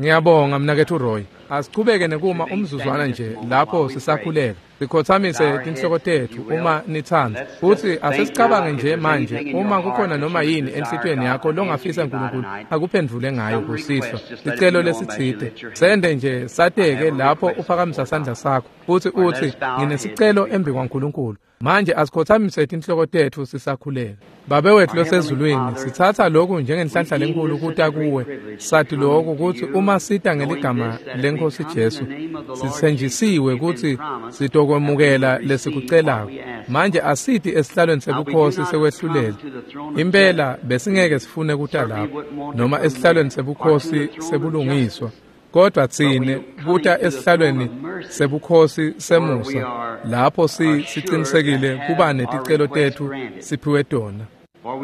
Ngiyabonga mnaketfu Roy. Asichubeke nekuma umzuzwana nje lapho sisakhuleka. Sikhothamise tinhloko tetfu uma nitsandza. Futsi asesicabange nje manje uma kukhona noma yini enhlitiyweni yakho longafisa uNkulunkulu akuphendvule ngayo kusihlwa. Sicelo lesitsite. Sende nje sateke lapho uphakamisa sandla sakho futsi utsi nginesicelo embi kwaNkulunkulu. Manje asikhothamise tinhloko tetfu sisakhuleka. Babe wetfu losezulwini, sitsatsa lokhu njengenhlanhla lenkulu kuta kuwe. Sathi lokhu kutsi uma sita ngeligama leNkhosi Jesu, sitsenjisiwe kutsi sitokwemukela lesikucelako. Manje asiti esihlalweni sebukhosi sekwehlulela. Impela besingeke sifune kuta lapho noma esihlalweni sebukhosi sebulungiswa. Kodwa tsine kuta esihlalweni sebukhosi semusa lapho sicinisekile kuba neticelo tetfu siphiwe tona.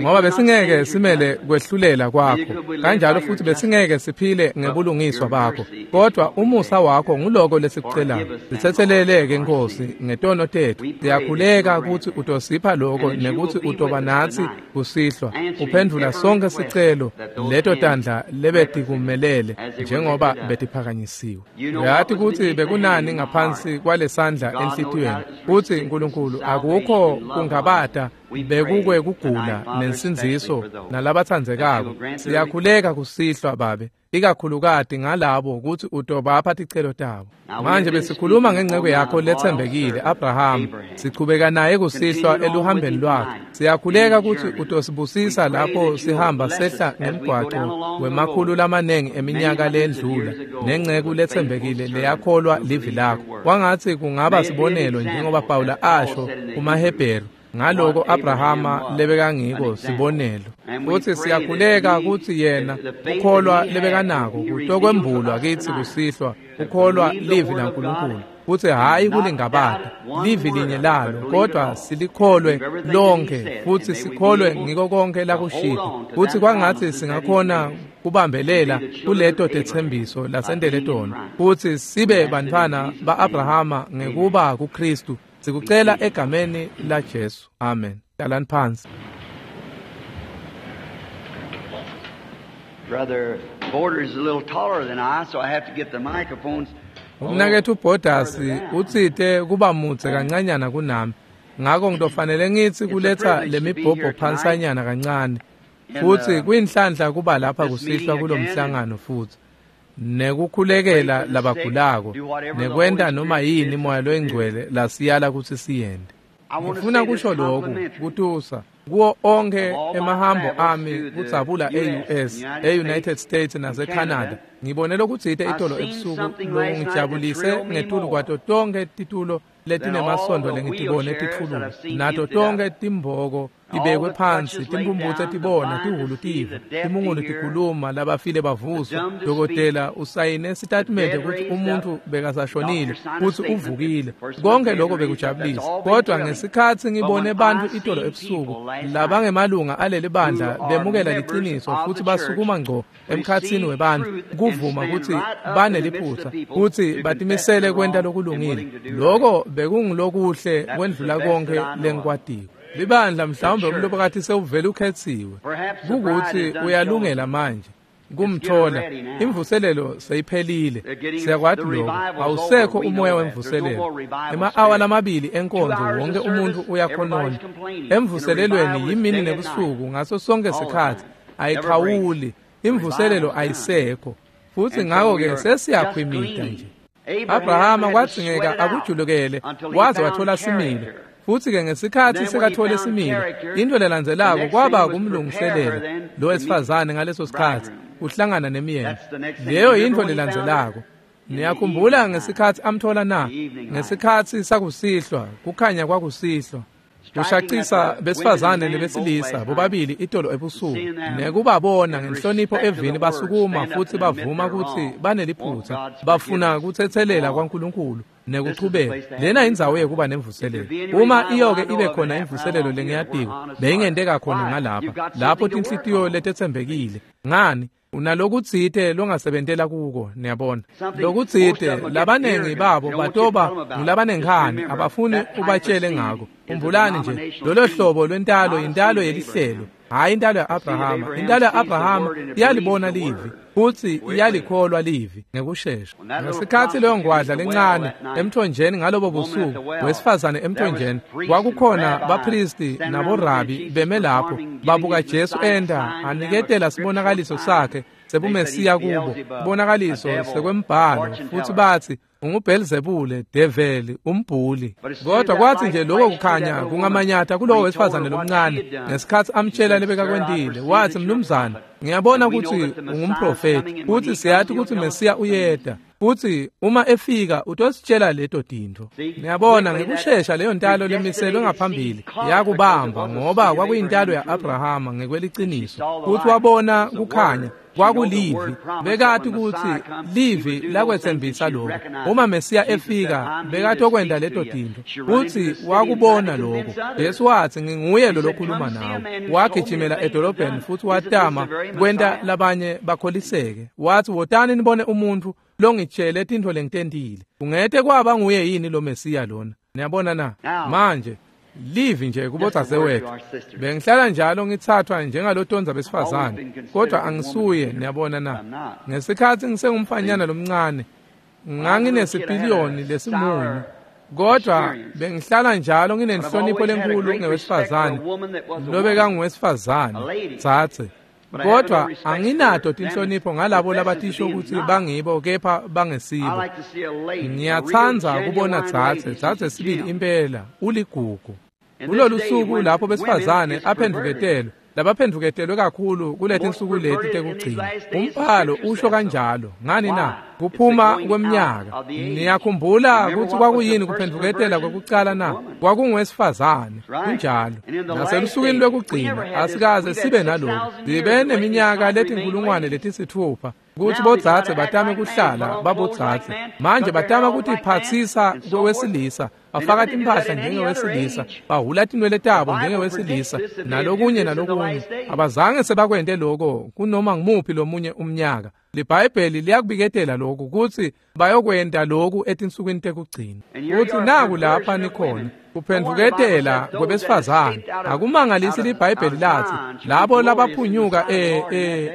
Ngoba besingeke simele kwehlulela kwakho, kanjalo futhi besingeke siphile ngebulungiswa bakho, kodwa umusa wakho nguloko lesikucelako. Sitsetseleleke Nkosi ngetono tetfu. Siyakhuleka kutsi utosipha lokho nekutsi utoba natsi kusihlwa, uphendvula sonke sicelo leto tandla lebetikumelele njengoba betiphakanyisiwe. Uyati kutsi bekunani ngaphansi kwalesandla enhlitiyweni, futsi Nkulunkulu akukho kungabata bekukwe kugula nensindziso nalabatsandzekako. Siyakhuleka kusihlwa Babe, ikakhulukati ngalabo kutsi utobapha ticelo tabo. Manje besikhuluma ngenceke yakho letsembekile Abraham, sichubeka naye kusihlwa eluhambeni lwakhe. Siyakhuleka kutsi utosibusisa lapho sihamba sehla ngemgwaco wemakhulu lamanengi eminyaka lendlula nenceku letsembekile leyakholwa livi lakho. Kwangatsi kungaba sibonelo njengoba Pawula asho kumaHebheru ngaloko Abrahama lebekangiko sibonelo. Futsi siyakhuleka kutsi yena ukholwa lebekanako kutokwembulwa kitsi kusihlwa, ukholwa livi laNkulunkulu, futsi hhayi kulingabata livi linye lalo, kodwa silikholwe lonke futsi sikholwe ngiko konke lakushito. Futsi kwangatsi singakhona kubambelela kuleto tetsembiso lasentele tona, futsi sibe bantfwana ba-Abrahama ngekuba kuKhristu. Sikucela egameni la Jesu. Amen. Hlalani phansi. Brother Borders is a little taller than I, so I have to get the microphones. Umnaketfu Borders utsite kuba mudze kancanyana kunami, ngako ngitofanele ngitsi kuletsa lemibhobho phansanyana kancane. Futsi kuyinhlanhla kuba lapha kusihlwa kulomhlangano futsi nekukhulekela labagulako nekwenta noma yini Moya loyingcwele lasiyala kutsi siyente. Ngifuna kusho lokhu kutusa kuwo onke emahambo ami kudzabula e-US, e-United States nase-Canada. Ngibone lokutsite itolo ebusuku lokungijabulise ngetulu kwato tonkhe titulo letinemasondvo lengitibone titfululwa, nato tonkhe timboko tibekwe phansi, timphumphutse tibona, tihhulu tiva, timungulu tikhuluma, labafile bavuswa. Dokotela usayine sitatimende kutsi umuntfu bekasashonile futsi uvukile. Konke lokho bekujabulisa, kodwa ngesikhatsi ngibone bantfu itolo ebusuku labangemalunga aleli bandla bemukela liciniso futsi basukuma ngco emkhatsini webantfu kuvuma kutsi baneliphutsa futsi batimisele kwenta lokulungile, lokho bekungulokuhle kwendlula konke lengikwatiko. Libandla mhlawumbe umlobokati sewuvele ukhetsiwe, kukutsi uyalungela manje kumthola. Imvuselelo seyiphelile, siyakwati lokho. Awusekho umoya wemvuselelo. Ema-awa lamabili enkonzo wonke umuntu uyakhonona. Emvuselelweni yimini nebusuku ngaso sonke sikhatsi, ayikhawuli. Imvuselelo ayisekho, futsi ngako-ke sesiyakhwimida nje. Abrahama kwadzingeka akujulukele waze wathola similo. Futsi-ke ngesikhatsi sekathole similo, intfo lelandzelako kwaba kumlungiselela lo wesifazane ngaleso sikhatsi kuhlangana nemyeni. Leyo yintfo lelandzelako. Niyakhumbula ngesikhatsi amthola na? Ngesikhatsi sakusihlwa, kukhanya kwakusihlwa. Kushaqisa besifazane nebesilisa bobabili itolo ebusuku nekubabona ngenhlonipho evini basukuma futsi bavuma kutsi baneliphutsa, bafuna kutsetselela kwaNkulunkulu nekuchubeka. Lena indzawo yekuba nemvuselelo. Uma iyoke ibe khona imvuselelo lengiyatiko, beyingenteka khona ngalapha, lapho tinhlitiyo letetsembekile. Ngani? Unalokutsite longasebentela kuko, niyabona. Lokutsite labanengi babo batoba ngulabanenkhani, abafuni ubatshele ngako. Khumbulani nje, lolo hlobo lwentalo yintalo yelihlelo, Hhayi intalo ya-Abrahama. Intalo ya-Abrahama iyalibona livi futsi iyalikholwa livi ngekushesha. Ngesikhatsi leyo ngwadla lencane emthonjeni ngalobo busuku, wesifazane emthonjeni, kwakukhona baphristi naborabi beme lapho babuka Jesu enta aniketela sibonakaliso sakhe sebumesiya kubo, sibonakaliso sekwembhalo, futsi batsi unguBhelzebule, develi, umbhuli. Kodwa kwathi nje lokho kukhanya kungamanyata kulowo wesifazane lomncane ngesikhatsi amtshela lebekakwentile, wathi, "Mnumzane, ngiyabona kutsi ungumprofeti, futsi siyati kutsi Mesiya uyeta, futsi uma efika utositshela leto tintfo." Ngiyabona ngekushesha leyo ntalo lemiselwe ngaphambili yakubamba, ngoba kwakuyintalo ya-Abrahama ngekweliciniso, futsi wabona kukhanya kwakulivi. Bekati kutsi livi lakwetsembisa lokho. Uma Mesiya efika bekatokwenta leto tintfo, futsi wakubona lokho. Jesu watsi, "Nginguye lo lokhuluma nawe." Wagijimela edolobheni futsi watama kwenta labanye bakholiseke. Watsi, "Wotani nibone umuntfu longitshele tintfo lengitentile. Kungete kwaba nguye yini lo Mesiya lona?" Niyabona na? Manje livi nje kubodzadzewethu. Bengihlala njalo ngitsathwa njengalotonza besifazane, kodwa angisuye. Niyabona na? Ngesikhatsi ngisengumfanyana lomncane nganginesipiliyoni lesimunyu, kodwa bengihlala njalo nginenhlonipho lenkulu ngewesifazane lobekanguwesifazane dzadze, kodwa anginato tinhlonipho ngalabo labatisho kutsi bangibo kepha bangesibo. Ngiyatsandza kubona dzadze sibili impela uligugu. Kulolu suku lapho besifazane aphendvuketelwe, labaphendvuketelwe kakhulu kuletinsuku leti tekugcina. Umbhalo usho kanjalo. Ngani na? Kuphuma kweminyaka. Niyakhumbula kutsi kwakuyini kuphendvuketela kwekucala na? Kwakungowesifazane. Kunjalo. Naselusukwini lwekugcina asikaze sibe naloku. Sibe neminyaka letinkulungwane letisitfupha kutsi bodzadze batame kuhlala babodzadze. Manje batama kutiphatsisa kwewesilisa, bafaka timphahla njengewesilisa, bahhula tinwele tabo njengewesilisa, nalokunye nalokunye. Abazange sebakwente loko kunoma ngumuphi lomunye umnyaka. LiBhayibheli liyakubiketela lokhu kutsi bayokwenta lokhu etinsukwini tekugcina. Kutsi naku lapha nikhona kuphendvuketela kwebesifazane. Akumangalisi liBhayibheli latsi labo labaphunyuka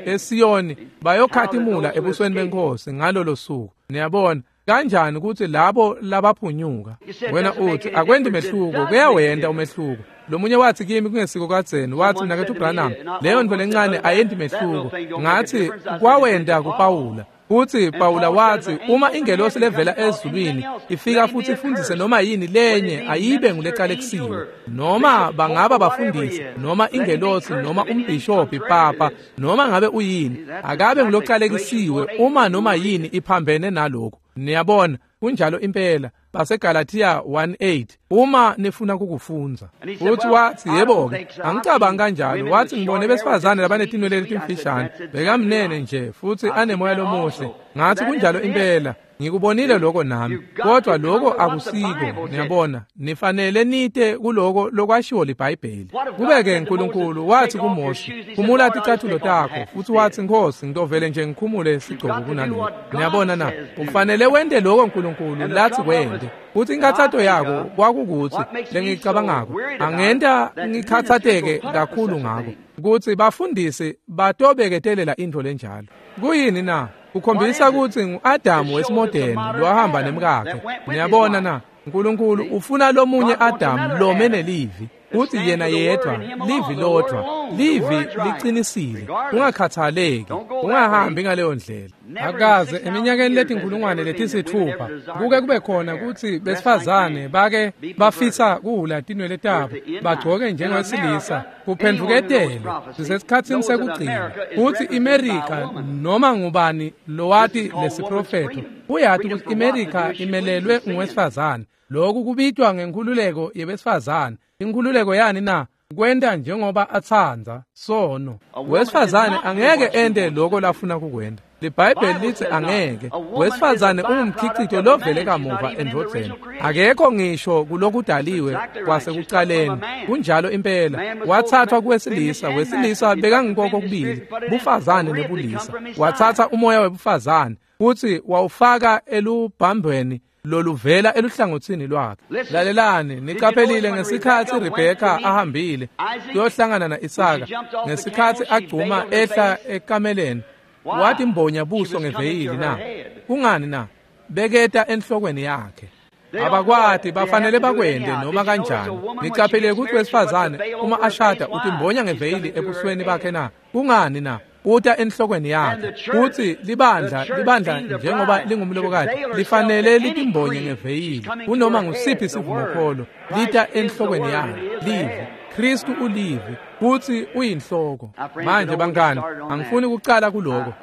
eSiyoni bayokhatimula ebusweni benkosi ngalolo suku. Niyabona kanjani kutsi labo labaphunyuka? Wena uthi akwendi mehluko. Kuyawenta umehluko. Lomunye wathi kimi kungesiko kadzeni, wathi, "Mnaketfu Branham, leyo ntfo lencane ayendi mehluko." Ngathi kwawenta kuPawula. Futsi Pawula watsi uma ingelosi levela ezulwini ifika futsi ifundzise noma yini lenye ayibe ngulecalekisiwe, noma bangaba bafundisi, noma ingelosi, noma umbhishobhi, papa, noma ngabe uyini, akabe ngulocalekisiwe uma noma yini iphambene nalokhu. Niyabona, kunjalo impela. BaseGalatia 1:8 uma nifuna kukufundza. Futhi wathi, "Yebo-ke, angicabangi kanjalo." Wathi, "Ngibone besifazane labanetinwele letimfishane, bekamnene nje futhi anemoya lomuhle." Ngathi, "Kunjalo impela, ngikubonile lokho nami, kodwa lokho akusiko." Niyabona, nifanele nite kuloko lokwashiwo liBhayibheli. Kube-ke uNkulunkulu wathi kuMose, "Khumula ticathulo takho," futhi wathi, "Nkosi, ngitovele nje ngikhumule sigcoko kunalokho." Niyabona na? Ufanele wente lokho uNkulunkulu lathi kwente. Futhi inkathato yako kwakukuthi lengicabangako angenta ngikhathateke kakhulu ngako kutsi bafundisi batobeketelela intfo lenjalo. Kuyini na? Kukhombisa kutsi ngu-Adamu wesimodeni lowahamba nemkakhe. Niyabona na? uNkulunkulu ufuna lomunye Adamu lome nelivi, kutsi yena yedwa, livi lodvwa, livi licinisile. Ungakhathaleki, ungahambi ngaleyo ndlela. Akaze eminyakeni letinkulungwane letisitfupha kuke kube khona kutsi besifazane bake bafisa kuhhula tinwele tabo bagcoke njengewesilisa. Kuphendvuketelwe sisesikhatsini sekugcina. Kutsi iMerika, noma ngubani lowati lesiprofetho uyati kutsi iMerika imelelwe nguwesifazane. Lokhu kubitwa ngenkhululeko yebesifazane. Inkhululeko yani na? Kwenta njengoba atsandza sono. Wesifazane angeke ente lokho lafuna kukwenta. LiBhayibheli litsi angeke. Wesifazane ungumkhicito lovele kamuva endvodzeni. Akekho ngisho kulokudaliwe kwasekucaleni. Kunjalo impela. Wathathwa kuwesilisa, wesilisa bekangikoko kubili, bufazane nebulisa. Wathatha umoya webufazane futhi wawufaka elubhambweni loluvela eluhlangotsini lwakhe. Lalelani, niqaphelile ngesikhatsi Rebheka ahambile kuyohlangana na-Isaka, ngesikhatsi agcuma ehla ekameleni, watimbonya buso ngeveyili na? Kungani na? Beketa enhlokweni yakhe. Abakwati, bafanele bakwente noma kanjani. Niqaphele ukuthi wesifazane uma ashada utimbonya ngeveyili ebusweni bakhe na? Kungani na? Uta enhlokweni yakhe. Futhi libandla njengoba lingumlobokati lifanele litimbonye ngeveyili kunoma ngusiphi isivumokholo, lita enhlokweni yakhe. Livi, Kristu ulivi, futhi uyinhloko. Manje bangani, angifuni ukucala kuloko.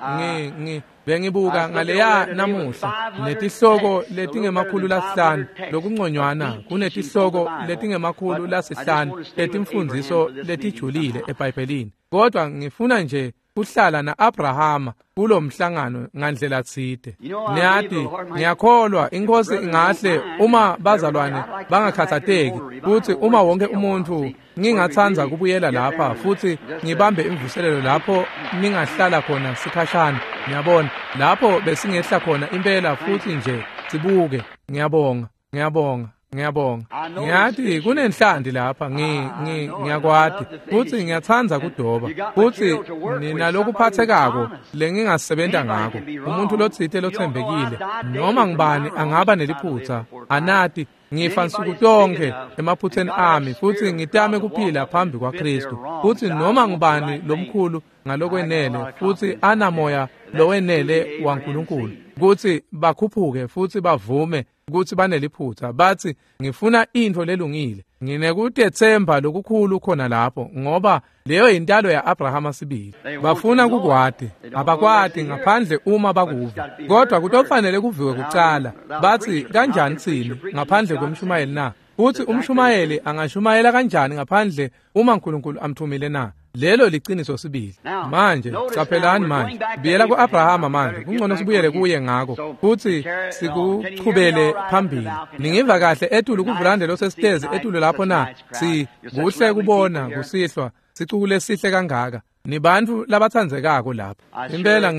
Bengibuka ngaleya namuhla netihloko letingema-500 lokunconywana kunetihloko letingema-500 letimfundziso letijulile eBhayibhelini. Kodwa ngifuna nje kuhlala na-Abrahama kulomhlangano ngandlela tsite. Niyati, ngiyakholwa inkosi ingahle uma bazalwane bangakhathateki futhi uma wonke umuntu ngingatsandza kubuyela lapha futhi ngibambe imvuselelo lapho ningahlala khona sikhashana. Ngiyabona lapho besingehla khona impela futhi nje sibuke. Ngiyabonga, ngiyabonga, ngiyabonga. Ngiyathi kunenhlanti lapha, ngiyakwati futhi ngiyatsandza kudoba futhi ninalokuphathekako lengingasebenta ngako. Umuntu lotsite lothembekile noma ngibani angaba neliphutha. Anati ngifa nsuku tonke emaphutheni ami futhi ngitame kuphila phambi kwaKristu. Futhi noma ngibani lomkhulu ngalokwenele futhi anamoya lowenele waNkulunkulu ukuthi bakhuphuke futhi bavume ukuthi baneliphutha, bathi ngifuna into lelungile. Nginekutethemba lokukhulu khona lapho, ngoba leyo yintalo ya-Abrahama sibili. Bafuna kukwati, abakwati ngaphandle uma bakuva, kodwa kutofanele kuviwe kucala. Bathi kanjani tsini ngaphandle kwemshumayeli na? Futhi umshumayeli angashumayela kanjani ngaphandle uma uNkulunkulu amthumile na? Lelo liciniso sibili. Manje caphelani manje, buyela ku-Abrahama manje, kungcono sibuyele kuye ngako futhi sikuchubele phambili. Ningiva kahle etulu kuvulande losesitezi etulu lapho na? Si kuhle kubona kusihlwa sicuku lesihle kangaka, nibantu labatsandzekako lapha. Impela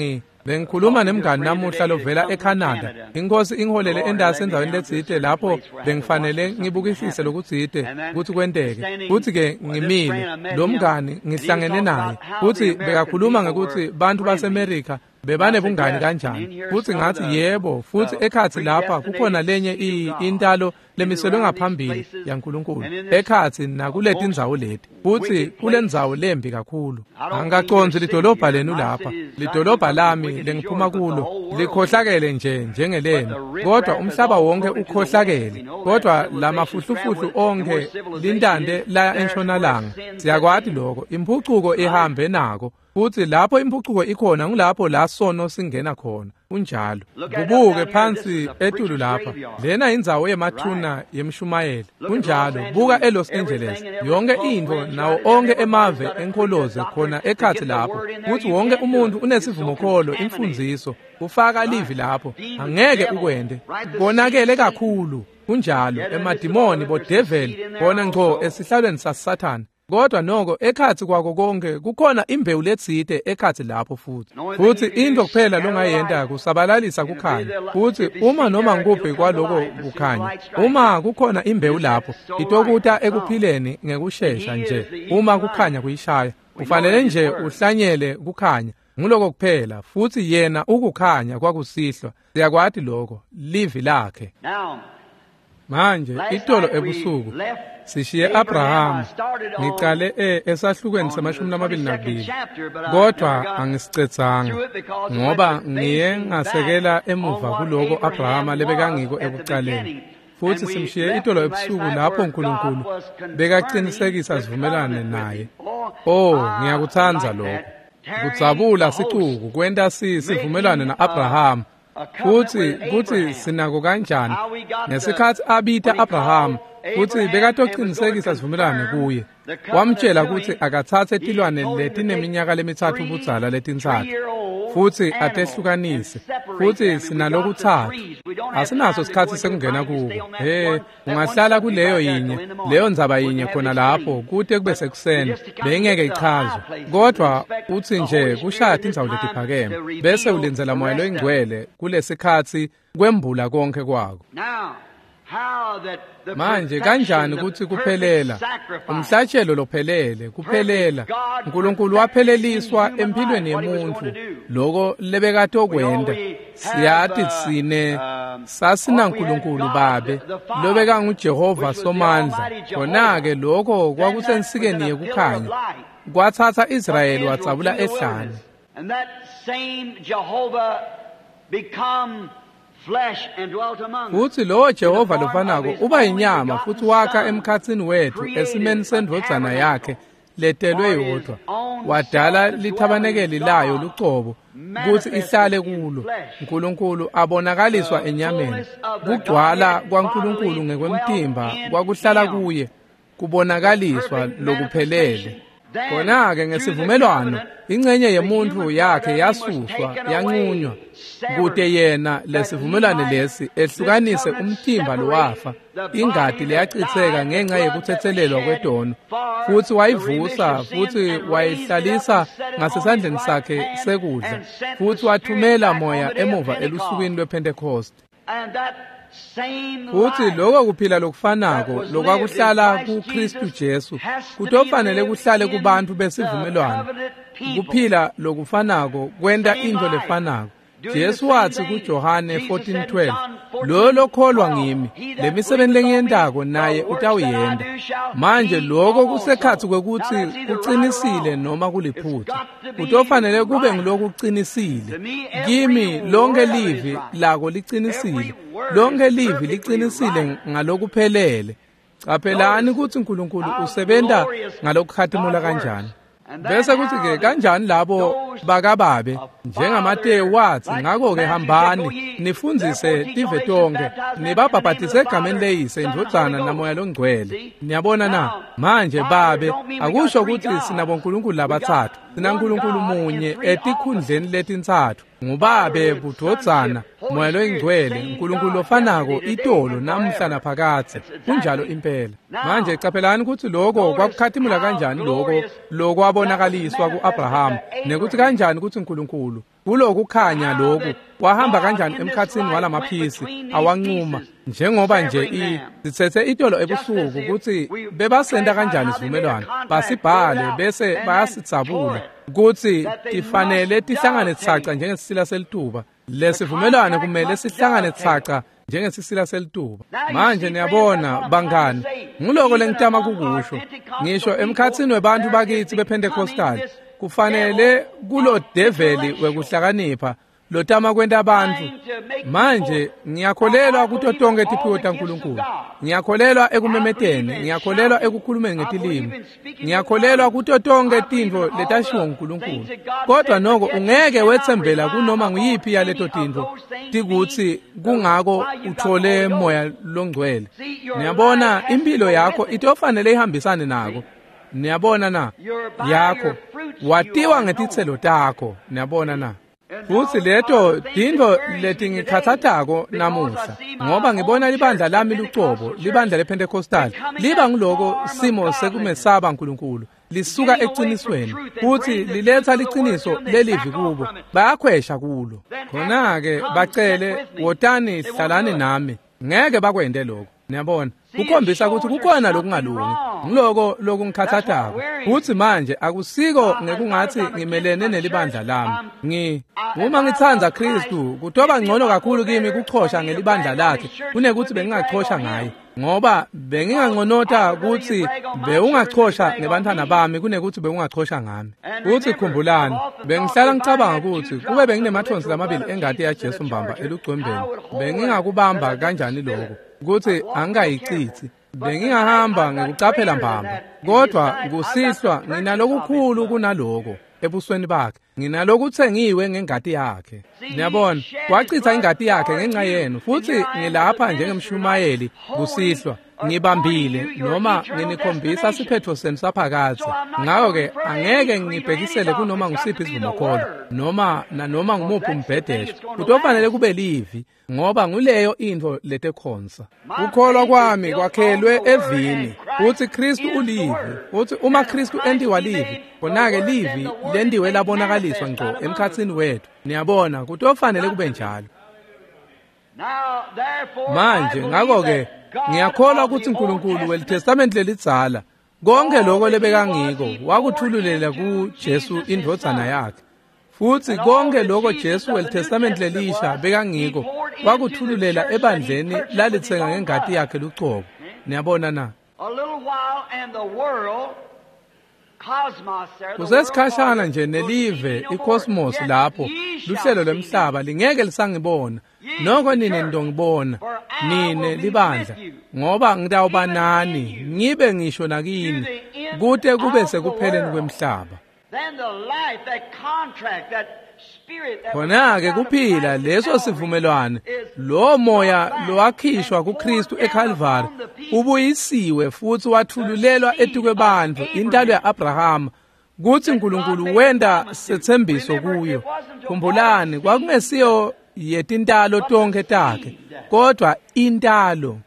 bengikhuluma nemngani namuhla lovela eCanada. Inkosi ingiholele endasi endzaweni letsite lapho bengifanele ngibukisise lokutsite ukuthi kwenteke. Futhi-ke ngimile lo mngani ngihlangene naye futhi bekakhuluma ngekuthi bantu baseMerika bebanebungani kanjani. Futhi ngathi yebo, futhi ekhathi lapha kukhona lenye intalo lemiselwe ngaphambili yaNkulunkulu ekhathi nakuletindzawo leti, futhi kulendzawo lembi kakhulu. Angikacondzi lidolobha lenu lapha, lidolobha lami lengiphuma kulo likhohlakele nje njengelenu, kodwa umhlaba wonke ukhohlakele. Kodwa lamafuhlufuhlu onke lintande laya entshonalanga, siyakwati lokho, imphucuko ihambe nako. Futhi lapho imphucuko ikhona ngulapho la sono singena khona. Kunjalo. Kubuke phansi etulu lapha, lena indzawo yemathuna yemshumayeli. Kunjalo. Buka eLos Angeles, yonke intfo nawo onke emave enkholoze khona ekhathi lapho. Futhi wonke umuntu unesivumokholo, imfundziso, ufaka livi lapho. Angeke ukwente. Konakele kakhulu. Kunjalo. Emadimoni, bodeveli, bona ngco esihlalweni saSathane. Kodwa noko ekhathi kwako konke kukhona imbewu letsite ekhathi lapho futhi. Futhi into kuphela longayenta kusabalalisa kukhanya. Futhi uma noma ngikuphi kwaloko kukhanya, uma kukhona imbewu lapho, itokuta ekuphileni ngekushesha nje. Uma kukhanya kuyishaya, ufanele nje uhlanyele kukhanya. Nguloko kuphela. Futhi yena ukukhanya kwakusihlwa. Siyakwati lokho, livi lakhe. Manje itolo ebusuku sishiye Abrahama. Ngicale esahlukweni se-22, kodwa angisicedzanga ngoba ngiye ngasekela emuva kuloko Abrahama lebekangiko ekucaleni. Futhi simshiye itolo ebusuku lapho uNkulunkulu bekaqinisekisa sivumelane naye. Oh, ngiyakutsandza lokho. Kudzabula sicuku kwenta sivumelane na-Abrahama. Futhi kuthi sinako kanjani ngesikhathi abita Abraham, Futsi bekatocinisekisa sivumelwano kuye. Wamtjela kutsi akatsatse tilwane letineminyaka lemithathu budzala letintsatfu futsi atehlukanise, futsi sinalokutsatfu. Asinaso sikhatsi sekungena kuko. He, ungahlala kuleyo yinye, leyo ndzaba yinye khona lapho kute kube sekuseni, beyingeke ichazwe. Kodwa utsi nje kushaya tindzawo letiphakeme, bese ulindzela Moya loyiNgcwele kulesikhatsi kwembula konke kwako. Manje kanjani kutsi kuphelela, umhlatshelo lophelele, kuphelela. Nkulunkulu wapheleliswa empilweni yemuntfu, loko lebekatokwenta. Siyati tsine sasinaNkulunkulu Babe, lobekanguJehova Somandla. Khona-ke lokho kwakusensikeni yekukhanya. Kwatsatsa Israyeli wadzabula ehlane. And that same Jehovah become Futsi lowo Jehova lofanako uba yinyama futsi wakha emkhatsini wetfu esimeni sendvodzana yakhe letelwe yodvwa. Wadala lithabanekeli layo lucobo kutsi ihlale kulo. Nkulunkulu abonakaliswa enyameni. Kugcwala kwaNkulunkulu ngekwemtimba kwakuhlala kuye, kubonakaliswa lokuphelele. Khona-ke ngesivumelwano ingcenye yemuntfu yakhe yasuswa yanqunywa kute yena lesivumelwano lesi ehlukanise umtimba lowafa, ingati leyachitseka ngenxa yekutsetselelwa kwetono, futsi wayivusa futsi wayihlalisa ngasesandleni sakhe sekudla, futsi wathumela Moya emuva elusukwini lwePhentekoste. Futsi loko kuphila lokufanako lokwakuhlala kuKristu Jesu kutofanele kuhlale kubantfu besivumelwano. Kuphila lokufanako kwenta intfo lefanako. Jesu watsi kuJohane 14:12, "Lo lokholwa ngimi, lemisebenti lengiyentako naye utawuyenta." Manje lokho kusekhatsi kwekutsi kucinisile noma kuliphutsa. Kutofanele kube ngulokucinisile. Kimi lonke livi lako licinisile. Lonke livi licinisile ngalokuphelele. Caphelani kutsi Nkulunkulu usebenta ngalokukhatimula kanjani. Bese kuthi-ke kanjani labo bakababe njengaMateyu watsi, ngakho-ke hambani nifundzise tive tonke nibabhabhatise egameni leyise, indvodzana naMoya loNgcwele. Niyabona na? Manje babe akusho kutsi sinabonkulunkulu labatsatfu, sinaNkulunkulu munye etikhundleni letintsatfu. Ngubabe, budvodzana, Moya loyiNgcwele, Nkulunkulu lofanako itolo namuhla naphakadze. Kunjalo impela. Manje caphelani kutsi loko kwakukhatimula kanjani loko lokwabonakaliswa ku-Abrahama, nekuthi kanjani kutsi Nkulunkulu kulokukhanya loku wahamba kanjani emkhatsini walamaphisi awancuma, njengoba nje sitsetse itolo ebusuku kutsi bebasenta kanjani sivumelwano, basibhale bese bayasidzabula kutsi tifanele tihlangane tsaca njengesisila selituba. Lesivumelwano kumele sihlangane tsaca njengesisila selituba. Manje niyabona bangani, nguloko lengitama kukusho. Ngisho emkhatsini webantfu bakitsi bePentecostal, kufanele kulo develi wekuhlakanipha lotama kwenta bantfu. Manje ngiyakholelwa kuto tonke tiphiwo taNkulunkulu. Ngiyakholelwa ekumemeteni, ngiyakholelwa ekukhulumeni ngetilimi. Ngiyakholelwa kuto tonke tintfo letashiwo nguNkulunkulu. Kodwa noko ungeke wetsembela kunoma nguyiphi yaleto tintfo tikutsi kungako uthole Moya loNgcwele. Niyabona impilo yakho itofanele ihambisane nako. Niyabona na? Yakho watiwa ngetitselo takho. Niyabona na? Futsi leto tintfo letingikhathatako namuhla, ngoba ngibona libandla lami lucobo, libandla lePentecostal, liba nguloko simo sekumesaba Nkulunkulu, lisuka ecinisweni, futsi liletsa liciniso lelivi kubo, bayakhwesha kulo. Khona-ke bacele, wotani hlalani nami, ngeke bakwente lokho. Niyabona, kukhombisa kutsi kukhona lokungalungi. Ngiloko lokungikhathatako. Futsi manje akusiko ngekungatsi ngimelene nelibandla lami. Uma ngitsandza Khristu, kutoba ngcono kakhulu kimi kuchosha ngelibandla lakhe kunekutsi bengingachosha ngaye. Ngoba benginganconota kutsi bewungachosha ngebantfwana bami kunekutsi bewungachosha ngami. Futsi khumbulani, bengihlala ngicabanga kutsi kube benginemathonsi lamabili engati yaJesu mbamba elugcwembeni, bengingakubamba kanjani lokho? Kutsi angikayicitsi, bengingahamba ngekucaphela mbamba. Kodwa kusihlwa nginalokukhulu kunaloko. ebusweni bakhe. Nginalokutsengiwe ngengati yakhe. Niyabona, wachitha ingati yakhe ngenxa yenu, futhi ngilapha njengemshumayeli kusihlwa. Ngibambile noma nginikhombisa siphetho senu saphakadze. Ngakho-ke angeke ngibhekisele kunoma ngusiphi isivumokholo noma nanoma ngumuphi umbhedesho. Kutofanele kube livi, ngoba nguleyo intfo letekhonsa. Kukholwa kwami kwakhelwe evini, futhi Kristu ulivi, futhi uma Kristu entiwa livi, khona-ke livi lentiwe labonakaliswa ngco emkhatsini wethu. Niyabona, kutofanele kube njalo. Manje ngakho-ke ngiyakholwa ukuthi uNkulunkulu weliTestamente lelidzala konke lokho lebekangiko wakuthululela kuJesu indvodzana yakhe, futhi konke lokho Jesu weliTestamente lelisha bekangiko wakuthululela ebandleni lalitsenga ngengati yakhe lucobo. Niyabona na? Kusesikhashana nje nelive icosmos lapho luhlelo lwemhlaba lingeke lisangibona, noko nine nitongibona, nine libandla, ngoba ngitawuba nani ngibe ngisho nakini kute kube sekupheleni kwemhlaba. Khona-ke kuphila leso sivumelwane, lo moya lowakhishwa kuKristu eKalvari ubuyisiwe futhi wathululelwa etikwebantfu, intalo ya-Abrahama, kutsi uNkulunkulu wenta setsembiso kuyo. Khumbulani, kwakungesiyo yetintalo tonkhe takhe, kodwa intalo.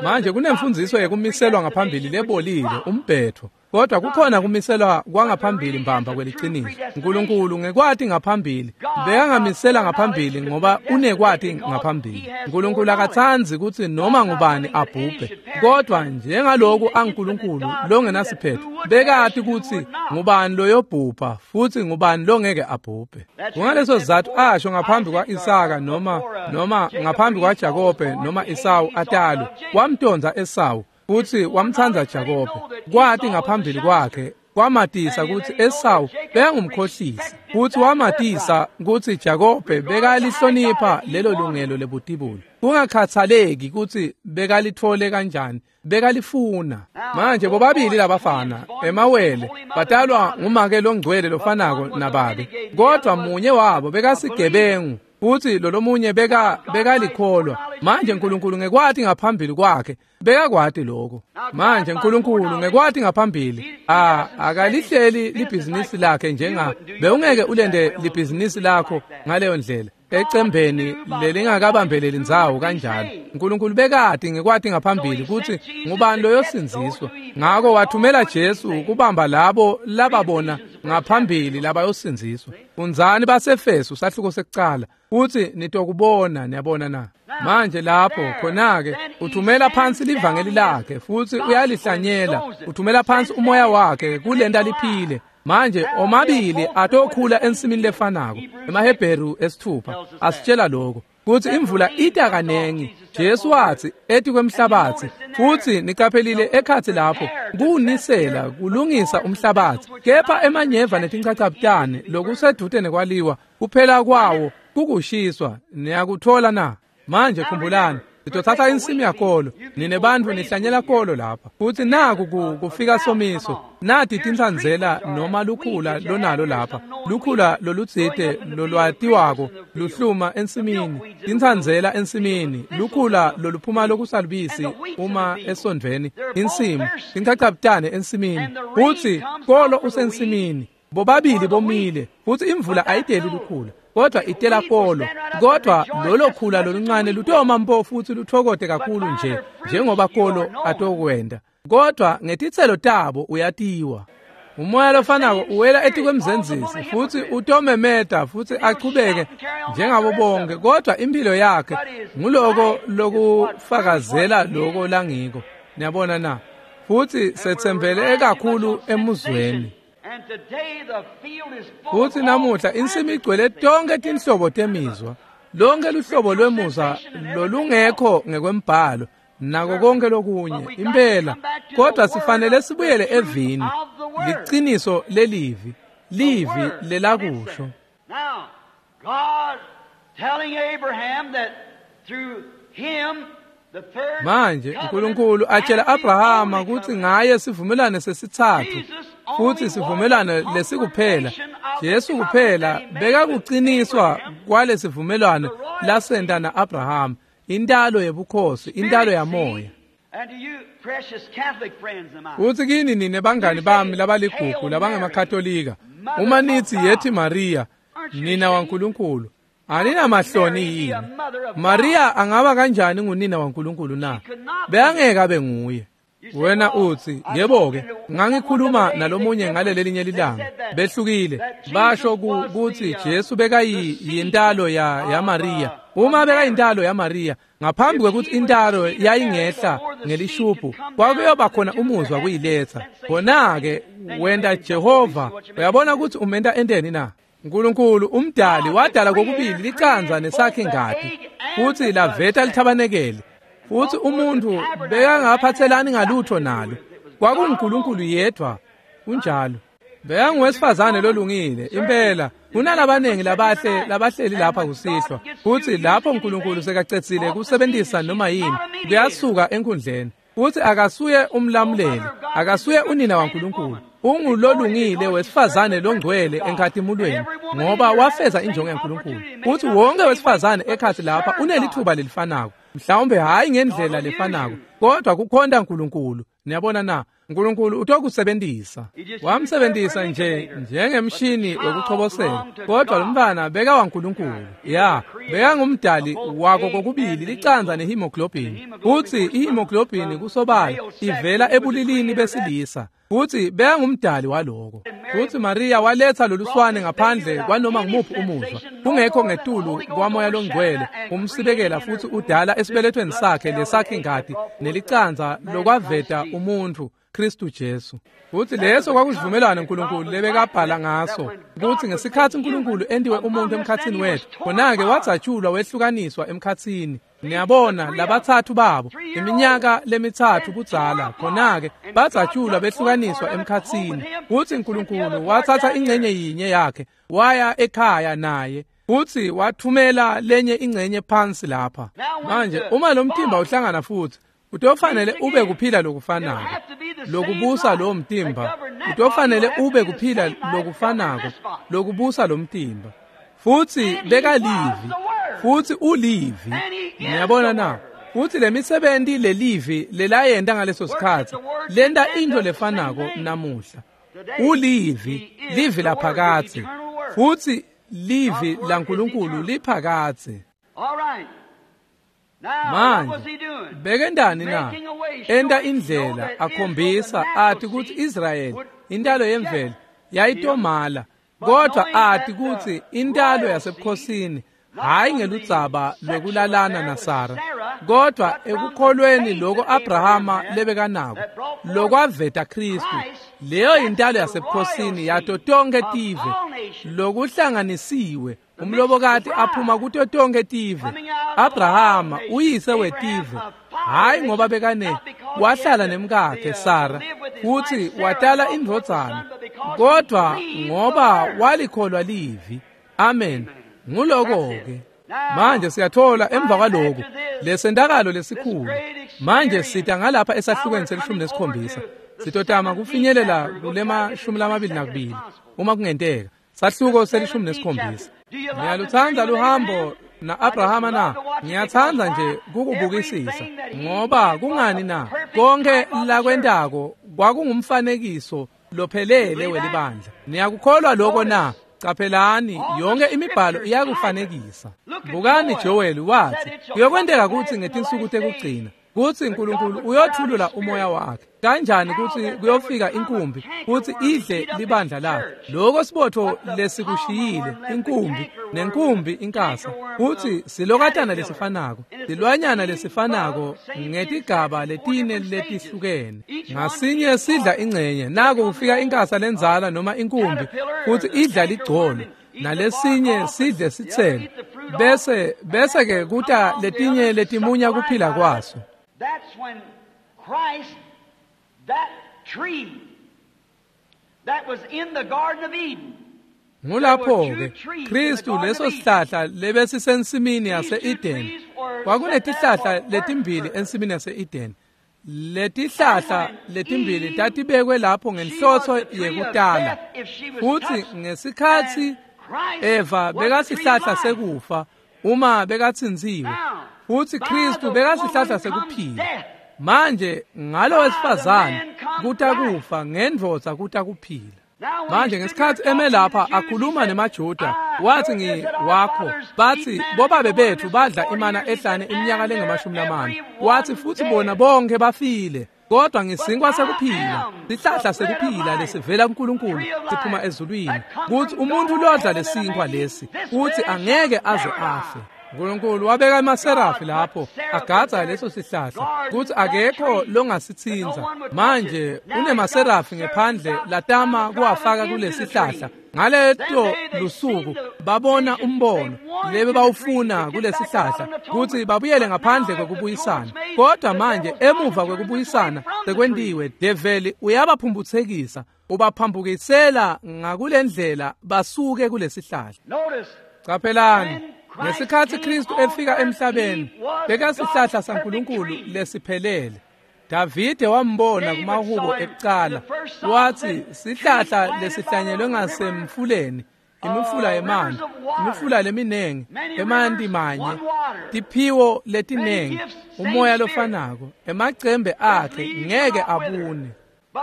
Manje kunemfundziso yekumiselwa ngaphambili lebolile, umbhetho, kodwa kukhona kumiselwa kwangaphambili mbamba kweliciniso. uNkulunkulu ngekwati ngaphambili bekangamisela ngaphambili ngoba unekwati ngaphambili. uNkulunkulu akatsandzi kutsi noma ngubani abhubhe, kodwa njengaloku anguNkulunkulu longenasiphetho bekati kutsi ngubani loyobhubha futhi ngubani longeke abhubhe. Kungaleso sizatfu asho ngaphambi kwa-Isaka noma ngaphambi kwaJakobe noma Esawu atalwe, wamtondza Esawu futhi wamtsandza Jakobe. Kwati ngaphambili kwakhe kwamatisa kutsi Esawu bekangumkhohlisi, futhi wamatisa kutsi Jakobe bekalihlonipha lelo lungelo lebutibulo, kungakhathaleki kutsi bekalitfole kanjani, bekalifuna. Manje bobabili labafana emawele batalwa ngumake longcwele lofanako nababe, kodwa munye wabo bekasigebengu futhi lolomunye bekalikholwa. Manje uNkulunkulu ngekwati ngaphambili kwakhe bekakwati lokho. Manje uNkulunkulu ngekwati ngaphambili akalihleli libhizinisi lakhe njenga bewungeke ulende libhizinisi lakho ngaleyo ndlela ecembeni lelingakabambeleli ndzawo kanjalo. uNkulunkulu bekati ngekwati ngaphambili kutsi ngubani loyosindziswa, ngako wathumela Jesu kubamba labo lababona ngaphambili labayosindziswa. Fundzani baseFesu sahluko sekucala futhi nitokubona. Niyabona na? Manje lapho khona-ke uthumela phansi livangeli lakhe futhi uyalihlanyela, uthumela phansi umoya wakhe kulenta liphile. Manje omabili atokhula ensimini lefanako. EmaHebheru 6 asitshela lokho kutsi imvula ita kanengi. Jesu watsi etikwemhlabatsi, futhi niqaphelile ekhatsi lapho kuwunisela kulungisa umhlabatsi, kepha emanyeva netinchachabutane lokusedvute nekwaliwa kuphela kwawo kukushiswa. Niyakuthola na? Manje khumbulani, sitothatha insimu yakolo, nine bantfu nihlanyela kolo lapha, futhi naku kufika somiso, nati tinsandzela noma lukhula lonalo lapha, lukhula lolutsite lolwatiwako luhluma ensimini, tinsandzela ensimini, lukhula loluphuma lokusalubisi uma esondveni insimu, tinchachabutane ensimini, futhi kolo usensimini, bobabili bomile, futhi imvula ayideli lukhula kodwa itela kolo. Kodwa lolo khula loluncane lutoma mpo futhi luthokote kakhulu nje njengoba kolo atokwenda, kodwa ngetitselo tabo uyatiwa. Umoya lofanako uwela etikwemzenzisi futhi utomemeta futhi achubeke njengabo bonke, kodwa impilo yakhe nguloko lokufakazela loko langiko. Niyabona na? Futhi setsembele kakhulu emuzweni. Futhi namuhla insimi igcwele tonke tinhlobo temizwa, lonke luhlobo lwemuzwa lolungekho ngekwembhalo nako konke lokunye impela, kodwa sifanele sibuyele evini, liciniso lelivi, livi lelakusho. Manje uNkulunkulu atshela Abrahama kutsi ngaye sivumelane sesitsatfu Futsi sivumelwano lesikuphela, Jesu kuphela bekakuciniswa kwalesivumelwano lasenta na-Abrahama, intalo yebukhosi, intalo yamoya. Futsi kini nine bangani bami labaligugu labangamakatolika, uma nitsi yethi Mariya, nina waNkulunkulu, aninamahloni yini? Mariya angaba kanjani ngunina waNkulunkulu na? Bekangeke abe nguye. Wena utsi, yebo-ke, ngangikhuluma nalomunye ngalelelinye lilanga. Behlukile. Basho kutsi Jesu bekayintalo ya Mariya. Uma bekayintalo ya Mariya, ngaphambi kwekutsi intalo yayingehla ngelishubhu, kwakuyoba khona umuzwa kuyiletsa. Khona-ke wenta Jehova, uyabona kutsi umenta enteni na? Nkulunkulu umdali wadala kokubili licandza nesakhi ngati, futsi laveta lithabanekele. Futsi umuntu bekangaphatselani ngalutho nalo. KwakunguNkulunkulu yedwa. Kunjalo. Bekanguwesifazane lolungile, impela. Kunalabanengi labahle labahleli lapha kusihlwa. Futsi lapho uNkulunkulu sekacedzile kusebentisa noma yini, kuyasuka enkhundleni. Futsi akasuye umlamuleli, akasuye unina waNkulunkulu. Ungulolungile wesifazane longcwele enkhatimulweni, ngoba wafeza injongo yaNkulunkulu. Futsi wonke wesifazane ekhatsi lapha unelithuba lelifanako. Mhlawumbe hayi ngendlela lefanako, kodwa kukhonta uNkulunkulu. Niyabona na? uNkulunkulu utokusebentisa. Wamsebentisa nje njengemshini wekuchobosela, kodwa lo mntfwana beka waNkulunkulu. Ya, bekangumdali wako kokubili licandza nehemoglobin. Futsi ihemoglobin kusobala ivela ebulilini besilisa. Futsi bekangumdali waloko. Futsi Mariya waletsa loluswane ngaphandle kwanoma ngumuphi umuzwa, kungekho ngetulu kwamoya longcwele umsibekela futsi udala esibelethweni sakhe lesakhi ngati nelicandza lokwaveta umuntfu Kristu Jesu. Futsi leso kwakusivumelwano uNkulunkulu lebekabhala ngaso, kutsi ngesikhatsi uNkulunkulu entiwe umuntu emkhatsini wetfu, khona-ke wadzatshulwa wehlukaniswa emkhatsini. Niyabona, labatsatfu babo, iminyaka lemithathu kudzala, khona-ke badzatshulwa behlukaniswa emkhatsini. Futsi uNkulunkulu watsatsa ingcenye yinye yakhe, waya ekhaya naye, futsi wathumela lenye ingcenye phansi lapha. Manje uma lo mtimba uhlangana futsi, utofanele ube kuphila lokufanako lokubusa lo mtimba, utofanele ube kuphila lokufanako lokubusa lo mtimba. Futsi bekalivi, futsi ulivi. Niyabona na? Futsi lemisebenti lelivi lelayenta ngaleso sikhatsi lenta into lefanako namuhla. Ulivi, livi laphakadze, futsi livi laNkulunkulu liphakadze. Manje bekendani na? Enta indlela, akhombisa ati kutsi Israyeli, intalo yemvelo, yayitomala, kodwa ati kutsi intalo yasebukhosini, hayi ngeludzaba lwekulalana naSara, kodwa ekukholweni loko Abrahama lebekanako, lokwaveta Kristu, leyo intalo yasebukhosini yato tonke tive, lokuhlanganisiwe. Umlobokati aphuma kuto tonke tive. Abrahama uyise wetive, hayi ngoba bekane wahlala nemkakhe Sara futsi watala indvodzana, kodwa ngoba walikholwa livi. Amen. Nguloko-ke. Manje siyathola emva kwaloku lesentakalo lesikhulu. Manje sita ngalapha esahlukweni se-17, sitotama kufinyelela kulema 22 uma kungenteka. Sahluko se-17. Ngiyalutsandza luhambo na-Abrahama na? Ngiyatsandza nje kukubukisisa, ngoba kungani na? Konke lakwentako kwakungumfanekiso lophelele welibandla. Niyakukholwa lokho na? Caphelani, yonke imibhalo iyakufanekisa. Bukani Joel wathi, kuyokwenteka kutsi ngetinsuku tekugcina kutsi uNkulunkulu uyothulula umoya wakhe. Kanjani kutsi kuyofika inkumbi kutsi idle libandla lakhe? Lokho sibotho lesikushiyile, inkumbi nenkumbi inkasa, kutsi silokatana lesifanako, silwanyana lesifanako ngetigaba letine letihlukene. Ngasinye sidla ingcenye. Nako kufika inkasa lendzala noma inkumbi kutsi idla ligcolo, nalesinye sidle sitselo, bese ke kuta letinye letimunya kuphila kwaso. That's when Christ, that tree that was in the Garden of Eden, Ngulapho-ke Kristu leso sihlahla lebesisensimini yase-Eden. Kwakunetihlahla letimbili ensimini yase-Eden. Letihlahla letimbili tatibekwe lapho ngenhloso yekutala. Futsi ngesikhatsi Eva bekasihlahla sekufa uma bekatsintsiwe, futsi Kristu bekasihlahla sekuphila. Manje ngalo wesifazane kuta kufa, ngendvodza kuta kuphila. Manje ngesikhatsi eme lapha akhuluma nemaJuda, wathi ngiwakho, bathi bobabe bethu badla imana ehlane iminyaka lengamashumi lamane. Wathi futhi bona bonke bafile, kodwa ngisinkwa sekuphila, sihlahla sekuphila lesivela kuNkulunkulu siphuma ezulwini, kuthi umuntu lodla lesinkwa lesi uthi angeke aze afe. uNkulunkulu wabeka emaserafi lapho agadza leso sihlahla kuthi akekho longasitsinza. Manje unemaserafi ngephandle latama kuwafaka kulesihlahla. Ngaleto lusuku babona umbono lebe bawufuna kulesihlahla kuthi babuyele ngaphandle kwekubuyisana. Kodwa manje emuva kwekubuyisana sekwentiwe, develi uyabaphumphutsekisa, ubaphambukisela ngakulendlela basuke kulesihlahla. Caphelani, ngesikhatsi Kristu efika emhlabeni bekasihlahla saNkulunkulu lesiphelele. Davide wambona kumahubo ekucala, wathi sihlahla lesihlanyelwe ngasemfuleni, imifula yemanti, imifula leminengi, emanti manye, tiphiwo letinengi, umoya lofanako, emacembe akhe ngeke abune.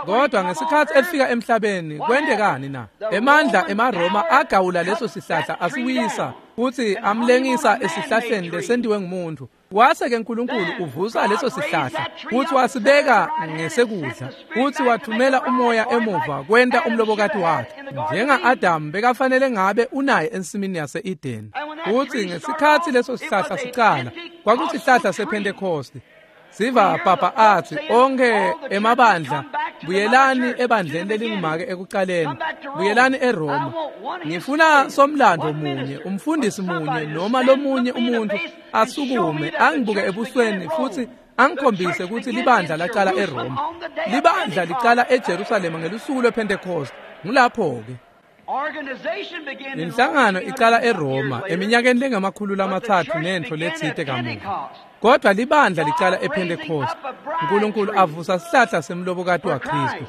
Kodwa ngesikhatsi efika emhlabeni kwentekani na? Emandla emaRoma agawula leso sihlahla asiwisa, futhi amlengisa esihlahleni lesentiwe ngumuntu. Wase-ke uNkulunkulu uvusa leso sihlahla futhi wasibeka ngesekudla, futhi wathumela umoya emuva kwenta umlobokati wakhe. Njenga-Adamu bekafanele ngabe unaye ensimini yase-Edeni. Futhi ngesikhatsi leso sihlahla sicala, kwakusihlahla sePhentekoste. Siva papa athi onke emabandla buyelani ebandleni lelingumake ekucaleni, buyelani eRoma. Ngifuna somlando munye, umfundisi munye noma lomunye umuntu asukume angibuke ebusweni futhi angikhombise ukuthi libandla lacala eRoma. Libandla licala eJerusalema ngelusuku lwePhentekoste. Ngulapho-ke inhlangano icala eRoma eminyakeni lengama-300 nentfo letsite kamuva. Kodwa libandla licala ePhentekoste. uNkulunkulu avusa sihlahla semlobokati waKristu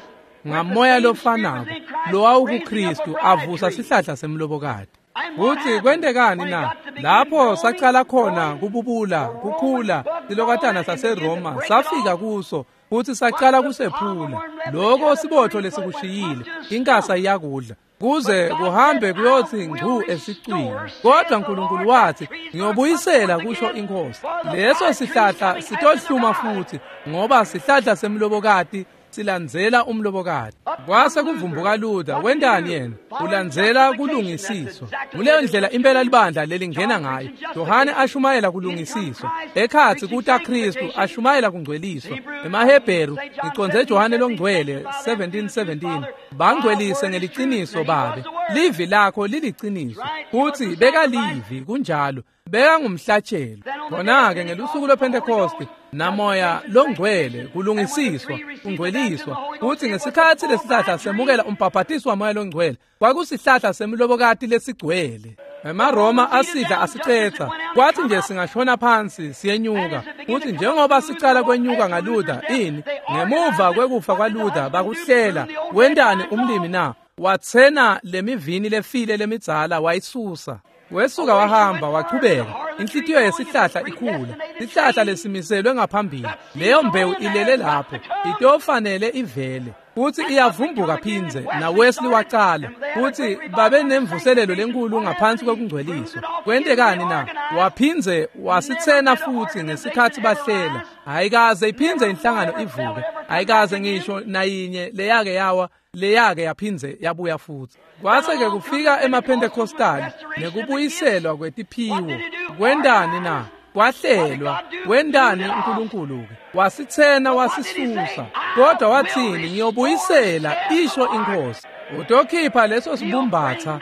ngamoya lofanako lowawukuKristu, avusa sihlahla semlobokati. Futhi kwentekani na? Lapho sacala khona kububula, kukhula, silokatana saseRoma safika kuso futhi sacala kusephula. Lokho sibotho lesikushiyile, inkasa iyakudla, kuze kuhambe kuyothi ngcu esicwini. Kodwa uNkulunkulu wathi, ngiyobuyisela, kusho inkosi. Leso sihlahla sitohluma futhi, ngoba sihlahla semlobokati silandzela umlobokati. Kwase kuvumbuka Luther, wentani yena? Ulandzela kulungisiswa. Nguleyo ndlela impela libandla lelingena ngayo. Yohane ashumayela kulungisiswa, ekhatsi kuta Kristu ashumayela kungcweliswa. EmaHebheru, ngiconze Johane longcwele 17:17, bangcwelise ngeliciniso babe, livi lakho liliciniso. Futhi bekalivi, kunjalo, bekangumhlatshelo. Khona-ke ngelusuku lwePhentekoste namoya longcwele kulungisiswa, kungcweliswa. Futhi ngesikhatsi lesihlahla semukela umbhabhatiso wamoya longcwele, kwakusihlahla semlobokati lesigcwele. EmaRoma asidla asicetha, kwathi nje singashona phansi siyenyuka. Futhi njengoba sicala kwenyuka ngaLuther, ini ngemuva kwekufa kwaLuther bakuhlela. Wentani umlimi na? Wathena lemivini lefile lemidzala wayisusa. Wesuka wahamba wachubeka. Inhlitiyo yesihlahla ikhula, sihlahla lesimiselwe ngaphambili. Leyo mbewu ilele lapho, itofanele ivele futhi iyavumbuka phindze. Na Wesley wacala futhi babe nemvuselelo lenkulu ngaphansi kwekungcweliswa. Kwentekani na? Waphindze wasitsena futhi ngesikhatsi bahlela. Ayikaze iphindze inhlangano ivuke, ayikaze ngisho nayinye leyake yawa, leyake yaphindze yabuya futhi. Kwase-ke kufika emaPhentekostali nekubuyiselwa kwetiphiwo. Kwentani na? Kwahlelwa. Wentani uNkulunkulu-ke? Wasitsena wasisusa. Kodwa wathini? Ngiyobuyisela, isho inkosi. Utokhipha leso sibumbatha,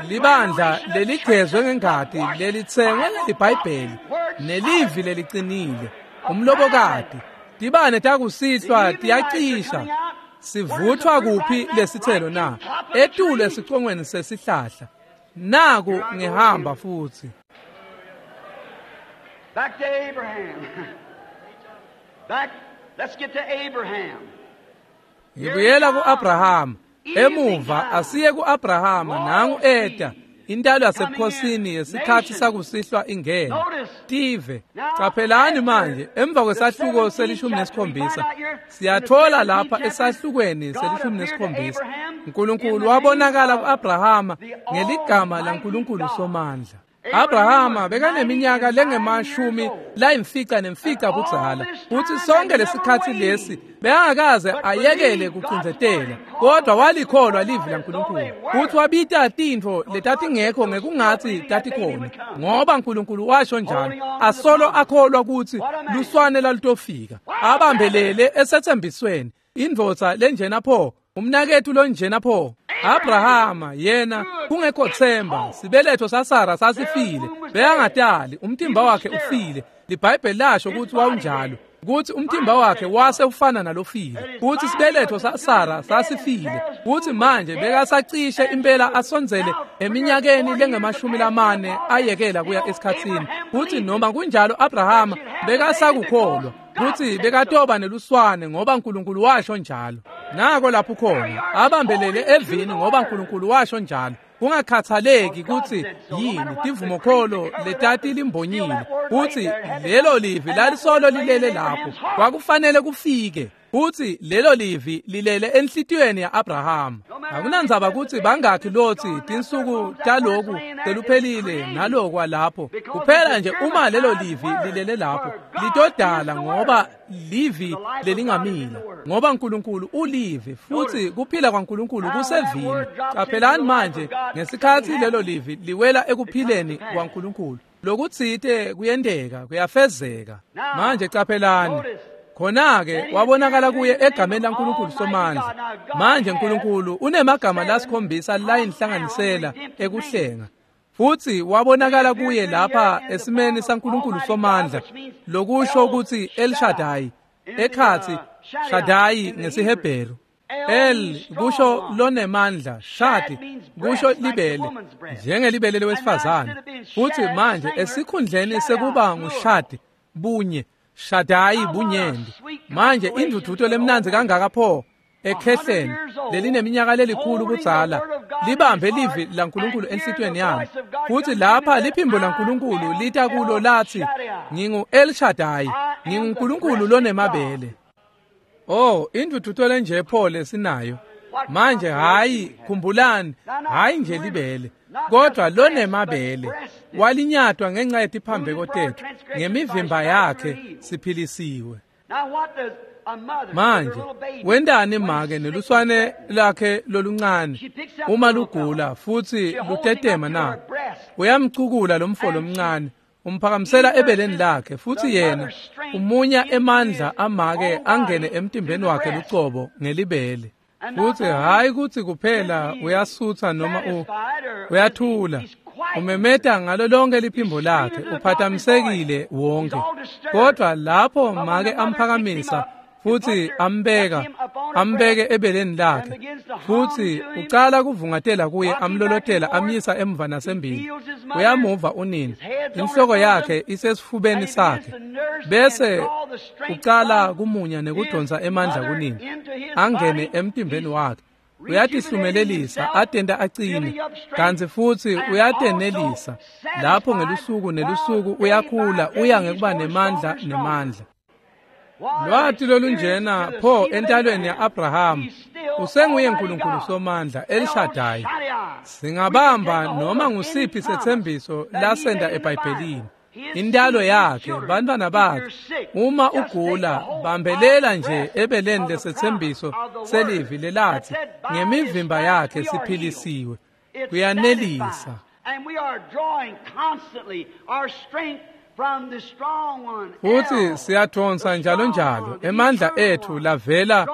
libandla leligezwe ngengati, lelitsengwe ngeliBhayibheli nelivi lelicinile, umlobokati. Tibane takusihlwa tiyacisha. Sivuthwa kuphi lesithelo na? Etulu esicongweni sesihlahla. Naku ngihamba futhi. Back to Abraham. Back Ngibuyela ku-Abrahama. Emuva asiye ku-Abrahama nangu eta intalo yasebukhosini yesikhathi sakusihlwa ingena tive. Qaphelani manje emva kwesahluko se-17 siyathola lapha esahlukweni se-17 uNkulunkulu wabonakala ku-Abrahama ngeligama laNkulunkulu Somandla. Abrahama bekaneminyaka lengemashumi layimfica nemfica budzala futhi sonke lesikhathi lesi bekangakaze ayekele kucindzetela, kodwa walikholwa livi laNkulunkulu futhi wabita tintfo letatingekho ngekungathi tatikhona, ngoba uNkulunkulu washo njalo. Asolo akholwa ukuthi luswane lalutofika, abambelele esethembisweni. Indvodza lenjena pho, umnakethu lonjena pho. Abrahama yena kungekho themba, sibeletho saSara sasifile, bekangatali, umtimba wakhe ufile. LiBhayibheli lasho ukuthi wawunjalo, ukuthi umtimba wakhe wase ufana nalofile, futhi sibeletho saSara sasifile, futhi manje bekasacishe impela asondzele eminyakeni lengemashumi lamane ayekela kuya esikhatsini. Futhi noma kunjalo Abrahama bekasakukholwa kutsi bekatoba neluswane ngoba uNkulunkulu washo njalo. Nako lapho khona abambelele evini ngoba uNkulunkulu washo njalo, kungakhathaleki kutsi yini tivumokholo letati limbonyile, kutsi lelo livi lalisolo lilele lapho, kwakufanele kufike. Futhi lelo livi lilele enhlitiyweni ya-Abrahama. Akunandzaba kutsi bangakhi lotsi tinsuku taloku seluphelile nalokwa lapho, kuphela nje uma lelo livi lilele lapho litodala, ngoba livi lelingamila, ngoba uNkulunkulu ulivi futhi kuphila kwaNkulunkulu kusevini. Qaphelani manje ngesikhathi lelo livi liwela ekuphileni kwaNkulunkulu, lokutsite kuyenteka, kuyafezeka. Manje qaphelani khona-ke wabonakala kuye egameni laNkulunkulu Somandla. Manje uNkulunkulu unemagama lasikhombisa layinhlanganisela ekuhlenga, futhi wabonakala kuye lapha esimeni saNkulunkulu Somandla, lokusho ukuthi El Shaddai, ekhatsi Shaddai ngesiHebheru. El kusho lonemandla, Shadi kusho libele, njengelibele lewesifazane. Futhi manje esikhundleni sekuba nguShadi bunye, Shaddai bunyenti. Manje indvudvuto lemnandzi kangaka pho ekhehleni lelineminyaka lelikhulu budzala libambe livi laNkulunkulu enhlitiyweni yami, futhi lapha liphimbo laNkulunkulu lita kulo lathi, ngingu El Shaddai, nginguNkulunkulu lonemabele. Oh, indvudvuto lenje pho lesinayo manje. Hayi, khumbulani, hayi nje libele, kodwa lonemabele. Walinyatwa ngenxa yetiphambeko tethu, ngemivimba yakhe siphilisiwe. Manje wentani make neluswane lakhe loluncane uma lugula futhi lutetema na? Uyamcukula lomfo lomncane, umphakamisela ebeleni lakhe, futhi yena umunya emandla amake angene emtimbeni wakhe lucobo ngelibele. Futhi hayi kutsi kuphela uyasutha noma uyathula, umemeta ngalo lonke liphimbo lakhe, uphathamisekile wonke. Kodwa lapho make amphakamisa futhi ambeke ebeleni lakhe, futhi ucala kuvungatela kuye, amlolotela, amyisa emva nasembili, uyamuva unina, inhloko yakhe isesifubeni sakhe, bese ucala kumunya nekudonsa emandla kunina angene emtimbeni wakhe. Uyatihlumelelisa atenta acine, kantsi futhi uyatenelisa lapho ngelusuku nelusuku uyakhula, uya ngekuba nemandla nemandla. Lwati lolunjena pho entalweni ya-Abrahama, usenguye uNkulunkulu Somandla, El Shaddai. Singabamba noma ngusiphi sethembiso lasenda eBhayibhelini. Intalo yakhe, bantwana bakhe. Uma ugula, bambelela nje ebeleni lesethembiso selivi lelathi ngemivimba yakhe siphilisiwe. Kuyanelisa. Futhi siyathonsa njalo njalo emandla ethu lavela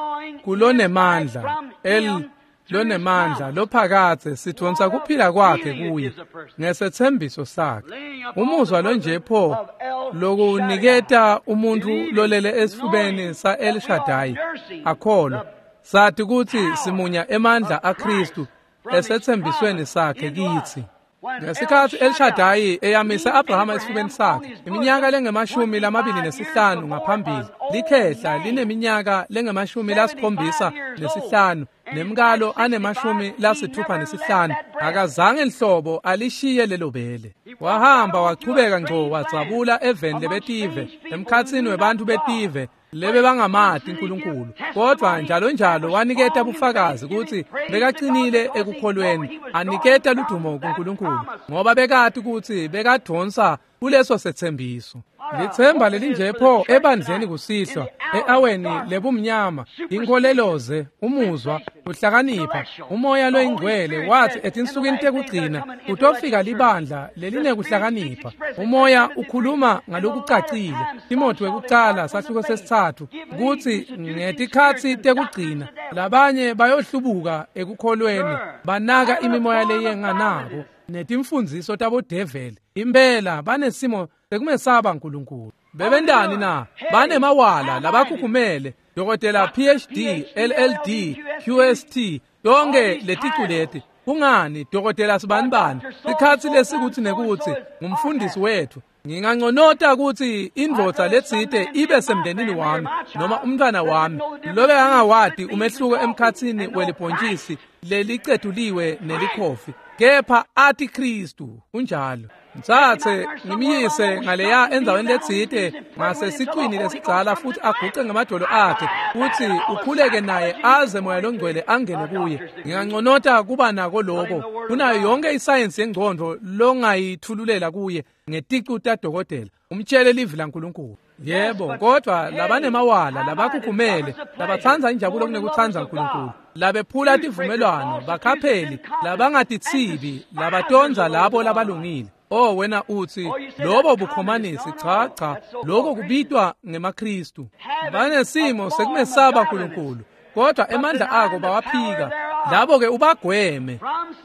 kulonemandla, El lonemandla lophakathe, sithonsa kuphila kwakhe kuye ngesethembiso sakhe. Umuzwa lonje pho lokuniketa umuntu lolele esifubeni sa-El Shaddai akholwa, sathi kutsi simunya emandla aKristu esethembisweni sakhe kitsi. Ngesikhatsi El Shaddai eyamisa Abrahama esifubeni sakhe iminyaka lengu-25 ngaphambili, likhehla lineminyaka lengu-75 nemkalo ane-65, akazange nhlobo alishiye lelo bele. Wahamba wachubeka ngco wadzabula eveni lebetive, emkhatsini webantfu betive lebe bangamati uNkulunkulu, kodwa njalo njalo waniketa bufakazi kutsi bekacinile ekukholweni, aniketa ludumo kuNkulunkulu, ngoba bekati kutsi bekadonsa kuleso setsembiso. Litsemba lelinje pho ebandleni kusihlwa, eaweni lebumnyama, inkoleloze, umuzwa, kuhlakanipha, umoya loyingcwele wathi etinsukwini tekugcina kutofika libandla lelinekuhlakanipha. Umoya ukhuluma ngalokucacile. Timothy wekucala sahluko 3 kutsi ngetikhatsi tekugcina labanye bayohlubuka ekukholweni, banaka imimoya leyenganako netimfundziso tabodeveli. Impela banesimo sekumesaba uNkulunkulu. Bebentani na? Banemawala labakhukhumele, dokotela PhD, LLD, QST, tonke leticu leti. Kungani dokotela sibanibani? Sikhatsi lesikuthi nekuthi ngumfundisi wethu. Nginganconota kutsi indvodza letsite ibe semndenini wami noma umntwana wami lobe angawati umehluko emkhatsini welibhontjisi lelicetuliwe nelikhofi, kepha ati Kristu. Kunjalo. Mtsatse ngimyise ngaleya endzaweni letsite ngasesicwini lesidzala futhi aguce ngamadolo akhe futhi ukhuleke naye aze moya longcwele angene kuye. Nginganconota kuba nako lokho kunayo yonke isayensi yengcondvo longayithululela kuye ngeticu tadokotela. Umtshele livi laNkulunkulu. Yebo, kodwa labanemawala, labakhukhumele, labatsandza injabulo kunekutsandza uNkulunkulu, labephula tivumelwano, bakhapheli, labangatithibi, labatondza labo labalungile. Oh, wena utsi lobo bukhomanisi. Cha cha, lokho kubitwa ngemaKristu. Banesimo sekumesaba uNkulunkulu, kodwa emandla ako bawaphika. Labo ke ubagweme,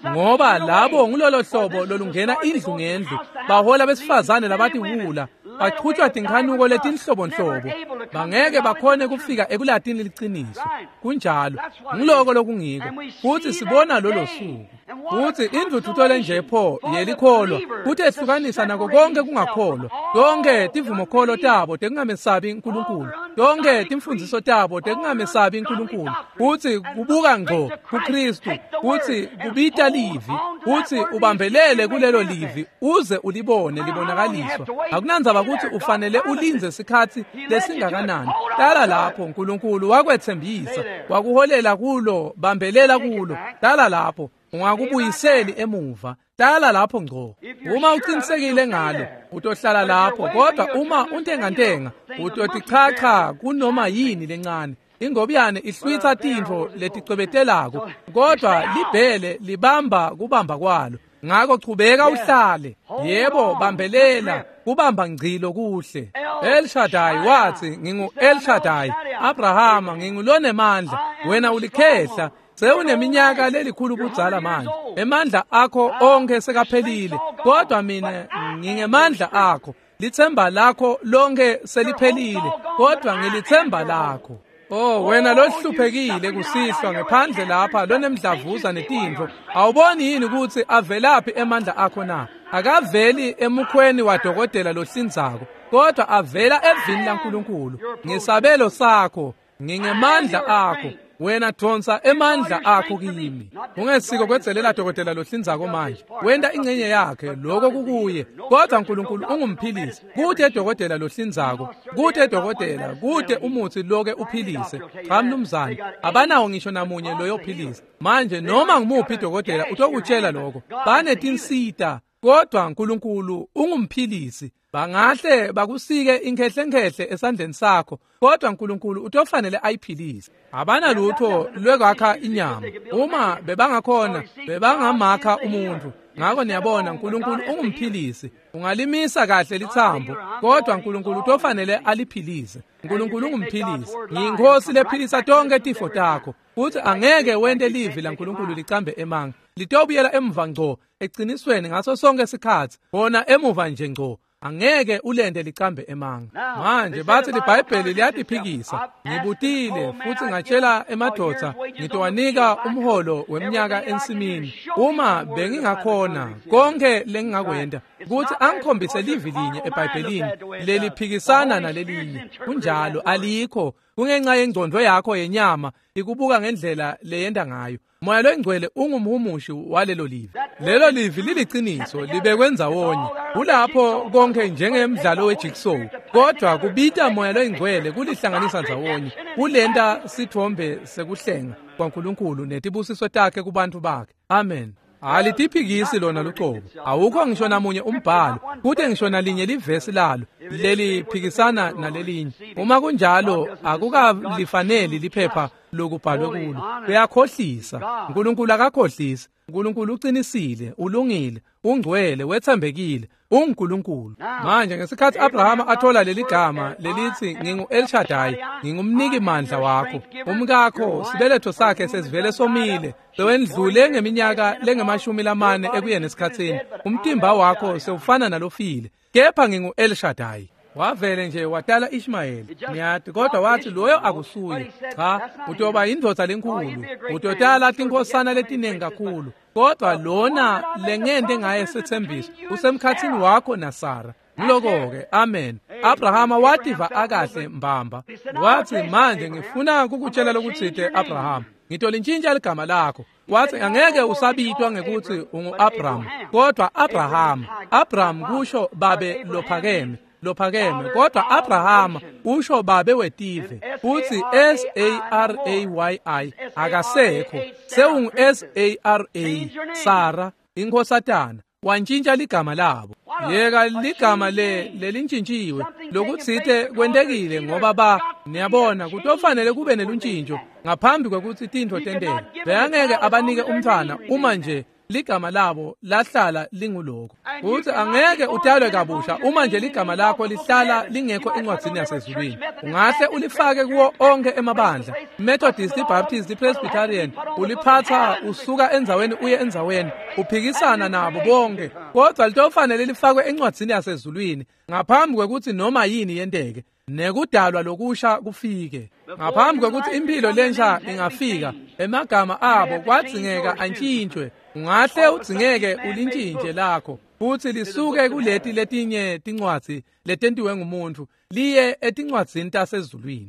ngoba labo ngulolo hlobo lolungena indlu ngendlu, bahola besifazane labatiwula, bachutjwa tinkhanuko letinhlobonhlobo, bangeke bakhone kufika ekulatini liciniso. Kunjalo, ngiloko lokungiko, futhi sibona lolo suku. Futhi indvudvuto lenje pho yelikholwa kuthi ehlukanisa nako konke kungakholwa, tonke tivumokholo tabo tekungamesabi uNkulunkulu, tonke timfundziso tabo tekungamesabi uNkulunkulu, futhi kubuka ngco kuKristu, futhi kubita livi, futhi ubambelele kulelo livi uze ulibone libonakaliswa. Akunandzaba kutsi ufanele ulindze sikhatsi lesingakanani, hlala lapho. uNkulunkulu wakwetsembisa, wakuholela kulo, bambelela kulo, hlala lapho, ungakubuyiseli emuva, hlala lapho ngco. Uma uqinisekile ngalo utohlala lapho, kodwa uma untengantenga utotichacha kunoma yini lencane. Ingobiyane ihlwitsa tintfo leticwebetelako, kodwa libhele libamba kubamba kwalo. Ngako chubeka uhlale. Yebo, bambelela, kubamba ngcilo kuhle. El Shaddai wathi, ngingu El Shaddai. Abrahama, ngingulonemandla, wena ulikhehla, sewuneminyaka lelikhulu budzala manje. Emandla akho onke sekaphelile, kodwa mina ngingemandla akho. Litsemba lakho lonke seliphelile, kodwa ngilitsemba lakho. Oh, wena lohluphekile kusihlwa ngephandle lapha lonemdlavuza netintfo, awuboni yini ukuthi avelaphi emandla akho na? Akaveli emukhweni wadokotela lohlinzako, kodwa avela evini laNkulunkulu. Ngisabelo sakho, ngingemandla akho. Wena donsa emandla akho kimi. Ungesiko kwedzelela dokotela lohlinzako manje, wenta ingcenye yakhe, lokho kukuye, kodwa uNkulunkulu ungumphilisi. Kude dokotela lohlinzako, kude dokotela, kude umuthi loke uphilise. Cha mnumzane, abanawo ngisho namunye loyophilisa. Manje noma ngumuphi dokotela utokutshela lokho, banetinsita, kodwa uNkulunkulu ungumphilisi. Bangahle bakusike inkehlenkhehle esandleni sakho, kodwa uNkulunkulu utofanele ayiphilise. Abanalutho lwekwakha inyama. Uma bebangakhona bebangamakha umuntu. Ngako niyabona uNkulunkulu ungumphilisi. Ungalimisa kahle lithambo, kodwa uNkulunkulu utofanele aliphilise. uNkulunkulu ungumphilisi. Ngiyinkosi lephilisa tonke tifo takho. Futhi angeke wente livi laNkulunkulu licambe emanga. Litobuyela emuva ngco eqinisweni ngaso sonke isikhatsi, bona emuva nje ngco. Angeke ulende licambe emanga. Manje bathi liBhayibheli liyatiphikisa. Ngibutile futhi ngatshela emadvodza ngitowanika umholo weminyaka ensimini. Uma bengingakhona konke lengingakwenda ukuthi angikhombise livi linye eBhayibhelini leliphikisana nalelinye. Kunjalo alikho. Kungenxa yengcondo yakho yenyama ikubuka ngendlela leyenda ngayo. Moya loyingcwele ungumhumushi walelo livi. Lelo livi liliqiniso libekwe ndzawonye. Kulapho konke njengemdlalo wejigsaw, kodwa kubita moya loyingcwele kulihlanganisa ndzawonye. Kulenta sithombe sekuhlenga kwaNkulunkulu netibusiso takhe kubantu bakhe. Amen. Alitiphikisi lona lucobo. Awukho ngisho namunye umbhalo, kute ngisho nalinye livesi lalo leliphikisana nalelinye. Uma kunjalo akukalifaneli liphepha lokubhalwe kulo. Kuyakhohlisa. uNkulunkulu akakhohlisi. uNkulunkulu uqinisile, ulungile, ungcwele, wethembekile, unguNkulunkulu. Manje ngesikhathi Abrahama athola leli gama lelithi ngingu El Shaddai, ngingumniki mandla wakho. Umkakho sibeletho sakhe sesivele somile, sewendlule ngeminyaka lengemashumi lamane ekuyeni esikhatsini. Umtimba wakho sewufana nalofile, kepha ngingu El Shaddai. Wavele nje watala Ishmayeli, niyati, kodwa wathi loyo akusuye. Cha, utoba indvodza lenkulu, utotala tinkhosana letiningi kakhulu, kodwa lona lengente ngaye sethembiso usemkhatsini wakho naSara. Ngiloko-ke, amen. Abrahama wativa akahle mbamba. Wathi manje ngifuna kukutshela lokutsite Abrahama, ngitolintshintsha ligama lakho. Wathi angeke usabitwa ngekuthi ungu-Abraham, kodwa Abrahama. Abraham kusho babe lophakeme. Lophakeme, kodwa Abrahama usho babe wetive. Futhi S-A-R-A-Y-I akasekho, sewungu S-A-R-A, Sara, inkhosatana. Wantshintsha ligama labo. Yeka ligama lelintshintshiwe lokutsite kwentekile ngoba ba niyabona kutofanele kube neluntshintsho ngaphambi kwekuthi tintfo tenteke. Bekangeke abanike umntfwana uma nje ligama labo lahlala linguloko. Futhi angeke utalwe kabusha uma nje ligama lakho lihlala lingekho encwadzini yasezulwini. Ungahle ulifake kuwo onke emabandla, Methodist, Baptist, Presbyterian, uliphatha usuka endzaweni uye endzaweni, uphikisana nabo bonke, kodwa litofanele lifakwe encwadzini yasezulwini ngaphambi kwekuthi noma yini yenteke, nekudalwa lokusha kufike. Ngaphambi kwekuthi impilo lensha ingafika, emagama abo kwadzingeka antshintshwe. Ungahle udzingeke ulintshintshe lakho futhi lisuke kuleti letinye tincwadzi letentiwe ngumuntu liye etincwadzini tasezulwini.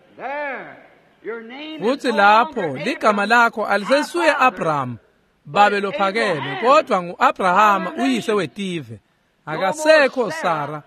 Futhi lapho ligama lakho alisesuye Abraham babe lophakeme, kodwa ngu-Abrahama uyise wetive. Akasekho Sara,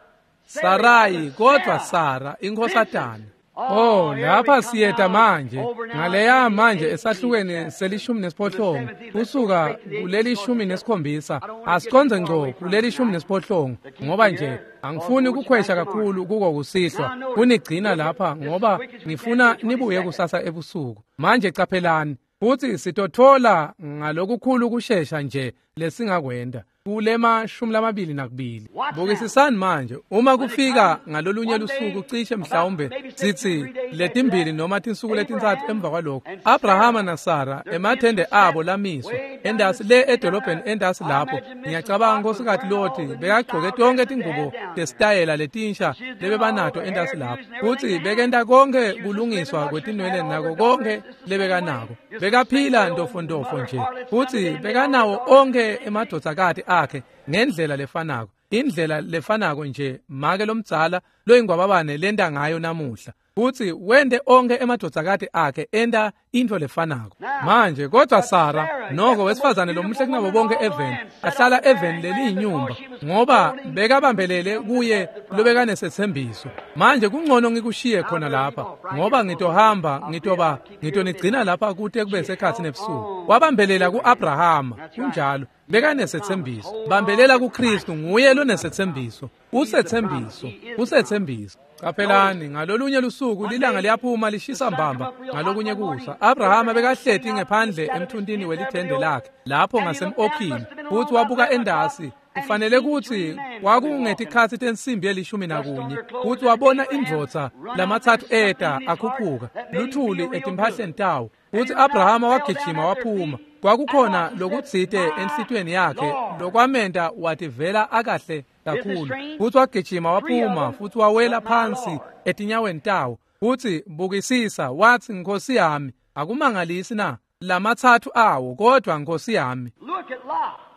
Sarai, kodwa Sara inkhosatana. Oh, lapha siyeta manje ngaleya manje esahlukweni se-18 kusuka kuleli 17 asiconze ngco kuleli 18 ngoba nje angifuni ukukhwesha kakhulu kuko kusihlwa kunigcina lapha ngoba ngifuna nibuye kusasa ebusuku. Manje caphelani futhi sitothola ngalokukhulu kushesha nje lesingakwenda kulema 22. Bukisisani manje uma kufika ngalolunye lusuku cishe mhlawumbe sithi letimbili noma tinsuku letintsatfu emva kwalokho, Abrahama naSara emathende abo lamiswa endasi le edolobheni endasi lapho. Ngiyacabanga Nkosikazi Loti bekagcoke tonke tingubo tesitayela letinsha lebebanato endasi lapho, futhi bekenta konke kulungiswa kwetinwele nako konke lebekanako. Bekaphila ntofontofo nje, futhi bekanawo onke emadvodzakati akhe ngendlela lefanako, indlela lefanako nje make lomdzala loyingwababane lenta ngayo namuhla, futhi wente onke emadvodzakati akhe enta into lefanako. Manje kodwa Sara noko wesifazane lomuhle kunabo bonke eveni, ahlala eveni leliyinyumba ngoba bekabambelele kuye lobekanesethembiso. Manje kungcono ngikushiye khona lapha ngoba ngitohamba ngitoba ngitonigcina lapha kute kube sekhatsi nebusuku. Wabambelela ku-Abrahama, kunjalo, bekanesethembiso. Bambelela kuKristu, nguye lonesethembiso. Usethembiso, usethembiso. Caphelani ngalolunye lusuku lilanga liyaphuma lishisa mbamba ngalokunye kusa. Abrahama bekahleti ngephandle emthuntini welithende lakhe lapho ngasem-Okhini, futhi wabuka endasi. Kufanele kuthi kwakungetikhatsi tensimbi ye-11, futhi wabona indvodza lamathathu eta akhuphuka luthuli etimphahleni tawo. Futhi Abrahama wagijima waphuma. Kwakukhona lokutsite enhlitiyweni yakhe lokwamenta wativela akahle kakhulu. Futsi wagijima waphuma futsi wawela phansi etinyaweni tawo. Futsi bukisisa, watsi, Nkosi yami, akumangalisi na? Lamatsatfu awo, kodwa Nkosi yami.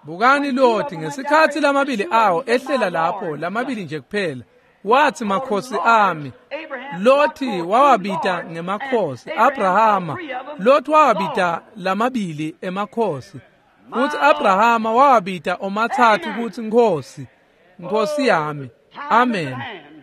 Bukani Loti, ngesikhatsi lamabili awo ehlela lapho, lamabili nje kuphela. Watsi, makhosi ami. Loti wawabita ngemakhosi. Abrahama, Loti wawabita lamabili emakhosi. Futsi Abrahama wawabita omatsatfu kutsi Nkosi, Nkosi yami. Amen.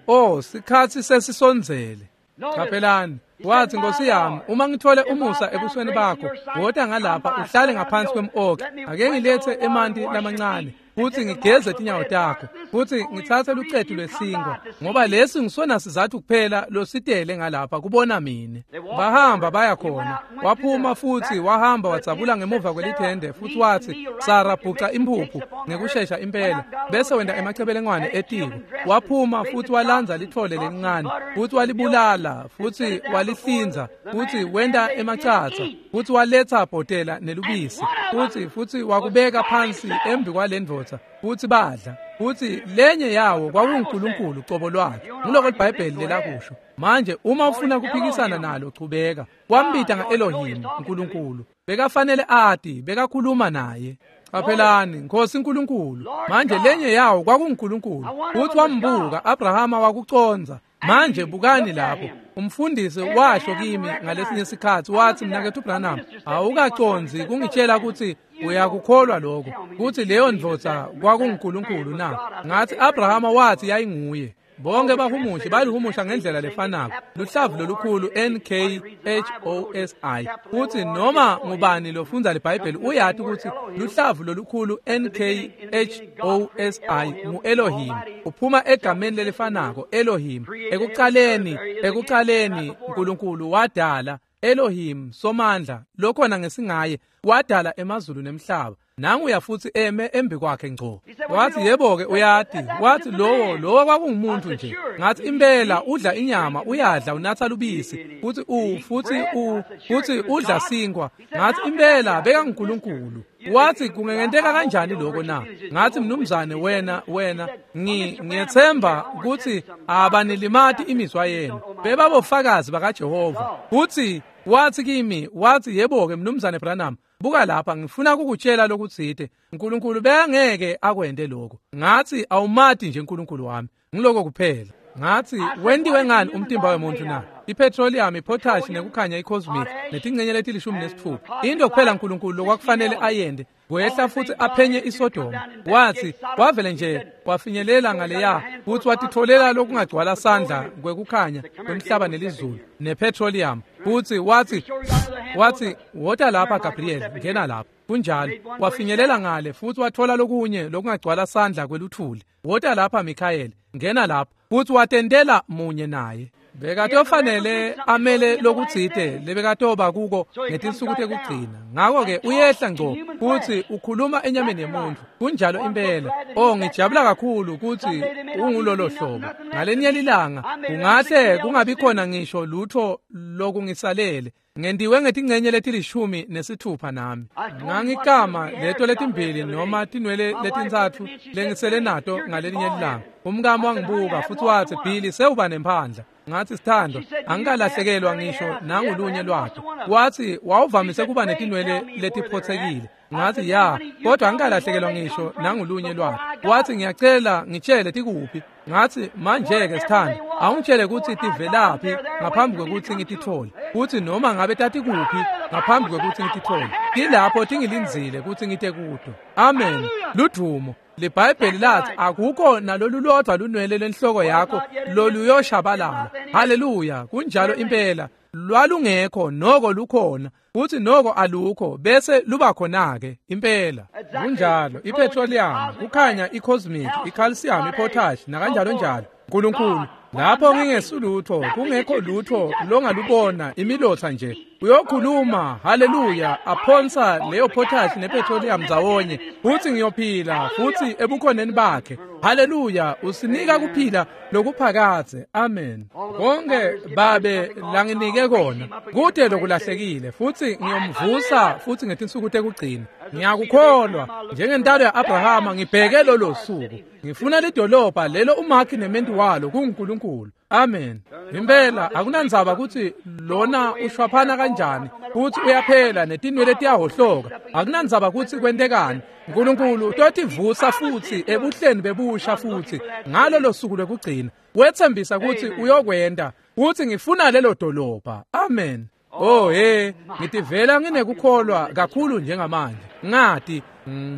Oh, sikhatsi sesisondzele. Qaphelani. Watsi, Nkosi yami, uma ngithole umusa ebusweni bakho, wota ngalapha uhlale ngaphansi kwem-oki. Ake ngilethe emanti lamancane, futsi ngigeze tinyawo takho, futsi ngitsatse lucetu lwesinkwa, ngoba lesi ngisona sizatfu kuphela lositele ngalapha kubona mine. Bahamba baya khona. Waphuma futsi wahamba wadzabula ngemuva kwelithende, futsi watsi, Sara, bhuca imphuphu ngekushesha impela, bese wenta emacebelengwane etiko. Waphuma futsi walandza litfole lelincane, futsi walibulala, futsi walihlinza, futsi wenta emacatsa, futsi waletsa bhotela nelubisi, futsi wakubeka phansi embi kwalendvodza, futsi badla. Futsi lenye yawo kwakunguNkulunkulu cobo lwakhe. Nguloko liBhayibheli lelakusho. Manje uma ufuna kuphikisana nalo, chubeka. Wambita nga-Elohim, uNkulunkulu. Bekafanele ati, bekakhuluma naye. Qaphelani, Nkosi uNkulunkulu. Manje lenye yawo kwakunguNkulunkulu. Futsi wambuka, Abrahama wakucondza. Manje bukani lapho. Umfundisi washo kimi ngalesinye sikhatsi, watsi, Mnaketfu Branham, awukacondzi kungitshela kutsi uyakukholwa lokho, kutsi leyo ndvodza kwakunguNkulunkulu na? Ngathi Abrahama wathi yayinguye. Bonke bahumushi balihumusha ngendlela lefanako, luhlavu lolukhulu N-K-H-O-S-I. Futsi noma ngubani lofundza liBhayibheli uyati kutsi luhlavu lolukhulu N-K-H-O-S-I ngu-Elohim. Uphuma egameni lelifanako, Elohim. Ekucaleni uNkulunkulu wadala Elohim, Somandla, lokhona ngesingaye, wadala emazulu nemhlaba. Nanguya futsi eme embi kwakhe ngco. Watsi, yebo-ke uyati. Watsi, lowo kwakungumuntu nje. Ngathi, impela udla inyama, uyadla, unatsa lubisi, futsi udla sinkwa. Ngathi, impela bekanguNkulunkulu. Watsi, kungenteka kanjani lokho na? Ngathi, mnumzane, wena ngiyethemba kutsi abanilimati imizwa yenu. Bebabofakazi bakaJehova. Futsi watsi kimi, watsi, yebo-ke mnumzane Branham, buka lapha, ngifuna kukutshela lokutsite. uNkulunkulu bekangeke akwente lokho. Ngathi, awumati nje uNkulunkulu wami. Ngiloko kuphela. Ngathi, wentiwe ngani umtimba wemuntu na? Ipetroleum, ipotash, nekukhanya icosmic, netingcenye leti-16. Into kuphela uNkulunkulu lokwakufanele ayende, wehla futsi aphenye iSodoma. Watsi, wavele nje wafinyelela ngaleya, futsi watitfolela lokungagcwala sandla kwekukhanya kwemhlaba nelizulu nepetroleum. Futsi watsi, wota lapha Gabriel, ngena lapha. Kunjalo, wafinyelela ngale futsi wathola lokunye lokungagcwala sandla kweluthuli. Wota lapha Mikhayeli, ngena lapha. Futsi watentela munye naye. Bekatofanele amele lokutsite lebekatoba kuko ngetinsuku tekugcina. Ngako-ke uyehla ngco futsi ukhuluma enyameni yemuntu. Kunjalo impela. Oh, ngijabula kakhulu kutsi ungulolo hlobo. Ngalenye lilanga kungahle kungabi khona ngisho lutho lokungisalele. Ngentiwe ngetingcenye leti-16 nami. Ngangikama leto letimbili noma tinwele letintsatfu lengisele nato ngalenye lilanga. Umkami wangibuka futsi watsi, Billy, sewuba nemphandla. Ngathi, sithandwa, angikalahlekelwa ngisho nangulunye lwato. Watsi, wawuvamise kuba netinwele letiphotsekile. Ngathi, ya, kodwa angikalahlekelwa ngisho nangulunye lwato. Watsi, ngiyacela ngitshele tikuphi. Ngathi, manje-ke sithandwa, awungitshele kutsi tivelaphi ngaphambi kwekutsi ngitithole. Kutsi noma ngabe tatikuphi ngaphambi kwekutsi ngitithole. Tilapho tingilindzile kutsi ngite kuto. Amen. Ludvumo. LiBhayibheli lathi akukho nalolulodwa lunwele lenhloko yakho loluyoshabalala. Haleluya, kunjalo impela. Lwalungekho noko lukhona, futhi noko alukho bese luba khona-ke impela. Kunjalo, ipetroleum, kukhanya icosmic, icalcium, ipotash nakanjalo njalo. uNkulunkulu, lapho ngingesulutho, kungekho lutho longalubona, imilotha nje. Uyokhuluma, haleluya, aphonsa leyo potash nepetroleum ndzawonye, futhi ngiyophila futhi ebukhoneni bakhe. Haleluya, usinika kuphila lokuphakadze. Amen. Konke Babe langinike kona kude lokulahlekile, futhi ngiyomvusa futhi ngetinsuku tekugcina. Ngiyakukholwa njengentalo ya-Abrahama, ngibheke lolo suku. Ngifuna lidolobha lelo umakhi nementi walo kunguNkulunkulu. Amen. Impela akunandzaba kutsi lona ushwaphana kanjani, futhi uyaphela netinwele tiyahohloka. Akunandzaba kutsi kwentekani, uNkulunkulu utotivusa futhi ebuhleni bebusha futhi ngalolo suku lokugcina. Wethembisa kutsi uyokwenta, uthi ngifuna lelo dolobha. Amen. Oh hey, ngitivela nginekukholwa kakhulu njengamanje. Ngati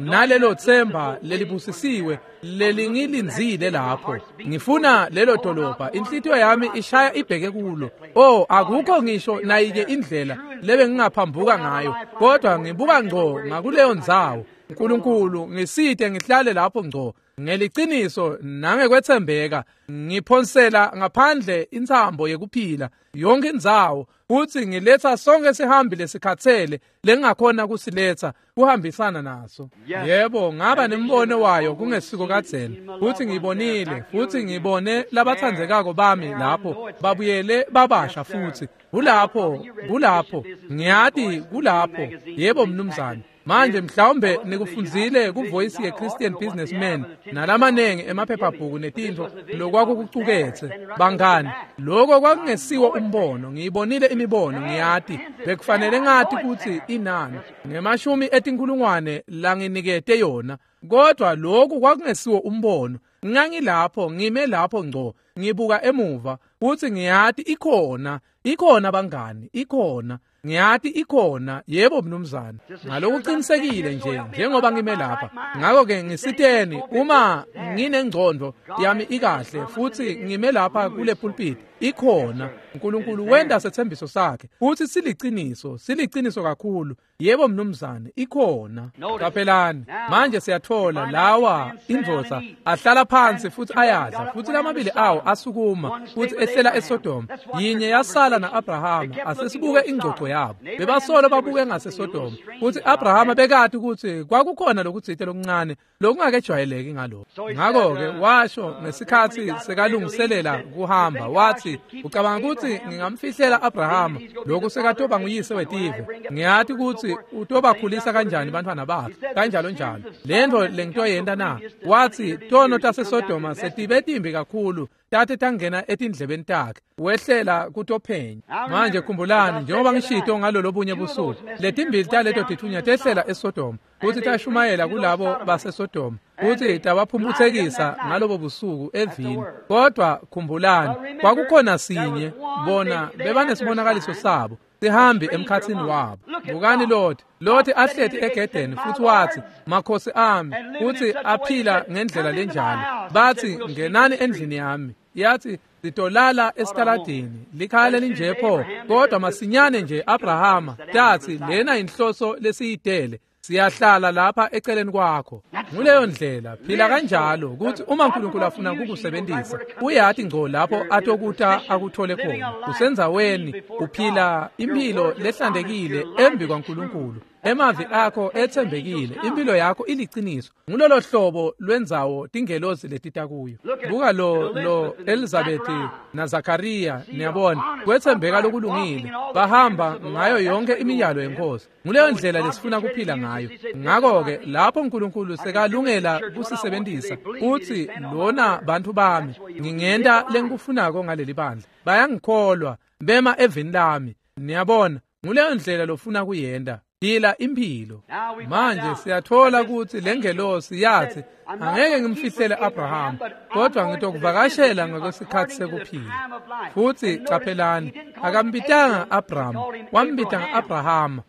nalelo themba lelibusisiwe lelingilindzile lapho. Ngifuna lelo dolobha, inhlitiyo yami ishaya ibheke kulo. Oh, akukho ngisho nayike indlela lebe ngingaphambuka ngayo, kodwa ngibuka ngco ngakuleyo ndzawo. uNkulunkulu ngisite ngihlale lapho ngco ngeliciniso nangekwethembeka, ngiphonsela ngaphandle intsambo yekuphila yonke indzawo, futhi ngiletha sonke sihambi lesikhatsele lengingakhona kusiletha kuhambisana naso. Yebo, ngaba nembono wayo kungesiko kadzeni, futhi ngibonile, futhi ngibone labathandzekako bami lapho babuyele babasha futhi. Kulapho, kulapho, ngiyati kulapho. Yebo mnumzane. Manje mhlawumbe nikufundzile kuVoice ye-Christian Businessman nalamanengi emaphephabhuku netintfo lokwakukucuketse. Bangani, lokho kwakungesiwo umbono. Ngiyibonile imibono, ngiyati bekufanele ngati kutsi inani ngemashumi etinkhulungwane langinikete yona, kodwa lokhu kwakungesiwo umbono. Ngangilapho, ngime lapho ngco, ngibuka emuva, futhi ngiyati ikhona, ikhona bangani, ikhona. Ngiyati ikhona. Yebo mnumzane. Ngalokuqinisekile nje njengoba ngime lapha. Ngakho-ke ngisiteni uma nginengcondo yami ikahle futhi ngime lapha kule pulpit, ikhona. uNkulunkulu wenda sethembiso sakhe futhi siliciniso, siliciniso kakhulu. Yebo mnumzane, ikhona. Qaphelani, manje siyathola lawa indvodza ahlala phansi futhi ayadla, futhi lamabili awo asukuma futhi ehlela eSodoma. Yinye yasala na-Abrahama. Asesibuke ingxoxo yabo. Bebasolo babuke ngaseSodoma, futhi Abrahama bekati ukuthi kwakukhona lokutsite lokuncane lokungakejwayeleki ngalokho. Ngakho-ke washo ngesikhathi sekalungiselela kuhamba, wathi, ucabanga ukuthi ngingamfihlela Abrahama lokhu sekatoba nguyise wetive? Ngiyati ukuthi utobakhulisa kanjani bantwana bakhe, kanjalo njalo. Lento lengitoyenta na? Wathi tono taseSodoma setibe timbi kakhulu, tate tangena etindlebeni takhe, wehlela kutophenya. Manje khumbulani, njengoba ngishito ngalolo bunye busuku, letimbili taleto tithunya tehlela eSodoma futhi tashumayela kulabo baseSodoma, futhi tabaphumphutsekisa ngalobo busuku evini. Kodwa khumbulani, kwakukhona sinye, bona bebanesibonakaliso sabo sihambi emkhathini wabo. Bukani Loti, Loti ahleti egedeni futhi wathi, makhosi ami, futhi aphila ngendlela lenjalo. Bathi, ngenani endlini yami. Yathi, sitolala esitaladini, likhaya lelinje pho. Kodwa masinyane nje Abrahama tathi, lena inhloso lesiyidele, siyahlala lapha eceleni kwakho. Nguleyo ndlela, phila kanjalo ukuthi uma uNkulunkulu afuna kukusebenzisa, uyati ngco lapho atokuta akuthole khona. Usendzaweni, uphila impilo lehlantekile embi kwaNkulunkulu. Emavi akho ethembekile, impilo yakho iliciniso. Ngulolo hlobo lwendzawo tingelozi letita kuyo. Buka lo Elizabeth naZakaria, niyabona, kwethembeka lokulungile, bahamba ngayo yonke imiyalo yenkosi. Nguleyo ndlela lesifuna kuphila ngayo. Ngakho-ke lapho uNkulunkulu sekalungela kusisebenzisa, uthi lona bantu bami, ngingenta lengikufunako ngaleli bandla. Bayangikholwa, bema evini lami. Niyabona, nguleyo ndlela lofuna kuyenta. Phila impilo. Manje siyathola ukuthi lengelosi yathi, angeke ngimfihlele Abraham, kodwa ngitokuvakashela ngokwesikhathi sekuphila. Futhi qaphelani, akambitanga Abraham, wambita nga-Abrahama.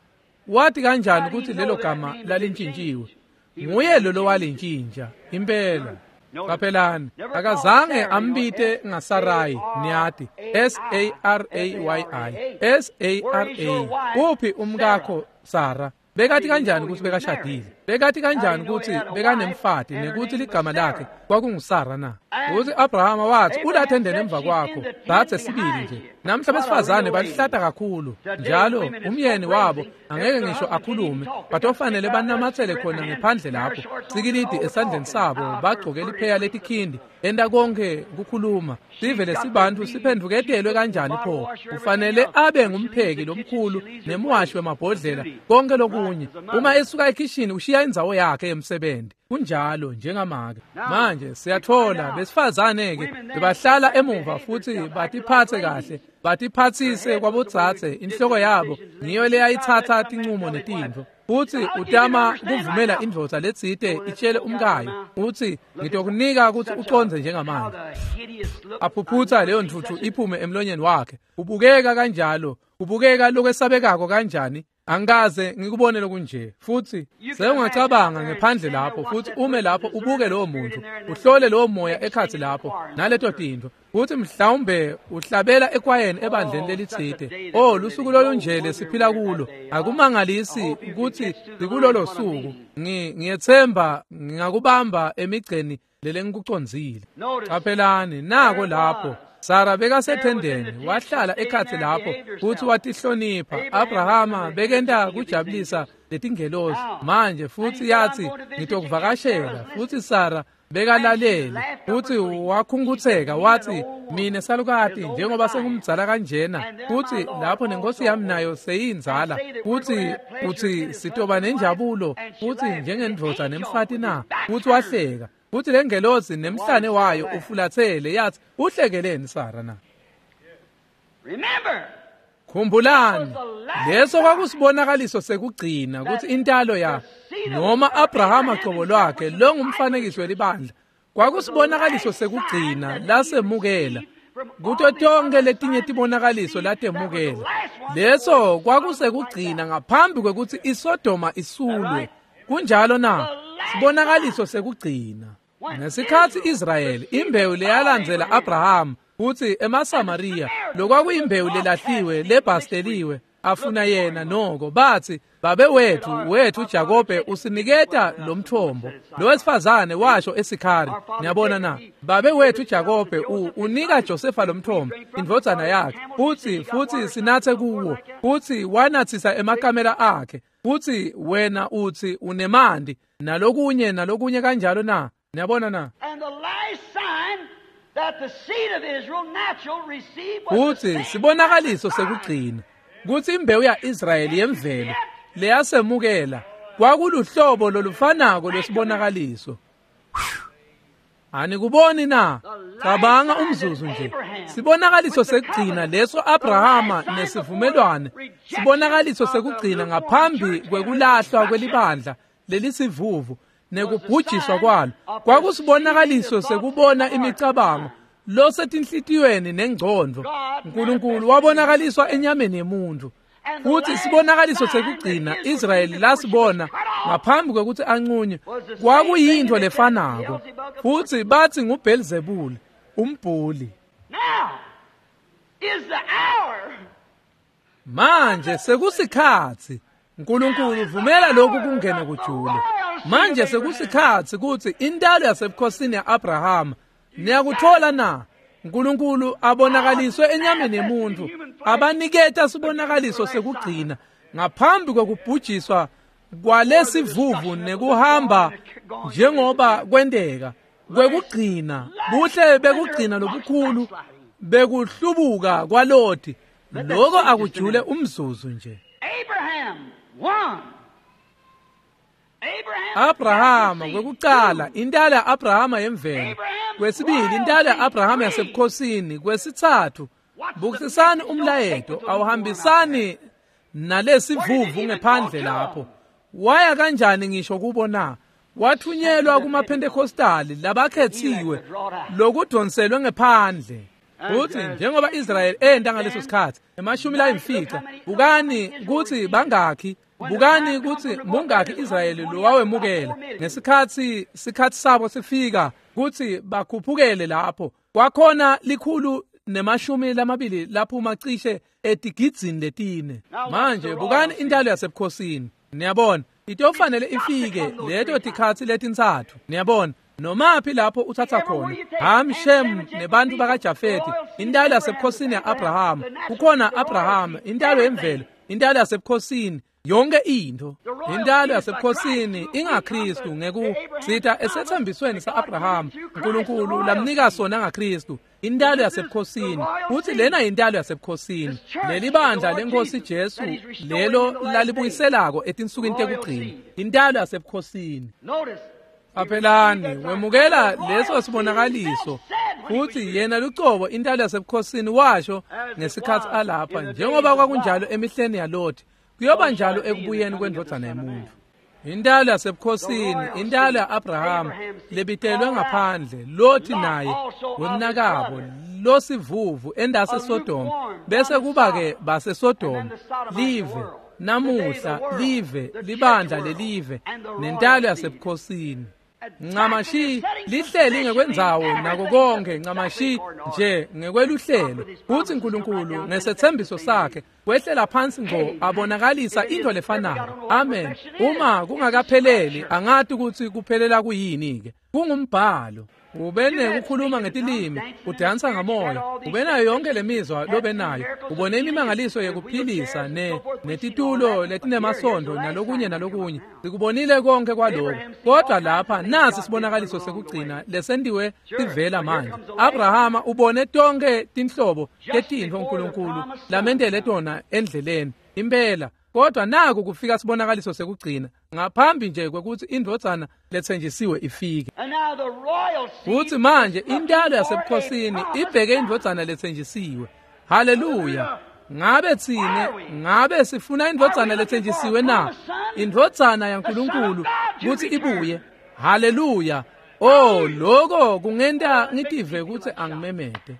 Wathi kanjani ukuthi lelo gama lalintshintshiwe? Nguye lo lowalintshintsha impela. Qaphelani, akazange ambite ngaSarai, niyati, S-A-R-A-Y-I, S-A-R-A. Uphi umkakho Sara? Bekathi kanjani ukuthi bekashadile? Bekati kanjani kutsi bekanemfati nekutsi ligama lakhe kwakunguSara na? Kutsi Abrahama wathi ulathendeni emva kwakho dzadze sibili nje. Namhla besifazane balihlata kakhulu njalo umyeni wabo angeke ngisho akhulume, batofanele banamatsele khona ngephandle lapho sikilidi esandleni sabo, bagcoke lipheya letikhindi, enta konke kukhuluma. Sive lesibantu siphendvuketelwe kanjani pho? Kufanele abe ngumpheki lomkhulu nemwashi wemabhodlela, konke lokunye. Uma esuka ekhishini ushiya indzawo yakhe yemsebenzi. Kunjalo njengamake. Manje siyathola besifazane-ke bebahlala emuva futhi batiphatse kahle, batiphatsise kwabodzadze. Inhloko yabo ngiyo leyayitsatsa tincumo netintfo. Futsi utama kuvumela indvodza letsite itshele umkayo utsi ngitokunika kutsi ucondze njengamanje. Aphuphutsa leyo ntfutfu iphume emlonyeni wakhe. Ubukeka kanjalo, ubukeka lokwesabekako kanjani. Angikaze ngikubone lokunje. Futsi sewungacabanga ngephandle lapho futhi ume lapho ubuke lowo muntu, uhlole lowo moya ekhatsi lapho naleto tintfo, futhi mhlawumbe uhlabela ekwayeni ebandleni lelitsite. Oh, lusuku lolunje lesiphila kulo. Akumangalisi ukuthi sikulolo suku. Ngiyethemba ngingakubamba emigceni lelengikucondzile. Qaphelani nako lapho Sara bekasethendeni, wahlala ekhatsi lapho futhi watihlonipha. Abrahama bekenta kujabulisa letingelosi manje, futhi yathi ngitokuvakashela. Futhi Sara bekalalele futhi wakhungutseka wathi mine salukati njengoba sengumdzala kanjena, futhi lapho nenkosi yami nayo seyindzala, futhi uthi sitoba nenjabulo futhi njengendvodza nemfati na? Futhi wahleka. Futhi lengelosi nemhlane wayo ufulathele yathi uhlekeleni Sara na? Khumbulani, leso kwakusibonakaliso sekugcina kutsi intalo ya noma Abrahama cobo lwakhe lo ngumfanekiso welibandla, kwakusibonakaliso sekugcina lasemukela kuto tonke letinye tibonakaliso latemukela. Leso kwakusekugcina ngaphambi kwekutsi iSodoma isulwe. Kunjalo na? Sibonakaliso sekugcina. Ngesikhatsi Israyeli imbewu leyalandzela Abraham futhi emaSamariya lokwakuyimbewu lelahliwe lebhasteliwe afuna yena noko, bathi babe wethu Jakobe usiniketa lo mthombo. Lo wesifazane washo eSikhari, niyabona na? Babe wethu Jakobe unika Josefa lo mthombo, indvodzana yakhe, futhi sinathe kuwo, futhi wanathisa emakamela akhe, futhi wena uthi unemandi nalokunye nalokunye kanjalo na? Niyabona na? Futhi sibonakaliso sekugcina kutsi imbewu ya-Israyeli yemvelo leyasemukela kwakuluhlobo lolufanako lwesibonakaliso. Anikuboni na? Cabanga umzuzu nje. Sibonakaliso sekugcina leso Abrahama nesivumelwane, sibonakaliso sekugcina ngaphambi kwekulahlwa kwelibandla lelisivuvu nekubhujiswa kwalo, kwakusibonakaliso sekubona imicabango losetinhlitiyweni nengcondvo. uNkulunkulu wabonakaliswa enyameni yemuntu. Futhi sibonakaliso sekugcina Israyeli lasibona ngaphambi kwekutsi anqunywe kwakuyintfo lefanako. Futhi bathi nguBelzebuli umbhuli. Manje sekusikhatsi uNkulunkulu vumela lokhu kungene kujule. Manje sekusikhatsi kutsi intalo yasebukhosini ya-Abrahama niyakuthola na? uNkulunkulu abonakaliswe enyameni yemuntu, abaniketa sibonakaliso sekugcina ngaphambi kwekubhujiswa kwalesivuvu nekuhamba njengoba kwenteka kwekugcina, buhle bekugcina lobukhulu bekuhlubuka kwaLoti. Lokho akujule umzuzu nje. Abrahama kwekucala, intalo ya-Abrahama yemvelo. Kwesibili, intalo ya-Abrahama yasebukhosini. Kwesitsatfu, bukisisani umlayeto awuhambisani nalesivuvu ngephandle lapho. Waya kanjani ngisho kubo na? Wathunyelwa kumaPentecostali labakhethiwe lokudonselwe ngephandle. Futhi njengoba Israyeli enta ngaleso sikhatsi 50, bukani kutsi bangakhi, bukani kutsi mungakhi Israyeli lowawemukela ngesikhatsi sikhatsi sabo sifika kutsi bakhuphukele lapho. Kwakhona 120 laphuma cishe etigidzini 4. Manje bukani intalo yasebukhosini. Niyabona Itofanele ifike leto tikhatsi letintsatfu. Niyabona, nomaphi lapho uthatha khona Ham, Shem nebantu bakaJafeti, intalo yasebukhosini ya-Abrahama. Kukhona Abrahama, intalo yemvelo, intalo yasebukhosini, yonke into. Intalo yasebukhosini ingaKristu ngekusita esethembisweni sa-Abrahama uNkulunkulu lamnika sona ngaKristu. Intalo yasebukhosini, futhi lena intalo yasebukhosini. Leli bandla lenkosi Jesu lelo lalibuyiselako etinsukwini tekugcina, intalo yasebukhosini. Qaphelani, wemukela leso sibonakaliso, futhi yena lucobo intalo yasebukhosini washo ngesikhathi alapha, njengoba kwakunjalo emihleni yaLothi, kuyoba njalo ekubuyeni kwendvodzana yemuntu. Intalo yasebukhosini, intalo ya-Abrahama lebitelwe ngaphandle, Lothi naye wemnakabo losivuvu endase Sodoma, bese kuba-ke baseSodoma, live namuhla, live libandla lelive nentalo yasebukhosini. Ncamashi lihleli ngekwendzawo nako konke, ncamashi nje ngekweluhlelo. Futhi uNkulunkulu ngesethembiso sakhe wehlela phansi ngqo abonakalisa into lefanako. Amen. Uma kungakapheleli, angati ukuthi kuphelela kuyini-ke. Kungumbhalo. Ubene ukukhuluma ngetilimi, udansa ngamoya, ubenayo yonke lemizwa lobenayo, ubone imimangaliso yekuphilisa netitulo letinemasondo nalokunye nalokunye. Sikubonile konke kwaloko. Kodwa lapha nasi sibonakaliso sekugcina lesentiwe sivela manje. Abrahama ubone tonke tinhlobo tetintfo uNkulunkulu lamentele tona endleleni. Impela. Kodwa naku kufika sibonakaliso sekugcina ngaphambi nje kwekuthi indvodzana lethenjisiwe ifike. Futhi manje intalo yasebukhosini ibheke indvodzana lethenjisiwe. Haleluya. Ngabe tsine, ngabe sifuna indvodzana lethenjisiwe na? Indvodzana yaNkulunkulu kuthi ibuye. Haleluya. Oh, lokho kungenta ngitive ukuthi angimemete.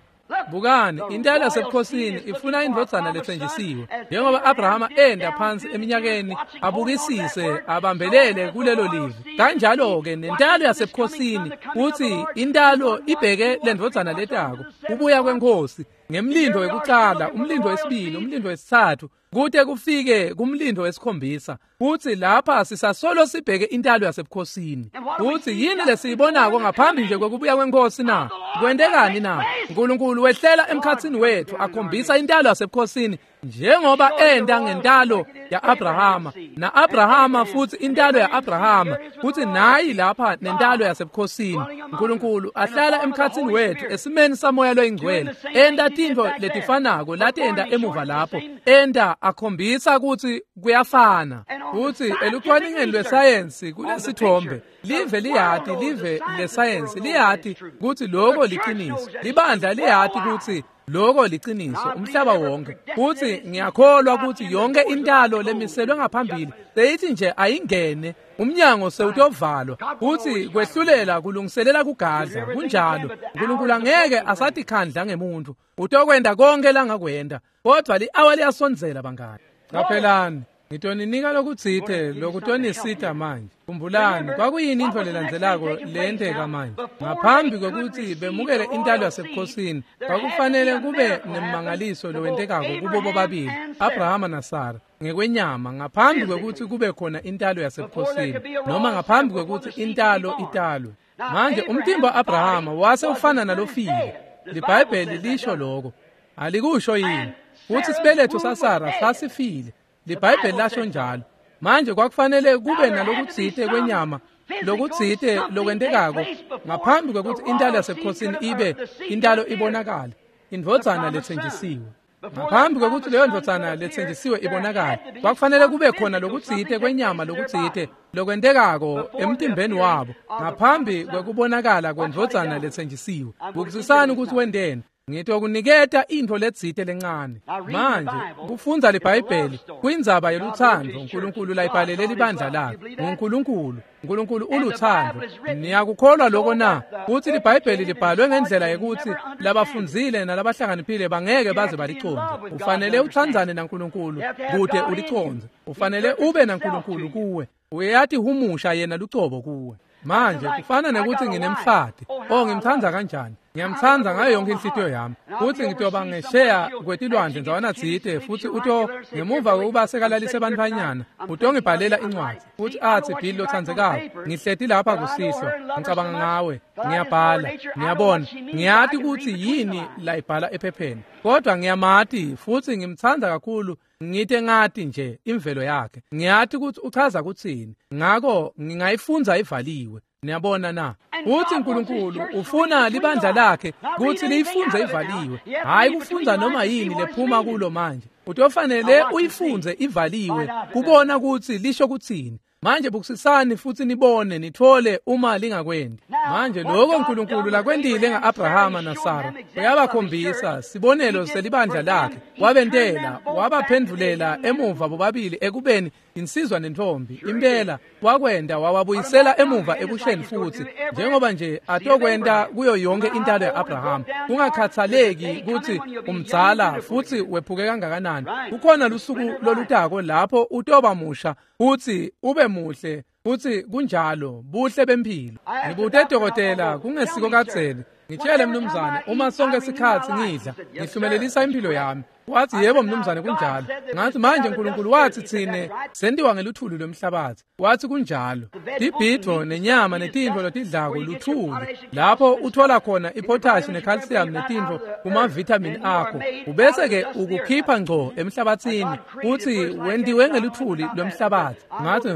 Bukani, intalo yasebukhosini ifuna indvodzana lethenjisiwe. Njengoba Abrahama enda phansi eminyakeni abukisise abambelele kulelo livi, kanjalo-ke nentalo yasebukhosini uthi intalo ibheke lendvodzana letako, kubuya kwenkosi ngemlindo wekucala, umlindo wesibili, umlindo wesithathu, kute kufike kumlindo wesikhombisa. Futhi lapha sisasolo sibheke intalo yasebukhosini. Futhi yini lesiyibonako ngaphambi nje kwekubuya kwenkosi na? Kwentekani na? uNkulunkulu wehlela emkhatsini wethu akhombisa intalo yasebukhosini njengoba enda ngentalo ya-Abrahama na-Abrahama, futhi intalo ya-Abrahama, futhi nayi lapha nentalo yasebukhosini. uNkulunkulu ahlala emkhatsini wethu esimeni samoya loyingcwele, enda tintfo letifanako latenda emuva lapho, enda akhombisa ukuthi kuyafana. Futhi elucwaningeni lwesayensi kulesithombe, live liyati, live lesayensi liyati ukuthi lokho liqiniso, libandla liyati ukuthi lokho liqiniso, umhlaba wonke. Futhi ngiyakholwa ukuthi yonke intalo lemiselwe ngaphambili seyithi nje ayingene, umnyango sewutovalwa, futhi kwehlulela kulungiselela kugadla. Kunjalo, uNkulunkulu angeke asatikhandla ngemuntu, utokwenda konke langakwenda, kodwa li-awa liyasondzela bangani. Qaphelani, ngitoninika lokutsite lokutonisita manje. Khumbulani, kwakuyini intfo lelandzelako leyenteka manje? Ngaphambi kwekuthi bemukele intalo yasebukhosini, kwakufanele kube nemmangaliso lowentekako kubo bobabili, Abrahama naSara, ngekwenyama, ngaphambi kwekuthi kube khona intalo yasebukhosini, noma ngaphambi kwekuthi intalo italwe. Manje umtimba wa-Abrahama wase ufana nalofile. LiBhayibheli lisho lokho. Alikusho yini? Futhi isibeletho saSara sasifile. LiBhayibheli lasho njalo. Manje kwakufanele kube nalokutsite kwenyama, lokutsite lokwentekako ngaphambi kwekuthi intalo yasebukhosini ibe intalo ibonakale, indvodzana lethenjisiwe. Ngaphambi kwekuthi leyo ndvodzana lethenjisiwe ibonakale, kwakufanele kube khona lokutsite kwenyama, lokutsite lokwentekako emtimbeni wabo ngaphambi kwekubonakala kwendvodzana lethenjisiwe. Bukisisani ukuthi wenteni. Ngitokuniketa intfo letsite lencane. Manje kufundza liBhayibheli kuyindzaba yelutsandvo uNkulunkulu layibhalele libandla lakhe. NguNkulunkulu, uNkulunkulu ulutsandvo. Niyakukholwa lokho na? Kutsi liBhayibheli libhalwe ngendlela yekuthi labafundzile nalabahlakaniphile bangeke baze balicondze. Ufanele utsandzane naNkulunkulu kute ulicondze. Ufanele ube naNkulunkulu kuwe. Uyatihumusha yena lucobo kuwe. Manje kufana nekuthi nginemfati. Oh, ngimtsandza kanjani. Ngiyamtsandza ngayo yonke inhlitiyo yami. Futsi ngitoba ngesheya kwetilwandle ndzawana tsite futsi uto ngemuva kokuba sekalalise bantfwanyana utongibhalela incwadzi futsi atsi Bill lotsandzekako ngihleti lapha kusihlwa ngicabanga ngawe ngiyabhala ngiyabona ngiyati kutsi yini layibhala ephepheni kodwa ngiyamati futsi ngimtsandza kakhulu ngite ngati nje imvelo yakhe ngiyati kutsi uchaza kutsini ngako ngingayifundza ivaliwe. Niyabona na? Uthi uNkulunkulu ufuna libandla lakhe kutsi liyifundze ivaliwe, hayi kufundza noma yini lephuma kulo manje. Utofanele uyifundze ivaliwe kubona kutsi lisho kutsini. Manje bukusisani futsi nibone nithole uma lingakwendi. Manje lokho uNkulunkulu lakwendile nga-Abrahama naSara uyabakhombisa sibonelo selibandla lakhe. Wabentela wabaphendvulela emuva bobabili ekubeni insizwa nentombi. Impela wakwenda wawabuyisela emuva ebusheni futsi njengoba nje atokwenta kuyo yonke intalo ya-Abrahama. Kungakhathaleki kutsi umdzala futsi wephuke kangakanani, kukhona lusuku lolutako lapho utoba musha futsi ube muhle futsi kunjalo buhle bempilo. Ngibute dokotela kungesiko kadzeni, ngitshele mnumzane uma sonke sikhatsi ngidla ngihlumelelisa impilo yami. Wathi yebo mnumzane kunjalo. Ngathi manje uNkulunkulu wathi tsine sendiwa ngeluthuli lwemhlabathi. Wathi kunjalo. Tibhidvo nenyama netintfo lotidlako luthuli lapho uthola khona ipotash necalcium netintfo kuma-vitamin akho ubese ke ukukhipha ngco emhlabathini uthi wendiwe ngeluthuli lwemhlabathi. Ngathi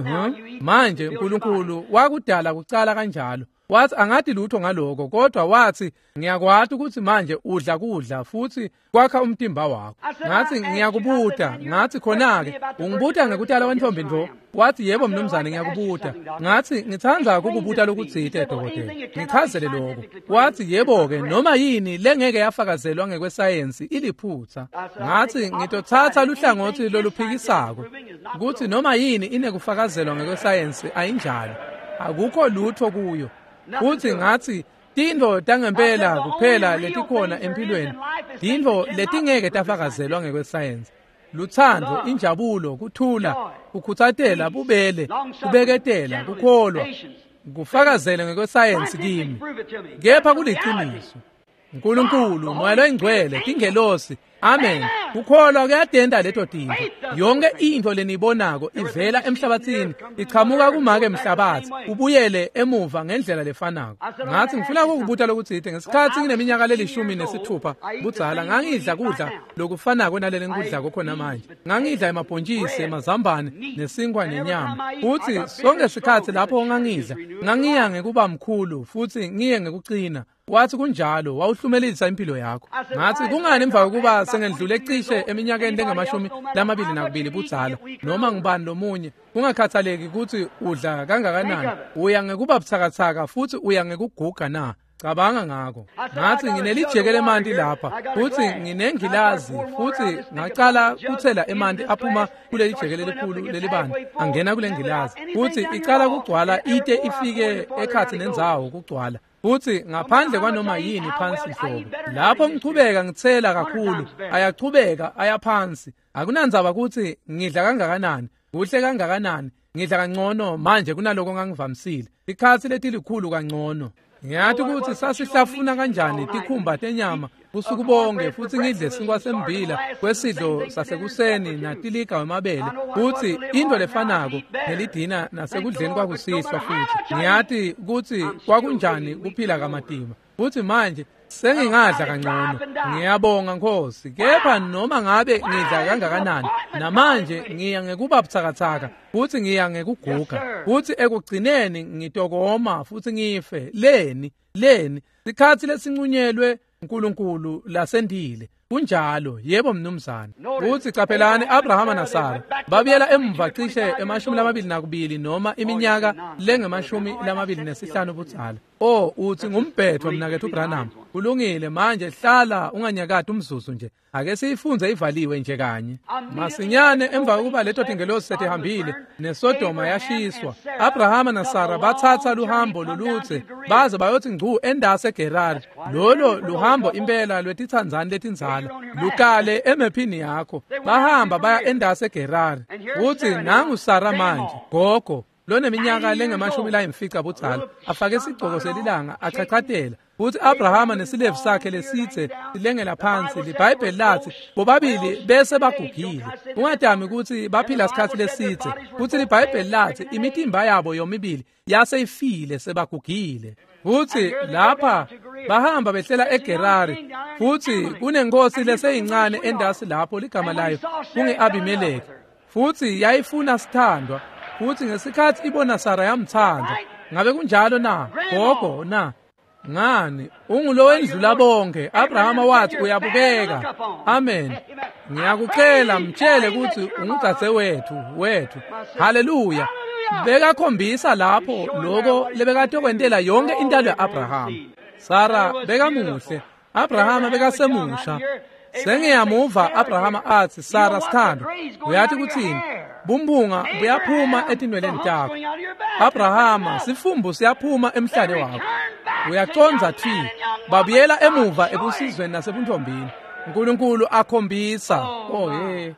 manje uNkulunkulu wakudala kucala kanjalo. Wathi angathi lutho ngaloko kodwa wathi ngiyakwati ukuthi manje udla kudla futhi kwakha umtimba wakho. Ngathi ngiyakubuta. Ngathi khona-ke ungibuta ngekutala wentombi ntfo? Wathi yebo mnumzane ngiyakubuta. Ngathi ngitsandza kukubuta lokutsite dokotela, ngichazele lokho. Wathi yebo-ke noma yini lengeke yafakazelwa ngekwesayensi iliphutha. Ngathi ngitotsatsa luhlangothi loluphikisako kutsi noma yini inekufakazelwa ngekwesayensi ayinjalo, akukho lutho kuyo. Futhi ngathi tintfo tangempela kuphela letikhona empilweni tintfo letingeke tafakazelwa ngekwesayensi: lutsandvo, injabulo, kuthula, kukhutsatela, bubele, kubeketela, kukholwa. Kufakazele ngekwesayensi kimi, kepha kuliciniso. uNkulunkulu, Moya loyingcwele, tingelosi, amen. Kukholwa kuyatenta leto tintfo. Yonke intfo leniyibonako ivela emhlabathini, ichamuka kumake emhlabathi, ubuyele emuva ngendlela lefanako. Ngathi ngifuna ukukubuta lokutsite. Ngesikhatsi ngineminyaka le16 budzala ngangidla kudla lokufanako nalele ngikudlako khona manje. Ngangidla emabhontjisi, emazambane, nesinkwa nenyama. Futsi sonke sikhatsi lapho ngangidla, ngangiya ngekuba mkhulu futsi ngiye ngekucina. Wathi kunjalo, wawuhlumelelisa impilo yakho. Ngathi kungani emva kokuba sengendlule cishe eminyakeni lengamashumi 22 budzala noma ngubani lomunye, kungakhathaleki kutsi udla kangakanani, uya ngekuba butsakatsaka futsi uya ngekuguga na? Cabanga ngako. Ngathi nginelijeke lemanti lapha futsi nginengilazi futsi ngacala kuthela emanti aphuma kuleli jeke lelikhulu lelibanti angena kule ngilazi futsi icala kugcwala ite ifike ekhatsi nendzawo kugcwala futsi ngaphandle kwanoma yini phansi nhlobo. Lapho ngichubeka ngitsela kakhulu ayachubeka ayaphansi. Akunandzaba kutsi ngidla kangakanani, kuhle kangakanani, ngidla kangcono manje kunaloko ngangivamisile, ikhatsi letilikhulu kangcono. Ngiyati kutsi sasihlafuna kanjani tikhumba tenyama busuku bonke futsi ngidle sinkwa sembila kwesidlo sasekuseni natiliga wemabele futsi intfo lefanako nelidina nasekudleni kwakusihlwa futsi. Ngiyati kutsi kwakunjani kuphila kamatima futsi manje sengingadla kangcono. Ngiyabonga Nkosi, kepha noma ngabe ngidla kangakanani namanje ngiya ngekuba butsakatsaka futsi ngiya ngekuguga futsi ekugcineni ngitokoma futsi ngife. Leni sikhatsi lesincunyelwe uNkulunkulu lasendile. Kunjalo, yebo mnumzane. Futsi caphelani Abrahama naSara babuyela emuva cishe 22 noma iminyaka lengama-25 budzala. Oh, uthi ngumbhetho mnaketfu Branham. Kulungile, manje hlala unganyakati umzuzu nje. Ake siyifunze ivaliwe nje kanye. Masinyane emva kokuba leto tingelosi setihambile neSodoma yashiswa, Abrahama naSara batsatsa luhambo lolutse baze bayothi ngcu endase eGerari. Lolo luhambo impela lwetitsandzani letindzala lukale emephini yakho. Bahamba baya endase eGerari. Uthi nangu Sara manje, gogo loneminyaka lengama-50 budzala, afake isigcoko selilanga achachatela. Futsi Abrahama nesilevu sakhe lesitse silengela phansi, liBhayibheli latsi bobabili bese bagugile. Ungadami kutsi baphila sikhatsi lesitse. Futsi liBhayibheli latsi imitimba yabo yomibili yase ifile sebagugile. Futsi lapha bahamba behlela eGerari, futsi kunenkosi leseyincane endasi lapho ligama layo kunge-Abimeleki. Futsi yayifuna sithandwa, futsi ngesikhatsi ibona Sara yamtsandza. Ngabe kunjalo na? Gogo na? Ngani, ungulowendlula bonke. Abrahama wathi uyabukeka. Amen. Ngiyakucela mtshele kutsi ungudzadzewethu wethu. Haleluya. Bekakhombisa lapho lokho lebekatokwentela yonke intalo ya-Abrahama. Sara bekamuhle, Abrahama bekasemusha. Sengiyamuva Abrahama atsi, Sara sithandwa, uyathi kutsini? Bumphunga buyaphuma etinweleni takho. Abrahama, sifumbu siyaphuma emhlane wakho. Uyacondza thi, babuyela emuva ebusizweni nasebuntombini. Nkulunkulu akhombisa. Oh hey.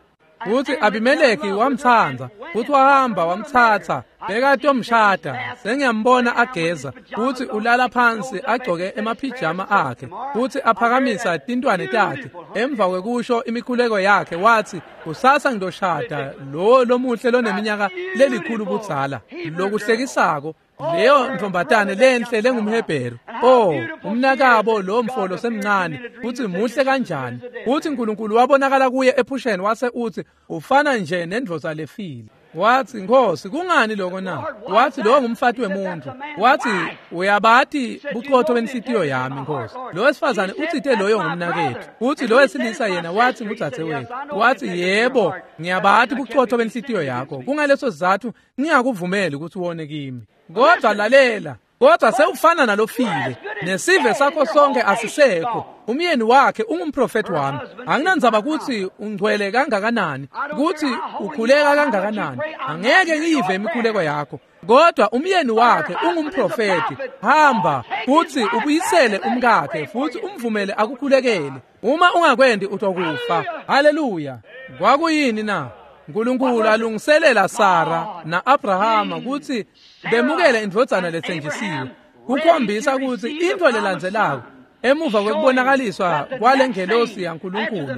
Futsi Abimeleki wamtsandza, futsi wahamba wamtsatsa, bekatomshada. Sengiyambona ageza, futsi ulala phansi agcoke emaphijama akhe, futsi aphakamisa tintwane takhe. Emva kwekusho imikhuleko yakhe wathi, kusasa ngitoshada lo lomuhle loneminyaka lelikhulu budzala. Lokuhlekisako, leyo ntombatane lenhle lengumHebheru. Oh, umnakabo lo mfolo semncane, futsi muhle kanjani. Futsi Nkulunkulu wabonakala kuye ephusheni wase utsi ufana nje nendvodza lefile. Wathi, Nkosi, kungani lokho na? Wathi, lo ngumfati wemuntu. Wathi, uyabati buqotho benhlitiyo yami, Nkosi. Lo wesifazane utsite loyo ngumnaketfu. Uthi lo wesilisa yena wathi ngudzadzewetfu. Wathi, yebo, ngiyabati buqotho benhlitiyo yakho. Kungaleso sizatfu ngingakuvumeli ukuthi wone kimi. Kodwa lalela, kodwa sewufana nalofile, nesive sakho sonke asisekho. Umyeni wakhe ungumprofeti wami. Anginandzaba kutsi ungcwele kangakanani, kutsi ukhuleka kangakanani, angeke ngiyive imikhuleko yakho. Kodwa umyeni wakhe ungumprofeti. Hamba futsi ubuyisele umkakhe, futsi umvumele akukhulekele. Uma ungakwendi utokufa. Haleluya. Kwakuyini na? Nkulunkulu alungiselela Sara na-Abrahama kutsi bemukele indvodzana letsenjisiwe, kukhombisa kutsi intfo lelandzelako emuva kwekubonakaliswa kwalengelosi yaNkulunkulu,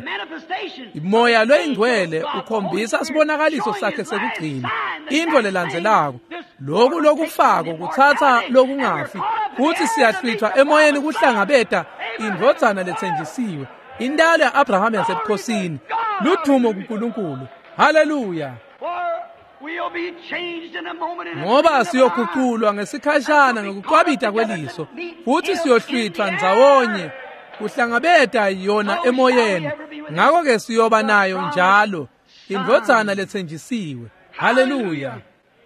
Moya loyingcwele ukhombisa sibonakaliso sakhe sekugcina. Intfo lelandzelako, loku lokufako kutsatsa lokungafi, futsi siyahlwithwa emoyeni kuhlangabeta indvodzana letsenjisiwe, intalo ya-Abrahama yasebukhosini. Ludvumo kuNkulunkulu. Haleluya. Ngoba siyoguqulwa ngesikhashana ngekucwabita kweliso, futsi siyohlwithwa ndzawonye kuhlangabeta yona emoyeni. Ngakho-ke siyoba nayo njalo indvodzana letsenjisiwe. Haleluya.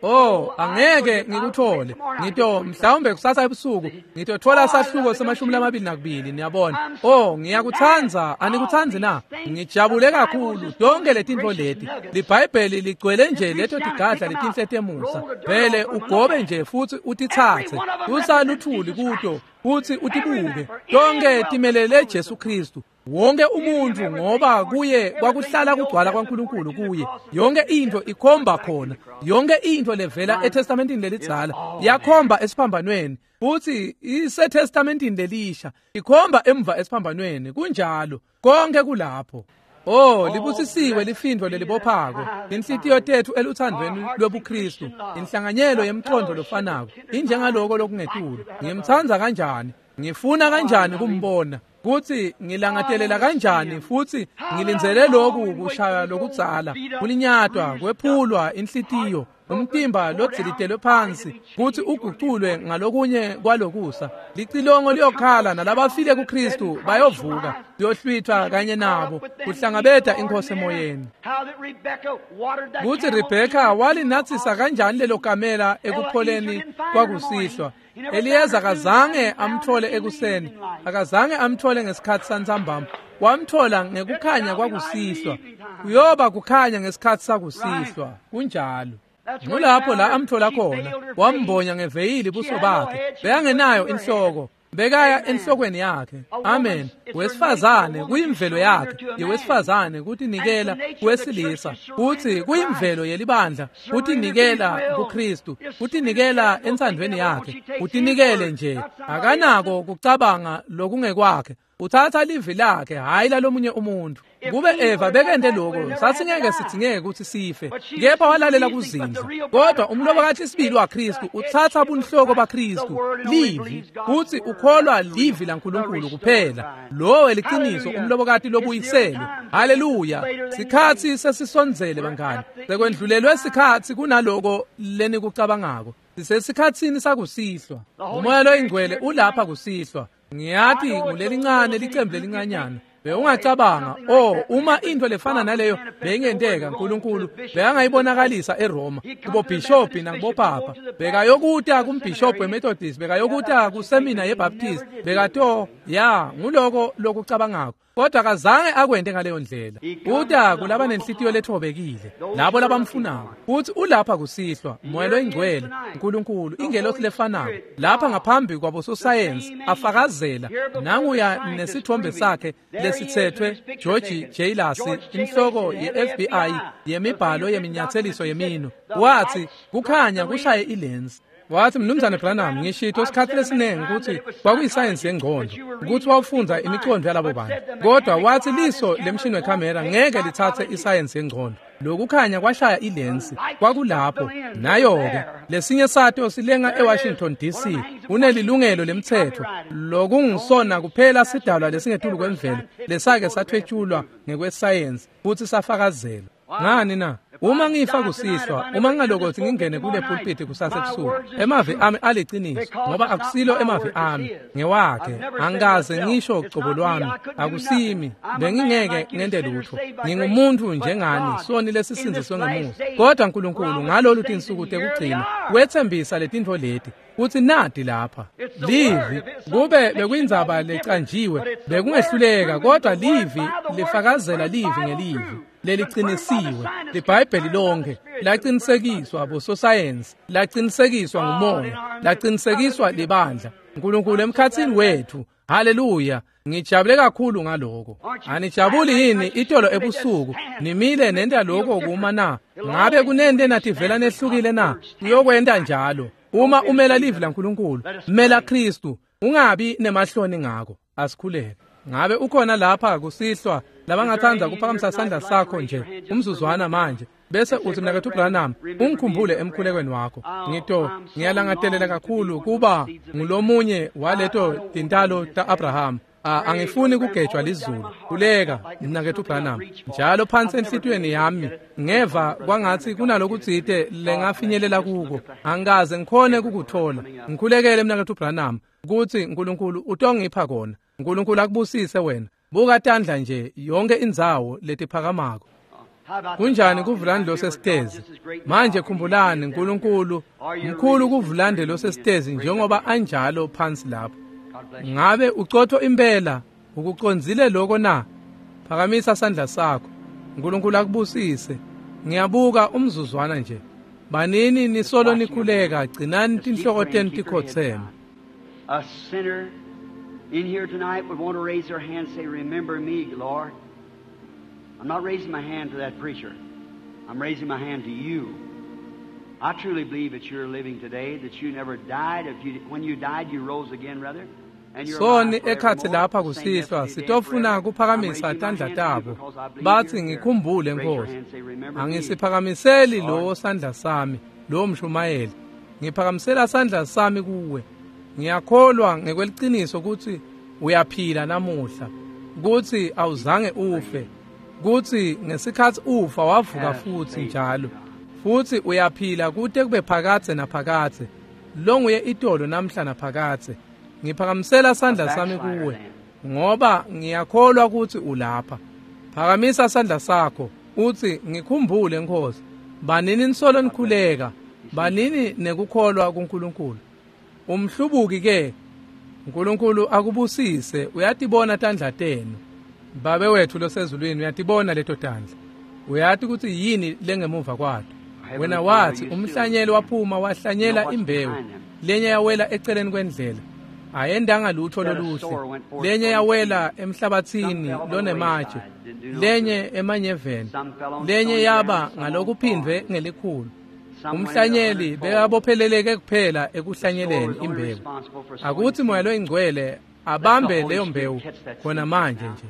Oh, angeke ngikuthole. Ngito mhlawumbe kusasa ebusuku ngitothola sahluko se-22, niyabona. Oh, ngiyakutsandza, anikutsandzi na? Ngijabule kakhulu tonke letintfo leti. LiBhayibheli ligcwele nje leto tigadla letinhle temusa. Vele ugobe nje futsi utitsatse. Usaluthuli kuto futsi utibuke. Tonke timelele Jesu Kristu. Wonke umuntu, ngoba kuye kwakuhlala kugcwala kwaNkulunkulu kuye. Yonke into ikhomba khona. Yonke into levela eTestamentini lelidzala yakhomba esiphambanweni, futhi iseTestamentini lelisha ikhomba emva esiphambanweni. Kunjalo, konke kulapho. Oh, libusisiwe lifindvo lelibophako, inhlitiyo tethu eluthandweni lwebuKristu, inhlanganyelo yemcondo lofanako, injengaloko lokungetulu. Ngimtsandza kanjani, ngifuna kanjani kumbona, kutsi ngilangatelela kanjani, futsi ngilindzele loku kushaya lokudzala, kulinyatwa, kwephulwa inhlitiyo, umtimba lodzilitelwe phansi, kutsi uguculwe ngalokunye kwalokusa. Licilongo liyokhala, nalabafile kuKristu bayovuka, siyohlwithwa kanye nabo kuhlangabeta inkosi emoyeni. Kutsi Rebheka walinatsisa kanjani lelo kamela ekupholeni kwakusihlwa. Eliyeza akazange amthole ekuseni, akazange amthole ngesikhatsi santsambama, wamthola ngekukhanya kwakusihlwa. Kuyoba kukhanya ngesikhatsi sakusihlwa. Kunjalo. Ngulapho la amthola khona, wambonya ngeveyili buso bakhe. Bekangenayo inhloko. Bekaya enhlokweni yakhe. Amen. Wesifazane kuyimvelo yakhe yewesifazane kutinikela kuwesilisa, kutsi kuyimvelo yelibandla kutinikela kuKristu, kutinikela entsandvweni yakhe, utinikele nje. Akanako kucabanga lokungekwakhe. Utsatsa livi lakhe, hhayi lalomunye umuntu. Kube Eva bekente lokho, sasingeke sidzingeke kutsi sife. Kepha walalela kuzindla. Kodwa umlobokati sibili waKristu utsatsa bunhloko baKristu, livi, kutsi ukholwa livi laNkulunkulu kuphela. Lowo liciniso umlobokati lobuyiselwe. Haleluya! Sikhatsi sesisondzele bangani. Sekwendlulelwe sikhatsi kunaloko lenikucabangako. Sisesikhatsini sakusihlwa. Umoya loyingcwele ulapha kusihlwa. Ngiyati ngulelincane licembu lelincanyana. Bewungacabanga, oh, uma intfo lefana naleyo beyingenteka, Nkulunkulu bekangayibonakalisa eRoma kubobhishobhi nakubopapa. Bekayokuta kumbhishobhi weMethodist, bekayokuta kusemina yeBaptist, bekato ya nguloko lokucabangako. Kodwa akazange akwente ngaleyo ndlela. Uta kulaba nenhlitiyo lethobekile, labo labamfunako. Uthi ulapha kusihlwa, Moya loyingcwele, Nkulunkulu, ingelosi lefanako, lapha ngaphambi kwabososayensi afakazela. Nanguya nesithombe sakhe lesitsethwe George J. Lacy, inhloko ye-FBI yemibhalo yeminyatseliso yemino. Wathi kukhanya kushaye ilensi. Wathi, Mnumzane Branham, ngishito sikhatsi lesiningi kutsi kwakuyisayensi yengqondo, ukuthi wawufundza imicondo yalabo bantu. Kodwa wathi liso lemshini wekhamera ngeke litsatse isayensi yengqondo. Lokukhanya kwashaya ilensi, kwakulapho. Nayo-ke, lesinye sato silenga eWashington DC, unelilungelo lemtsetfo, lokungisona kuphela sidalwa lesingetulu kwemvelo, lesake sathwetshulwa ngekwesayensi futsi safakazelwa. Ngani na? Uma ngifa kusihlwa, uma ngingalokothi ngingene kule pulpiti kusasa ebusuku, emavi ami aliciniso, ngoba akusilo emavi ami, ngewakhe. Angikaze ngisho cobo lwami, akusimi, bengingeke ngente lutho. Ngingumuntu njengani, soni lesisindziswe ngemusa. Kodwa Nkulunkulu ngalolu tinsuku tekugcina wetsembisa letintfo leti, kutsi nati lapha. Livi, kube bekuyindzaba lecanjiwe, bekungehluleka, kodwa livi lifakazela livi ngelivi leliqinisiwe. LiBhayibheli lonke laqinisekiswa bososayensi, laqinisekiswa ngumoya, laqinisekiswa libandla. Nkulunkulu emkhatsini wethu. Haleluya! Ngijabule kakhulu ngaloko. Anijabuli yini itolo ebusuku nimile nenta lokho kuma na? Ngabe kunente nativela nehlukile na? Uyokwenta njalo uma umela livi laNkulunkulu, mela Kristu, ungabi nemahloni ngako. Asikhuleke. Ngabe ukhona lapha kusihlwa labangatsandza kuphakamisa sandla sakho nje umzuzwana manje, bese uthi, Mnaketfu Branham, ungikhumbule emkhulekweni wakho. Ngiyalangatelela kakhulu kuba ngulomunye waleto tintalo ta-Abraham. Angifuni kugejwa lizulu. Khuleka, Mnaketfu Branham. Njalo phansi enhlitiyweni yami ngeva kwangatsi kunalokutsite lengafinyelela kuko. Angikaze ngikhone kukuthola. Ngikhulekele, Mnaketfu Branham, kutsi Nkulunkulu utongipha kona. Nkulunkulu akubusise wena. Buka tandla nje yonke indzawo letiphakamako. Kunjani kuvulande losesitezi? Manje khumbulani, Nkulunkulu mkhulu kuvulande losesitezi njengoba anjalo phansi lapho. Ngabe ucotho impela ukucondzile lokho na? Phakamisa sandla sakho. Nkulunkulu akubusise. Ngiyabuka umzuzwana nje. Banini nisolo nikhuleka, gcinani tinhloko tenu tikhotseme. A sinner in here tonight would want to raise their hand and say, "Remember me, Lord." I'm not raising my hand to that preacher. I'm raising my hand to you. I truly believe that you're living today, that you never died. If you, when you died, you rose again, rather. Soni ekhatsi lapha kusihlwa sitofuna kuphakamisa tandla tabo bathi, "Ngikhumbule Nkosi." Angisiphakamiseli lowo sandla sami, lowo mshumayeli. Ngiphakamisela sandla sami kuwe. Ngiyakholwa ngekweliciniso kutsi uyaphila namuhla, kutsi awuzange ufe, kutsi ngesikhatsi ufa wavuka futsi njalo, futsi uyaphila kute kube phakadze naphakadze. Longuye itolo namhla naphakadze. Ngiphakamisela sandla sami kuwe ngoba ngiyakholwa kutsi ulapha. Phakamisa sandla sakho utsi, "Ngikhumbule Nkosi." Banini nisolo nikhuleka, banini nekukholwa kuNkulunkulu. Umhlubuki ke, Nkulunkulu akubusise. Uyatibona tandla tenu. Babe wethu losezulwini uyatibona leto tandla. Uyati kutsi yini lengemuva kwato. Wena wathi umhlanyeli waphuma wahlanyela imbewu, lenye yawela eceleni kwendlela, Ayendanga lutho loluhle. Lenye yawela emhlabathini lonematshe, lenye emanyeveni, lenye yaba ngalokuphindwe ngelikhulu. Umhlanyeli bekabopheleleke kuphela ekuhlanyeleni imbewu. Akuthi Moya loyiNgcwele abambe leyo mbewu khona manje nje.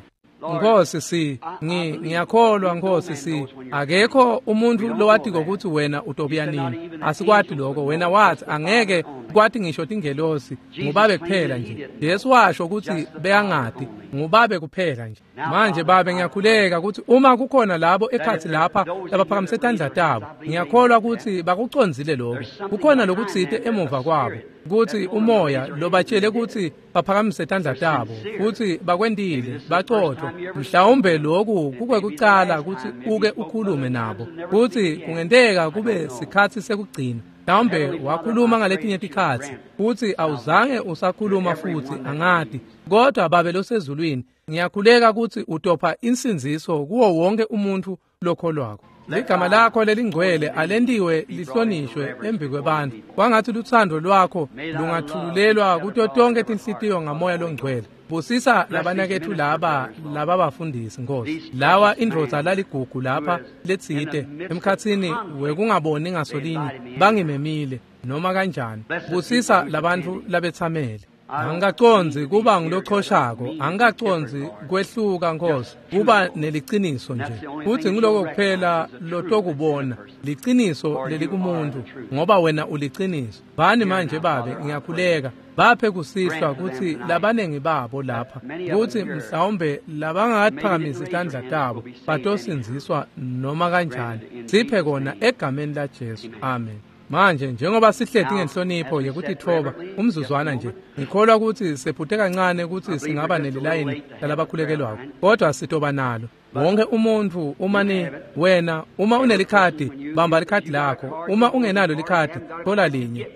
Nkosi ngiyakholwa Nkosi akekho umuntu lowatiko ukuthi wena utobuya nini. Asikwati lokho. Wena wathi angeke kwati ngisho tingelosi, ngubabe kuphela nje. Jesu washo ukuthi bekangati, ngubabe kuphela nje. Manje babe ngiyakhuleka ukuthi uma kukhona labo ekhatsi lapha labaphakamise tandla tabo, ngiyakholwa ukuthi bakucondzile lokho. Kukhona lokutsite emuva kwabo ukuthi umoya lobatshele ukuthi baphakamise tandla tabo, futhi bakwentile, bacotho. Mhlawumbe lokhu kukwekucala ukuthi uke ukhulume nabo, futhi kungenteka kube sikhatsi sekugcina. Mhlawumbe wakhuluma ngaletinye tikhatsi futhi awuzange usakhuluma futhi, angati. Kodwa babe losezulwini, ngiyakhuleka ukuthi utopha insindziso kuwo wonke umuntu lokholwako. Ligama lakho lelingcwele alentiwe lihlonishwe embi kwebantfu. Kwangathi lutsandvo lwakho lungathululelwa kuto tonke tinhlitiyo ngamoya longcwele. Busisa labanaketfu laba lababafundisi Nkosi. Lawa indvodza laligugu lapha letsite emkhatsini wekungaboni ngasolinye bangimemile noma kanjani. Busisa labantfu labetsamele. Angikacondzi kuba ngilochoshako, angikacondzi kwehluka Nkosi, kuba neliciniso nje. Futhi ngiloko kuphela lotokubona, liciniso lelikumuntu, ngoba wena uliciniso. Bani manje babe, ngiyakhuleka, baphe kusihlwa kutsi labanengi babo lapha, kutsi mhlawumbe labangakaphakamisi tandla tabo batosindziswa noma kanjani. Siphe kona egameni la Jesu. Amen. Manje njengoba sihleti ngenhlonipho yekutitfoba umzuzwana nje, ngikholwa ukuthi sephute kancane ukuthi singaba nelilayini lalabakhulekelwako, kodwa sitoba nalo. Wonke umuntu uma ni wena uma unelikhadi, bamba likhadi lakho. Uma ungenalo likhadi, thola linye.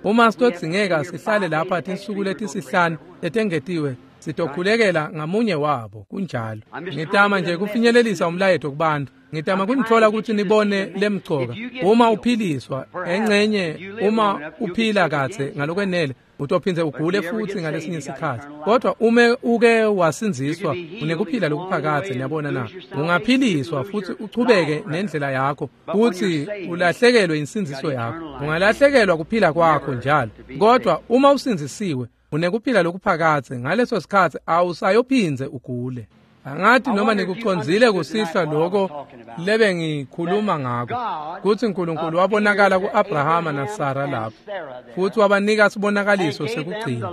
Uma sitodzingeka sihlale lapha tinsuku letisihlanu letengetiwe, sitokhulekela ngamunye wabo. Kunjalo. Ngitama nje kufinyelelisa umlayeto kubantu. Ngitama kunithola ukuthi nibone lemcoka. Uma uphiliswa engcenye, uma uphila kahle ngalokwenele, utophinze ugule futhi ngalesinye isikhathi. Kodwa ume uke wasindziswa, unekuphila lokuphakadze. Niyabona na? Ungaphiliswa futhi uchubeke nendlela yakho, futhi ulahlekelwe insindziso yakho. Ungalahlekelwa kuphila kwakho njalo. Kodwa uma usindzisiwe, unekuphila lokuphakadze, ngaleso sikhathi awusayophinze ugule. Angathi noma nikucondzile kusihlwa lokho lebe ngikhuluma ngako, kutsi uNkulunkulu wabonakala ku-Abrahama naSara lapho, futhi wabanika sibonakaliso sekugcina.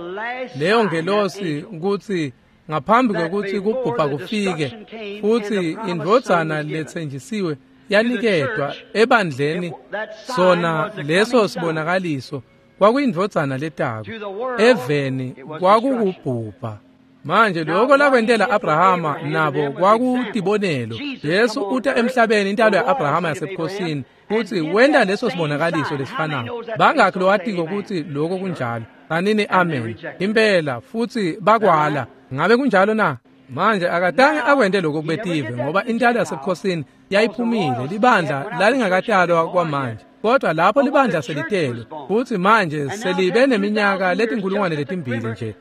Leyo ngelosi kutsi ngaphambi kwekutsi kubhubha kufike, futhi indvodzana letsenjisiwe yaniketwa ebandleni, sona leso sibonakaliso kwakuyindvodzana letako. Eveni kwakukubhubha. Manje lokho lakwentela Abrahama nabo kwakutibonelo. Jesu uta emhlabeni intalo ya-Abrahama yasebukhosini, futhi wenta leso sibonakaliso lesifanayo. Bangakhi lowatiko ukuthi lokho kunjalo? Kanini amen. Impela futhi bakwala. Ngabe kunjalo na? Manje akatange akwente lokho kubetive, ngoba intalo yasebukhosini yayiphumile, libandla lalingakatalwa kwamanje. Kodwa lapho libandla selitelwe, futhi manje selibe neminyaka letinkulungwane letimbili nje.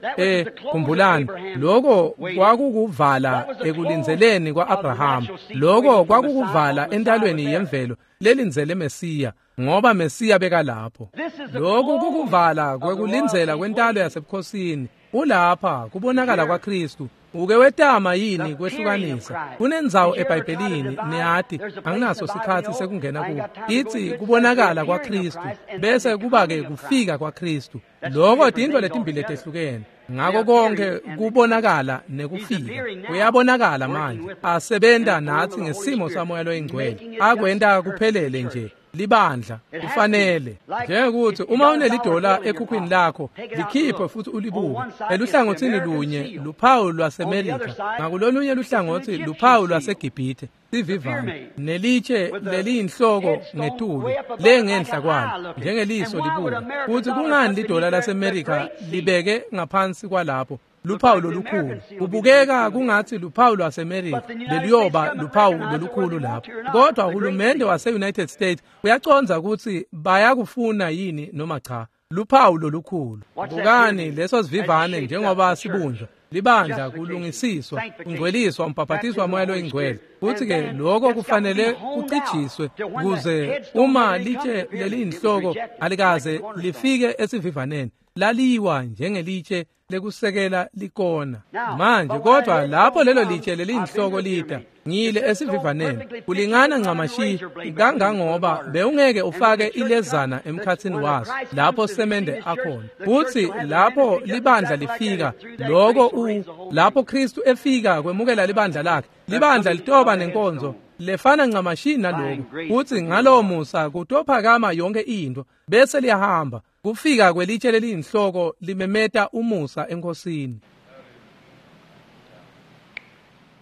Khumbulani, lokho kwakukuvala ekulindzeleni kwa-Abrahama. Lokho kwakukuvala entalweni yemvelo lelindzele Mesiya, ngoba Mesiya bekalapho. Lokhu kukuvala kwekulindzela kwentalo yasebukhosini. Ulapha kubonakala kwaKristu. Uke wetama yini kwehlukanisa? Kunendzawo eBhayibhelini, niyati, anginaso sikhatsi sekungena kuwo. Itsi kubonakala kwaKristu, bese kuba-ke kufika kwaKristu. Lokho tintfo letimbili letehlukene. Ngako konke kubonakala nekufika. Kuyabonakala manje, asebenta natsi ngesimo saMoya loyiNgcwele. Akwenta kuphelele nje. Libandla kufanele njengokuthi uma unelidola ekhukhwini lakho, likhiphe futhi ulibuke. Eluhlangothini lunye luphawu lwaseMelika, ngakulolunye luhlangothi luphawu lwaseGibhithe, sivivane nelitshe leliyinhloko ngetulu lengenhla kwalo njengeliso libuka. Futhi kungani lidola laseMelika libeke ngaphansi kwalapho luphawu lolukhulu? Kubukeka kungathi luphawu lwaseMelika leliyoba luphawu lolukhulu lapho. Kodwa uhulumende wase-United States uyacondza ukuthi bayakufuna yini noma cha. Luphawu lolukhulu. Bukani leso sivivane njengoba sibunjwa. Libandla kulungisiswa, kungcweliswa, umbhaphatiswa moya loyingcwele. Futhi-ke lokho kufanele kucijiswe kuze uma litshe leliyinhloko alikaze lifike esivivaneni, laliwa njengelitshe lekusekela likona. Manje kodwa lapho lelo litshe leliyinhloko lita ngile esivivaneni, kulingana ncamashi kangangoba bewungeke ufake ilezana emkhathini waso lapho semende akhona. Futhi lapho libandla lifika, lokho lapho Kristu efika kwemukela libandla lakhe, libandla litoba nenkonzo lefana ncamashi naloko. Futhi ngalowo musa kutophakama yonke into bese liyahamba. Kufika kwelitshe leliyinhloko limemeta umusa enkosini.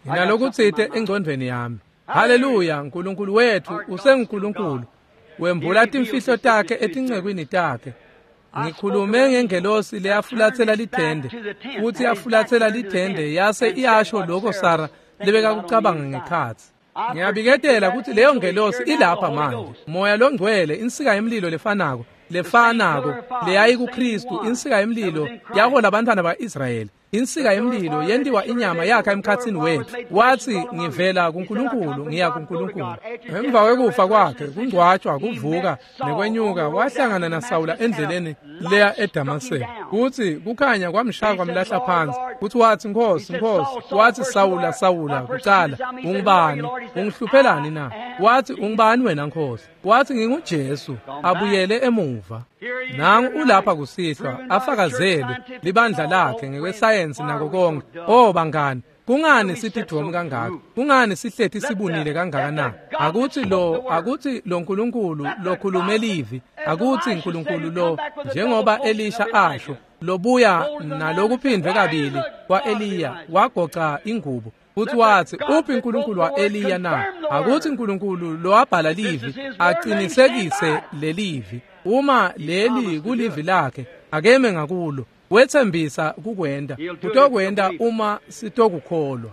Nginalokutsite engcondvweni yami. Haleluya, uNkulunkulu wethu usenguNkulunkulu. Wembula timfihlo takhe etincekwini takhe. Ngikhulume ngengelosi leyafulathela lithende, futhi yafulathela lithende yase iyasho lokho Sara lebekakucabanga ngekhatsi. Ngiyabiketela ukuthi leyo ngelosi ilapha manje. Moya longcwele, insika yemlilo lefanako, leyayi kuKristu, insika yemlilo yahola abantwana ba-Israyeli. Insika yemlilo yentiwa inyama yakha emkhathini wethu. Wathi ngivela kuNkulunkulu ngiya kuNkulunkulu. Emva kwekufa kwakhe, kungcwatshwa, kuvuka nekwenyuka, wahlangana naSawula endleleni leya eDamaseko. Kuthi kukhanya kwamshaya kwamlahla phansi. Kuthi wathi Nkosi, Nkosi. Wathi Sawula, Sawula, kucala ungubani? Ungihluphelani na? Wathi ungubani wena Nkosi? Wathi nginguJesu. Abuyele emuva. Nangu ulapha kusihlwa afakazelwe libandla lakhe ngekwesayensi nako konke. Oh bangani, kungani sithi dvomu kangaka? Kungani sihlethi sibunile kangaka na? Akuthi lo Nkulunkulu lokhulume livi, akuthi uNkulunkulu lo njengoba Elisha asho, lobuya nalokuphindwe kabili kwaEliya wagoca ingubo. Futhi wathi uphi uNkulunkulu waEliya na? Akuthi uNkulunkulu lowabhala livi aqinisekise lelivi. Uma leli kulivi lakhe, akeme ngakulo. Wethembisa kukwenda, kutokwenda uma sitokukholwa.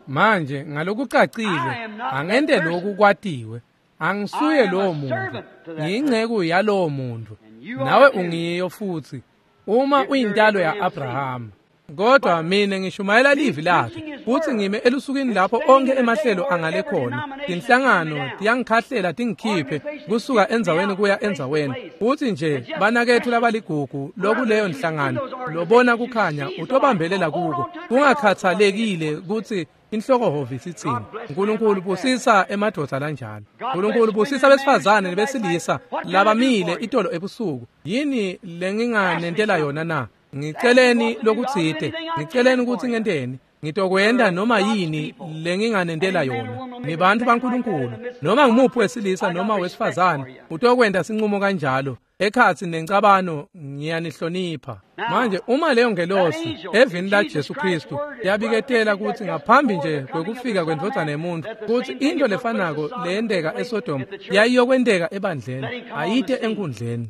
Manje ngalokucacile angente lokhu kwatiwe. Angisuye lowo muntu, ngiyinceku yalowo muntu, nawe ungiyo futhi uma uyintalo ya-Abrahama. Kodwa mina ngishumayela livi lakhe, futhi ngime elusukwini lapho onke emahlelo angale khona. Tinhlangano tiyangikhahlela tingikhiphe kusuka endzaweni kuya endzaweni. Futhi nje banakethu labaligugu lokuleyo nhlangano lobona kukhanya utobambelela kuko, kungakhathalekile ukuthi inhloko hhovisi itsini. uNkulunkulu busisa emadoda lanjalo. uNkulunkulu busisa besifazane nebesilisa labamile itolo ebusuku. Yini lenginganentela yona na? Ngiceleni lokutsite, ngiceleni ukuthi ngenteni. Ngitokwenda noma yini lenginganentela yona. Nibantu baNkulunkulu, noma ngumuphi wesilisa noma wesifazane utokwenda sinqumo kanjalo. Ekhatsi nencabano ngiyanihlonipha. Manje uma leyo ngelosi evini la Jesu Kristu yabiketela ukuthi ngaphambi nje kwekufika kwendvodzana yemuntu kuthi into lefanako leyenteka eSodoma yayiyokwenteka ebandleni, ayite enkundleni.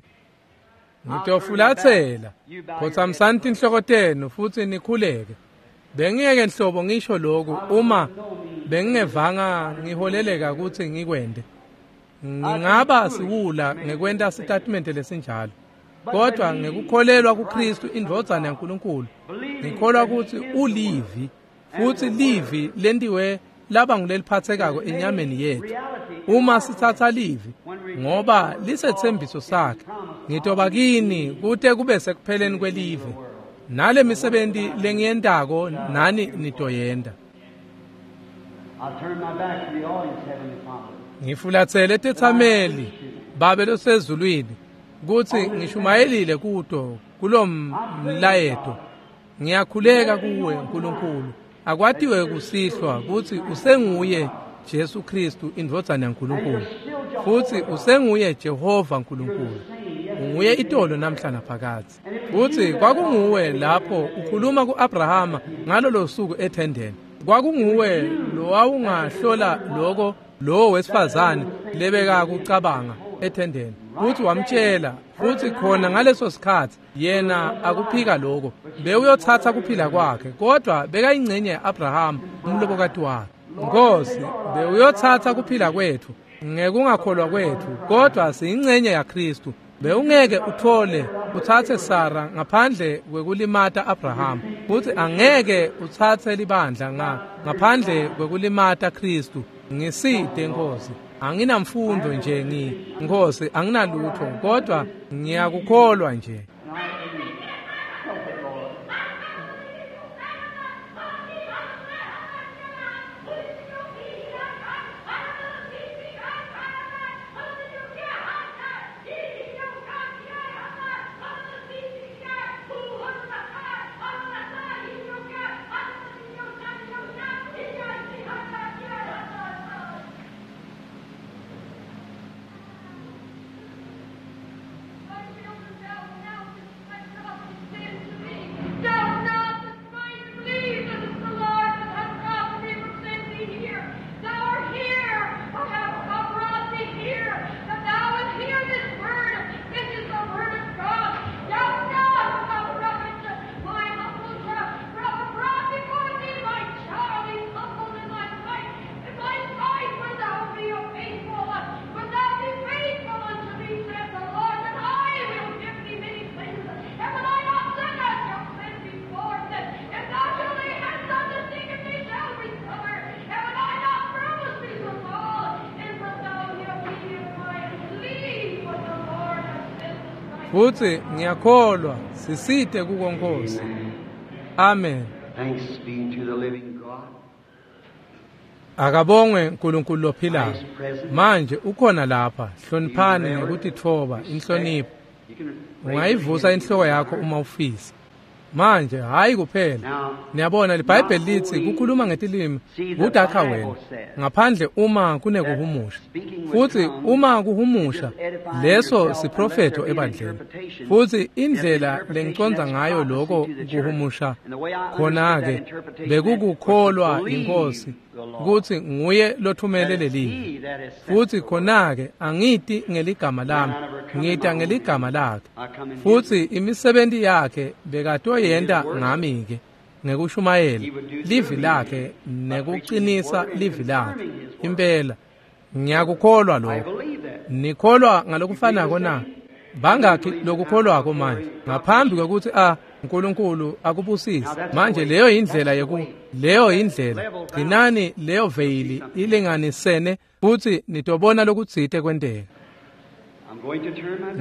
Ngitofulathela, khotsamsani tinhloko tenu futhi nikhuleke. Bengiyeke nhlobo ngisho lokhu uma bengingevanga ngiholeleka ukuthi ngikwende. Ngingaba siwula ngekwenta sitatimende lesinjalo. Kodwa ngekukholelwa kuKristu indvodzana yaNkulunkulu, ngikholwa ukuthi ulivi, futhi livi lentiwe laba nguleliphathekako enyameni yethu. Uma sithatha livi ngoba lisethembiso sakhe, ngitoba kini kute kube sekupheleni kwelive. Nale misebenti lengiyentako nani nitoyenta. Ngifulathele tethameli Babe losezulwini kuthi ngishumayelile kuto kulomlayeto. Ngiyakhuleka kuwe uNkulunkulu, akwatiwe kusihlwa kuthi usenguye Jesu Kristu indvodzana yaNkulunkulu, futhi usenguye Jehova uNkulunkulu. Unguye itolo namhla naphakadze. Futhi kwakunguwe lapho ukhuluma kuAbrahama ngalolo suku ethendeni. Kwakunguwe lowawungahlola lokho lowo wesifazane lebeka kucabanga ethendeni, futhi wamtshela. Futhi khona ngaleso sikhathi yena akuphika lokho, bewuyothatha kuphila kwakhe, kodwa bekayingcenye ya-Abrahama umlobokati wakhe. Nkosi, bewuyothatha kuphila kwethu, Ngekungakholwa kwethu, kodwa siyingcenye yaKristu. Bewungeke uthole utsatse Sara ngaphandle kwekulimata Abraham, futhi angeke utsatse libandla ngaphandle kwekulimata Kristu. Ngiside Nkosi, anginamfundo nje Nkosi, anginalutho, kodwa ngiyakukholwa nje. Futhi ngiyakholwa sisite kuko Nkosi. Amen. Thanks be to the living God. Akabongwe uNkulunkulu lophilayo. Manje ukhona lapha, hloniphani ngekutitfoba, inhlonipho. Ungayivusa inhloko yakho uma ufisa. Manje hayi kuphela. Niyabona iBhayibheli lithi kukhuluma ngetilimi kudakha wena ngaphandle uma kunekuhumusha. Futhi uma kuhumusha leso siprofetho ebandleni. Futhi indlela lengicondza ngayo lokho kuhumusha khona ke bekukukholwa inkosi ukuthi nguye lothumele lelivi. Futhi khona ke angiti ngeligama lami, ngita ngeligama lakhe. Futhi imisebenzi yakhe bekatoyenta ngami ke ngekushumayela livi lakhe nekuqinisa livi lakhe. Impela ngiyakukholwa lokho. Nikholwa ngalokufanako na? Bangakhi lokukholwako manje ngaphambi kwekuthi uNkulunkulu akubusise? Manje leyo indlela leyo indlela gcinani leyo veyili ilinganisene futhi nitobona lokutsite kwenteka.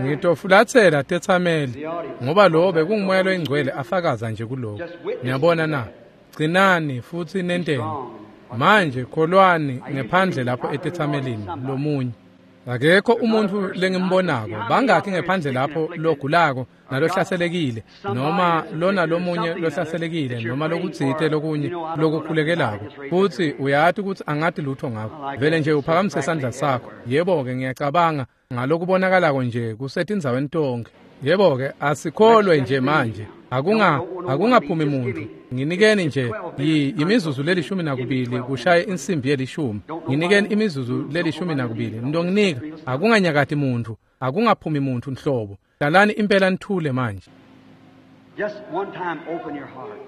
Ngitofulathela tethameli ngoba lo bekungumoya loyingcwele afakaza nje kuloko. Niyabona na? Gcinani futhi nenteni. Manje kholwani ngephandle lapho etethamelini lomunye. Akekho umuntu lengimbonako. Bangakhi ngephandle lapho logulako nalohlaselekile noma lona lomunye lohlaselekile noma lokutsite lokunye lokukhulekelako, futhi uyati ukuthi angati lutho ngakho. Vele nje uphakamise isandla sakho. Yebo-ke ngiyacabanga ngalokubonakalako nje kusetindzaweni tonke. Yebo-ke asikholwe nje manje. Akungaphumi muntu. Nginikeni nje imizuzu le-12 kushaye insimbi ye-10. Nginikeni imizuzu le-12. Ntonginika akunganyakati muntu, akungaphumi muntu nhlobo. Hlalani impela nithule manje. Just one time open your heart.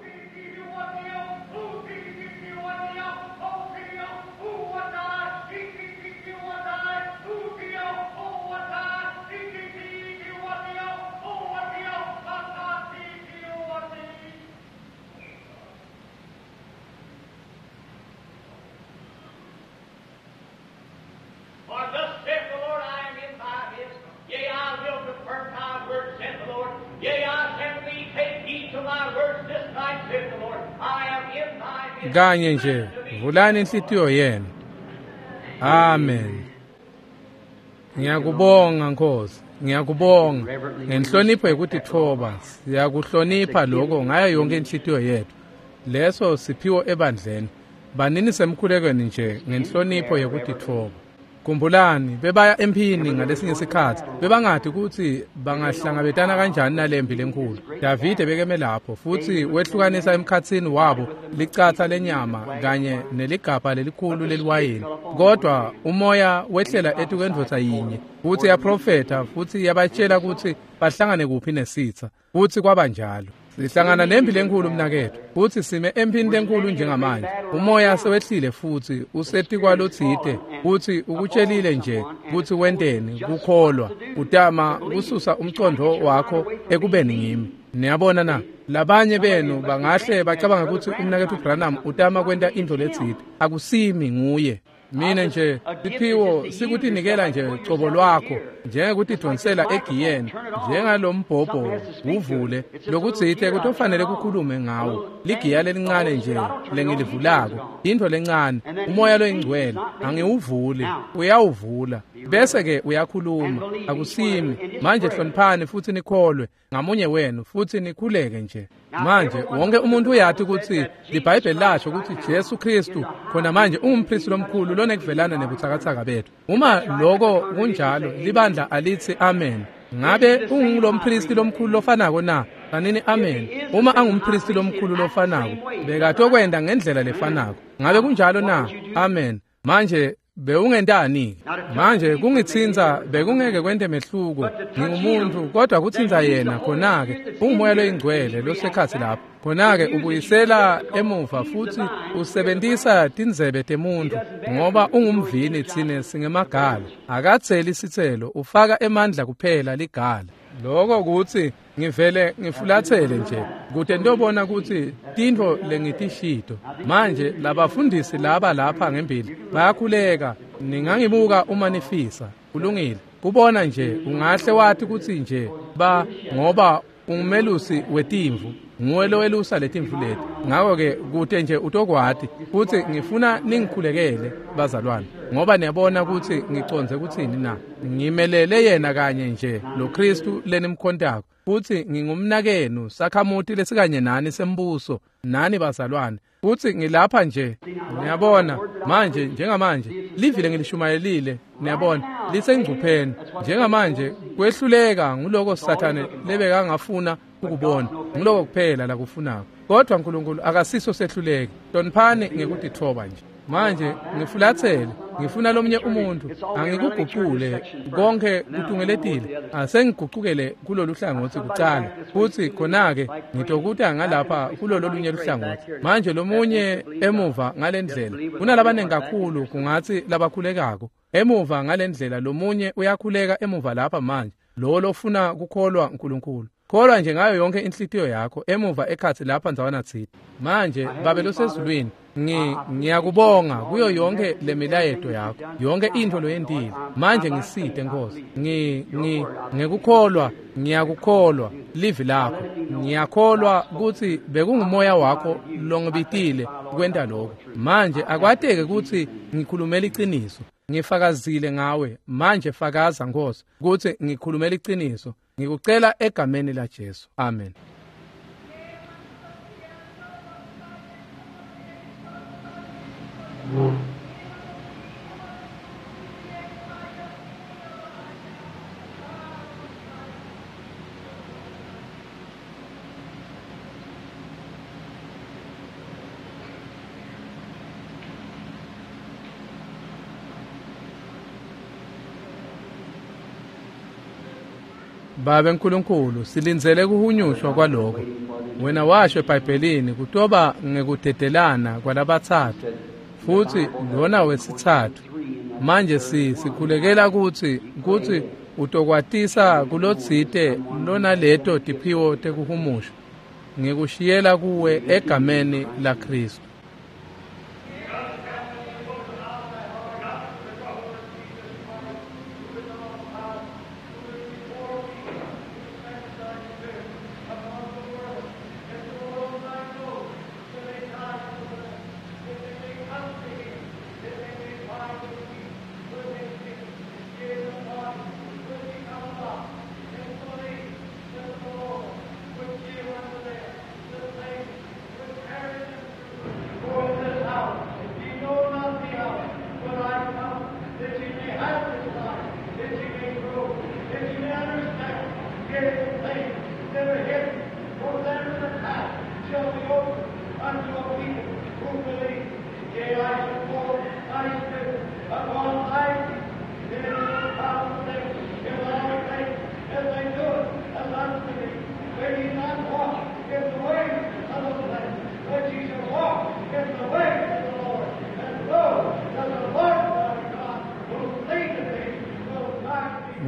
Kanye nje vulani inhlitiyo yenu. Amen. Ngiyakubonga Nkosi, ngiyakubonga ngenhlonipho yekutitfoba. Siyakuhlonipha lokho ngayo yonke inhlitiyo yethu. Leso siphiwo ebandleni. Banini semkhulekweni nje ngenhlonipho yekutitfoba. Khumbulani bebaya emphini ngalesinye isikhathi, bebangadi ukuthi bangahlangabetana kanjani nalempi lenkulu. Davide bekeme lapho futhi wehlukanisa emkhatsini wabo licatsa lenyama kanye neligabha lelikhulu leliwayini. Kodwa umoya wehlela etukwendvodza yinye futhi yaprofetha futhi yabatshela ukuthi bahlangane kuphi nesitha, futhi kwaba njalo. Sihlangana nempi lenkulu mnaketfu, futsi sime emphini lenkulu njengamanje. Umoya sewehlile futsi usetikwalotsite, futsi ukutshelile nje kutsi wenteni, kukholwa, utama kususa umcondvo wakho ekubeni ngimi. Niyabona na? Labanye benu bangahle bacabanga kutsi umnaketfu Branham utama kwenta intfo letsite. Akusimi, nguye. Mina nje siphiwo sikutinikela nje cobo lwakho, njengekutidonsela egiyeni, njengalombhobho uvule lokutsite kutofanele kukhulume ngawo. Ligiya lelincane nje lengilivulako, intfo lencane, umoya loyingcwele, angiwuvuli, uyawuvula bese ke uyakhuluma. Akusimi. Manje hloniphani futsi nikholwe ngamunye wenu futsi nikhuleke nje. Manje wonke umuntu uyati kutsi liBhayibheli lasho kutsi Jesu Kristu khona manje ungumpristi lomkhulu lonekuvelana nebutsakatsaka bethu. Uma lokho kunjalo, libandla alitsi amen. Ngabe ungulompristi lomkhulu lofanako na? Kanini amen. Uma angumpristi lomkhulu lofanako, bekatokwenda ngendlela lefanako. Ngabe kunjalo na? Amen. Manje bewungentani? Manje kungitsinza bekungeke kwente mehluko. Ngingumuntu, kodwa kutsinza yena khona-ke ungumoya loyingcwele losekhatsi lapho. Khona-ke ubuyisela emuva futsi usebentisa tindzebe temuntu, ngoba ungumvini, tsine singemagala. Akatseli sitselo, ufaka emandla kuphela ligala. Lokho kutsi ngivele ngifulathele nje kute ngitobona kutsi tintfo lengitishito. Manje labafundisi laba lapha ngembili bayakhuleka, ningangibuka uma nifisa. Kulungile. Kubona nje ungahle wati kutsi nje ba ngoba ungumelusi wetimvu, nguwe lowelusa letimvu leti. Ngakho-ke kute nje utokwati kutsi ngifuna ningikhulekele bazalwane, ngoba niyabona kutsi ngicondze kutsini na. Ngimelele yena kanye nje lo Kristu lenimkhontako, futsi ngingumnakenu, sakhamuti lesikanye nani sembuso, nani bazalwane, futsi ngilapha nje. Niyabona manje, njengamanje livi lengilishumayelile, niyabona lisengcupheni njengamanje. Kwehluleka nguloko Sathane lebekangafuna ukubona, nguloko kuphela lakufunako. Kodwa uNkulunkulu akasiso sehluleki. Hloniphani ngekutitfoba nje. Manje ngifulathele, ngifuna lomunye umuntu angikugucule konke kutungeletile. Asengigucukele kulolu hlangothi kucala, futhi khona-ke ngitokuta ngalapha kulolo lunye luhlangothi. Manje lomunye emuva ngalendlela, kunalabanengi kakhulu kungatsi labakhulekako emuva ngalendlela. Lomunye uyakhuleka emuva lapha manje, lo lofuna kukholwa uNkulunkulu. Kholwa nje ngayo yonke inhlitiyo yakho emuva ekhatsi lapha ndzawana tsite. Manje Babe losezulwini, ngiyakubonga kuyo yonke lemilayeto yakho, yonke intfo loyentile. Manje ngisite Nkosi, ngekukholwa ngiyakukholwa livi lakho. Ngiyakholwa kutsi bekungumoya wakho longibitile kwenta lokho. Manje akwateke kutsi ngikhulumela iciniso. Ngifakazile ngawe. Manje fakaza Nkosi kutsi ngikhulumela iciniso. Ngikucela egameni la Jesu. Amen. Babe Nkulunkulu, silindzele kuhunyushwa kwaloko. Wena washo eBhayibhelini kutoba ngekudedelana kwalabatsatfu, futsi lona wesitsatfu. Manje sikhulekela kutsi utokwatisa kulotsite lonaleto tiphiwo tekuhumusha. Ngikushiyela kuwe egameni la Kristu.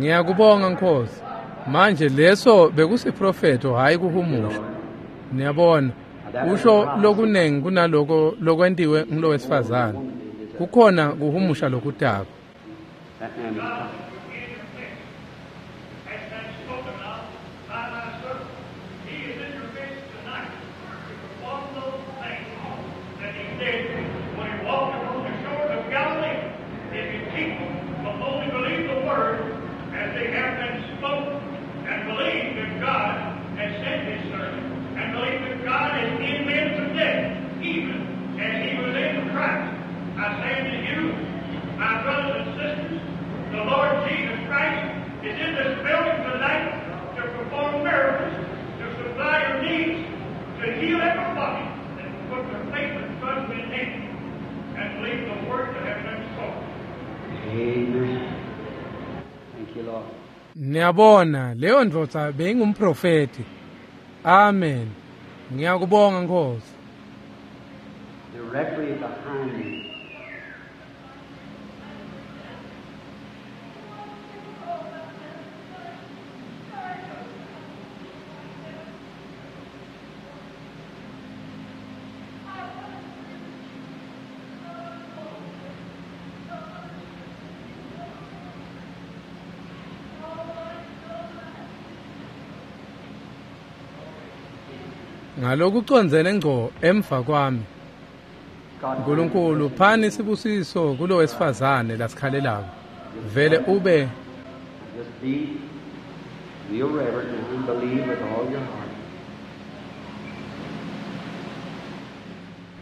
Ngiyakubonga Nkosi. Manje leso bekusiprofeto hayi kuhumusha. Niyabona, usho lokunengi kunaloko lokwentiwe ngulowesifazane. Kukhona kuhumusha lokutako. That man was coming. Has been spoken of by my servant. He is in your midst tonight to perform those things that he did when he walked upon the shores of Galilee. If his people will only believe the word as they have been spoken, and believe that God has sent his servant, and believe that God is in men today, even as he was in Christ. I say unto you, my brothers and sisters, the Lord Jesus Christ is in this building tonight to perform miracles, to supply your needs, to heal everybody that will put their faith and trust in Him and believe the word that has been spoken. Amen. Thank you, Lord. Niyabona, leyo ndvodza beyingumprofeti. Amen. Ngiyakubonga Nkosi. Directly behind me. Ngalokucondzene ngco emva kwami. God uNkulunkulu phani sibusiso kulowesifazane lasikhalelako. Vele ube Just be real reverent now and believe with all your heart.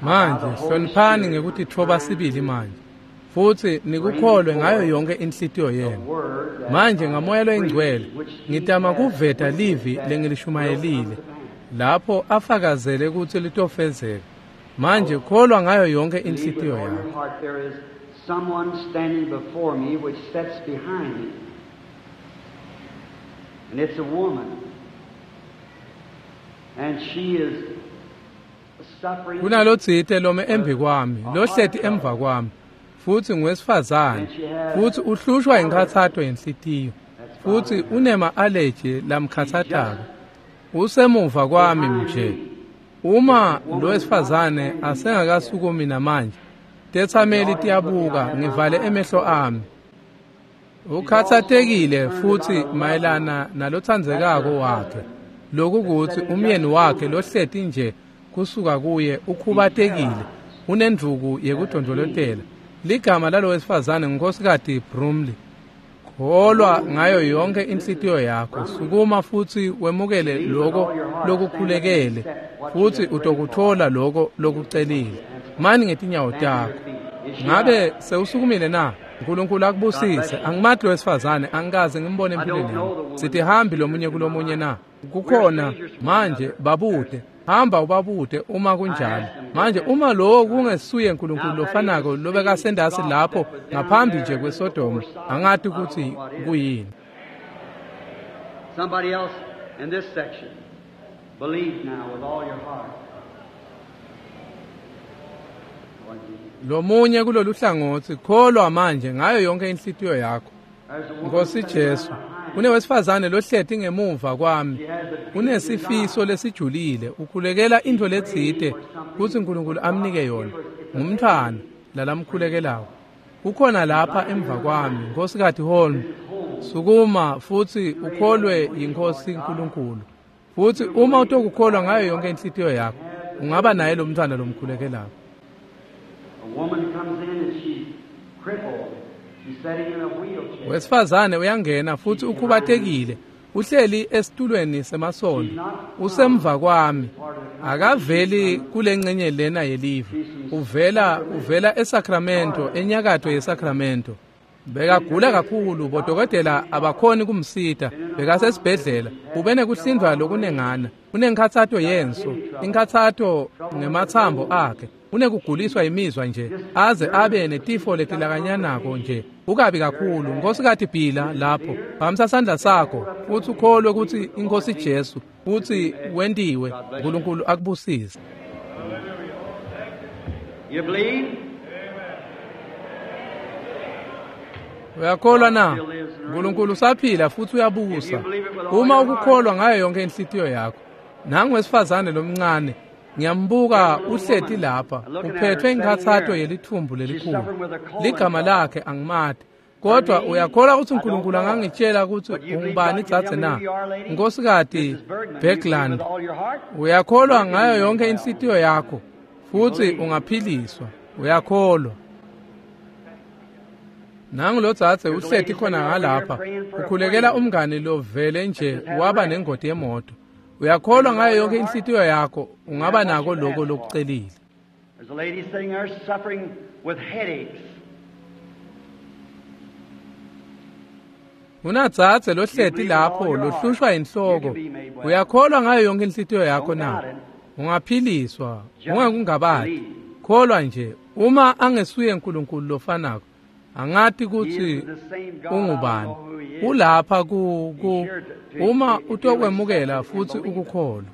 manje hloniphani ngekutitfoba sibili manje. Futhi nikukholwe ngayo yonke inhlitiyo The yenu. word that Manje ngamoya loyingcwele which he ngitama has kuveta livi that lengilishumayelile will come to pass. lapho afakazele kutsi litofezeka. Manje kholwa ngayo yonke Believe with inhlitiyo all your yakho. heart. There is someone standing before me which sits behind me. And it's a woman. And she is suffering. Kunalotsite lome embi kwami, lohleti emva kwami, futhi ngowesifazane, futhi uhlushwa inkhathato yenhlitiyo, futhi unema allergy lamkhathatako. Usemuva kwami nje. Uma lo wesifazane asengakasukumi namanje, tethameli tiyabuka ngivale emehlo ami. Ukhathatekile futhi mayelana nalothandzekako wakhe. Lokukuthi umyeni wakhe lohleti nje kusuka kuye ukhubatekile, unendvuku yekudondolotela. Ligama lalo wesifazane nguNkosikati Brumley. Kholwa ngayo yonke inhlitiyo yakho. Sukuma futhi wemukele lokho lokukhulekele, futhi utokuthola lokho lokucelile. Mani ngetinyawo takho. Ngabe sewusukumile na? uNkulunkulu akubusise. Angimati lo wesifazane, angikaze ngimbone empilweni yami. Sithi hambi lomunye kulomunye na? Kukhona manje babude. Hamba ubabude uma kunjalo. Manje uma lowo kungesuye uNkulunkulu lofanako lobekasendasi lapho ngaphambi nje kweSodoma, angati ukuthi kuyini. Somebody else in this section. Believe now with all your heart. Lord Jesus. Lomunye kulolu hlangothi kholwa manje ngayo yonke inhlitiyo yakho. There's a woman Nkosi sitting Jesu, right behind me. kunewesifazane lohleti ngemuva kwami. Unesifiso lesijulile, ukhulekela into letsite kutsi uNkulunkulu amnike yona. Ngumntfwana lalamkhulekelako. Kukhona lapha emva kwami, Nkosikazi Holm. Sukuma futhi ukholwe yinkosi uNkulunkulu. Futhi uma utokukholwa ngayo yonke inhlitiyo yakho, ungaba naye lo mntwana lomkhulekelako. A woman comes in and she's crippled. She's sitting in a wheelchair. Wesifazane uyangena futhi ukhubatekile. Uhleli esitulweni semasondo. Usemva kwami. Akaveli kulengcenye lena yelive. Uvela eSacramento, enyakatho yeSacramento. Bekagula kakhulu, bodokotela abakhoni kumsita. Bekasesibhedlela, ubenekuhlindwa lokunengana. Unenkhathato yenso, inkhathato ngemathambo akhe. Unekuguliswa imizwa nje, aze abe netifo letilakanyanako nje. Ukabi kakhulu, Nkosikati Bhila lapho. Phakamisa sandla sakho, futhi ukholwe ukuthi iNkosi Jesu, futhi wentiwe. uNkulunkulu akubusise. You believe? Uyakholwa na? uNkulunkulu usaphila futhi uyabusa. Uma ukukholwa ngayo yonke inhlitiyo yakho. Nangu wesifazane lomncane, ngiyambuka uhleti lapha, uphethwe inkhathato yelithumbu lelikhulu. Ligama lakhe angimati. Kodwa uyakholwa ukuthi uNkulunkulu angangitshela ukuthi ungubani dzadze na? Nkosikazi Bergland, uyakholwa ngayo yonke inhlitiyo yakho futhi ungaphiliswa. Uyakholwa. Nangu lo dzadze uhleti khona ngalapha, ukhulekela umngani lovele nje waba nengoti yemoto. Uyakholwa ngayo yonke inhlitiyo yakho, ungaba nako lokho lokucelile. There's a lady sitting there suffering with headaches. Unadzadze lohleti lapho lohlushwa inhloko. Uyakholwa ngayo yonke inhlitiyo yakho na? Ungaphiliswa, ungakungabati. Kholwa nje, uma angesuye uNkulunkulu lofanako, angati kutsi ungubani. Ulapha ku uma utokwemukela futhi ukukholwa.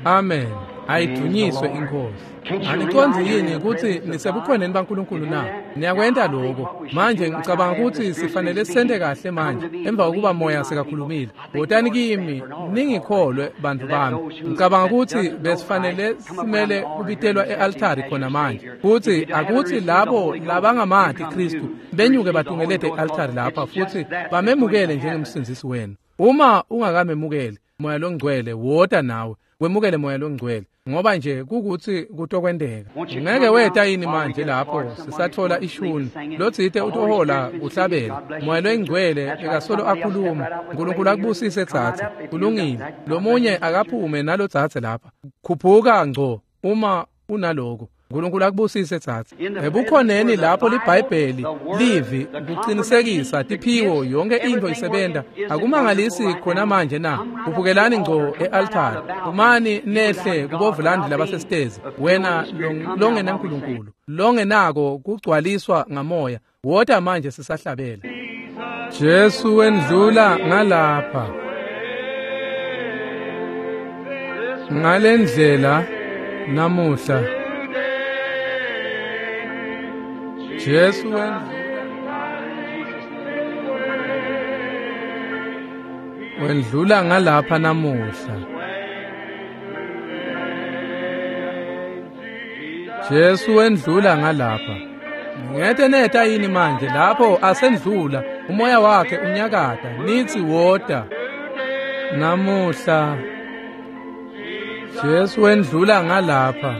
Amen. Ayidunyiswe inkosi. Aniconzi yini ukuthi nisebukhoneni baNkulunkulu na? Niyakwenta lokho. Manje ngicabanga ukuthi sifanele sente kahle manje emva kokuba moya sekakhulumile. Wotani kimi ningikholwe bantu bami. Ngicabanga ukuthi besifanele simele kubitelwa e-altari khona manje. Futhi akuthi labo labangamati Kristu benyuke batungelete e-altari lapha futhi bamemukele njengemsindzisi wenu. Uma ungakamemukeli moya longcwele wota nawe. Wemukele moya longcwele ngoba nje kukuthi kutokwenteka. Ngeke weta yini manje lapho sisathola ishuni lotsite utohola kuhlabela moya longcwele ekasolo akhuluma. uNkulunkulu akubusise tsatsa. Kulungile. Lomunye akaphume nalotsatse lapha. Khuphuka ngco uma unaloko. uNkulunkulu akubusise tsatsa. Ebukhoneni lapho liBhayibheli livi kuqinisekisa tiphiwo yonke into isebenta. Akumangalisi khona manje na? Kuphukelani ngco e-altari. Umani nehle kubovulandi labasesitezi. Wena longenaNkulunkulu, longenako kugcwaliswa ngamoya. Wota manje sisahlabela. Jesu wendlula ngalapha. Ngalendlela namuhla. Jesu wendlula ngalapha namuhla. Jesu wendlula ngalapha. Ngete neta yini manje lapho asendlula umoya wakhe unyakata nithi wota namuhla. Jesu wendlula ngalapha.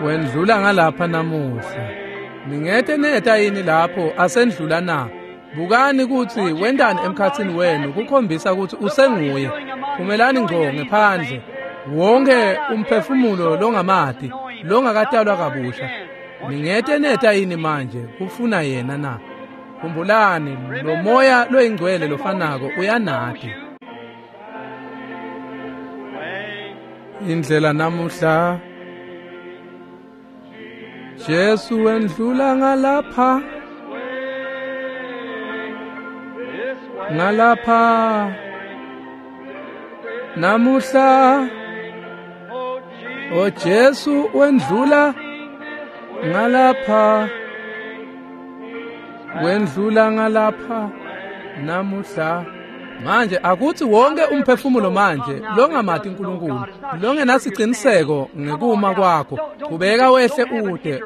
Wendlula ngalapha namuhla. Ningete neta yini lapho asendlula na? Bukani ukuthi wendani emkhathini wenu kukhombisa ukuthi usenguye. Phumelani ngco ngephandle. Wonke umphefumulo longamati longakatalwa kabusha. Ningete neta yini manje kufuna yena na? Khumbulani lo moya loyingcwele lofanako uyanati. Indlela namuhla Jesu wendlula ngalapha ngalapha namuhla O Jesu wendlula ngalapha wendlula ngalapha namuhla. Manje akuthi wonke umphefumulo manje longamati uNkulunkulu longenasiciniseko ngekuma kwakho kubeka wehle ude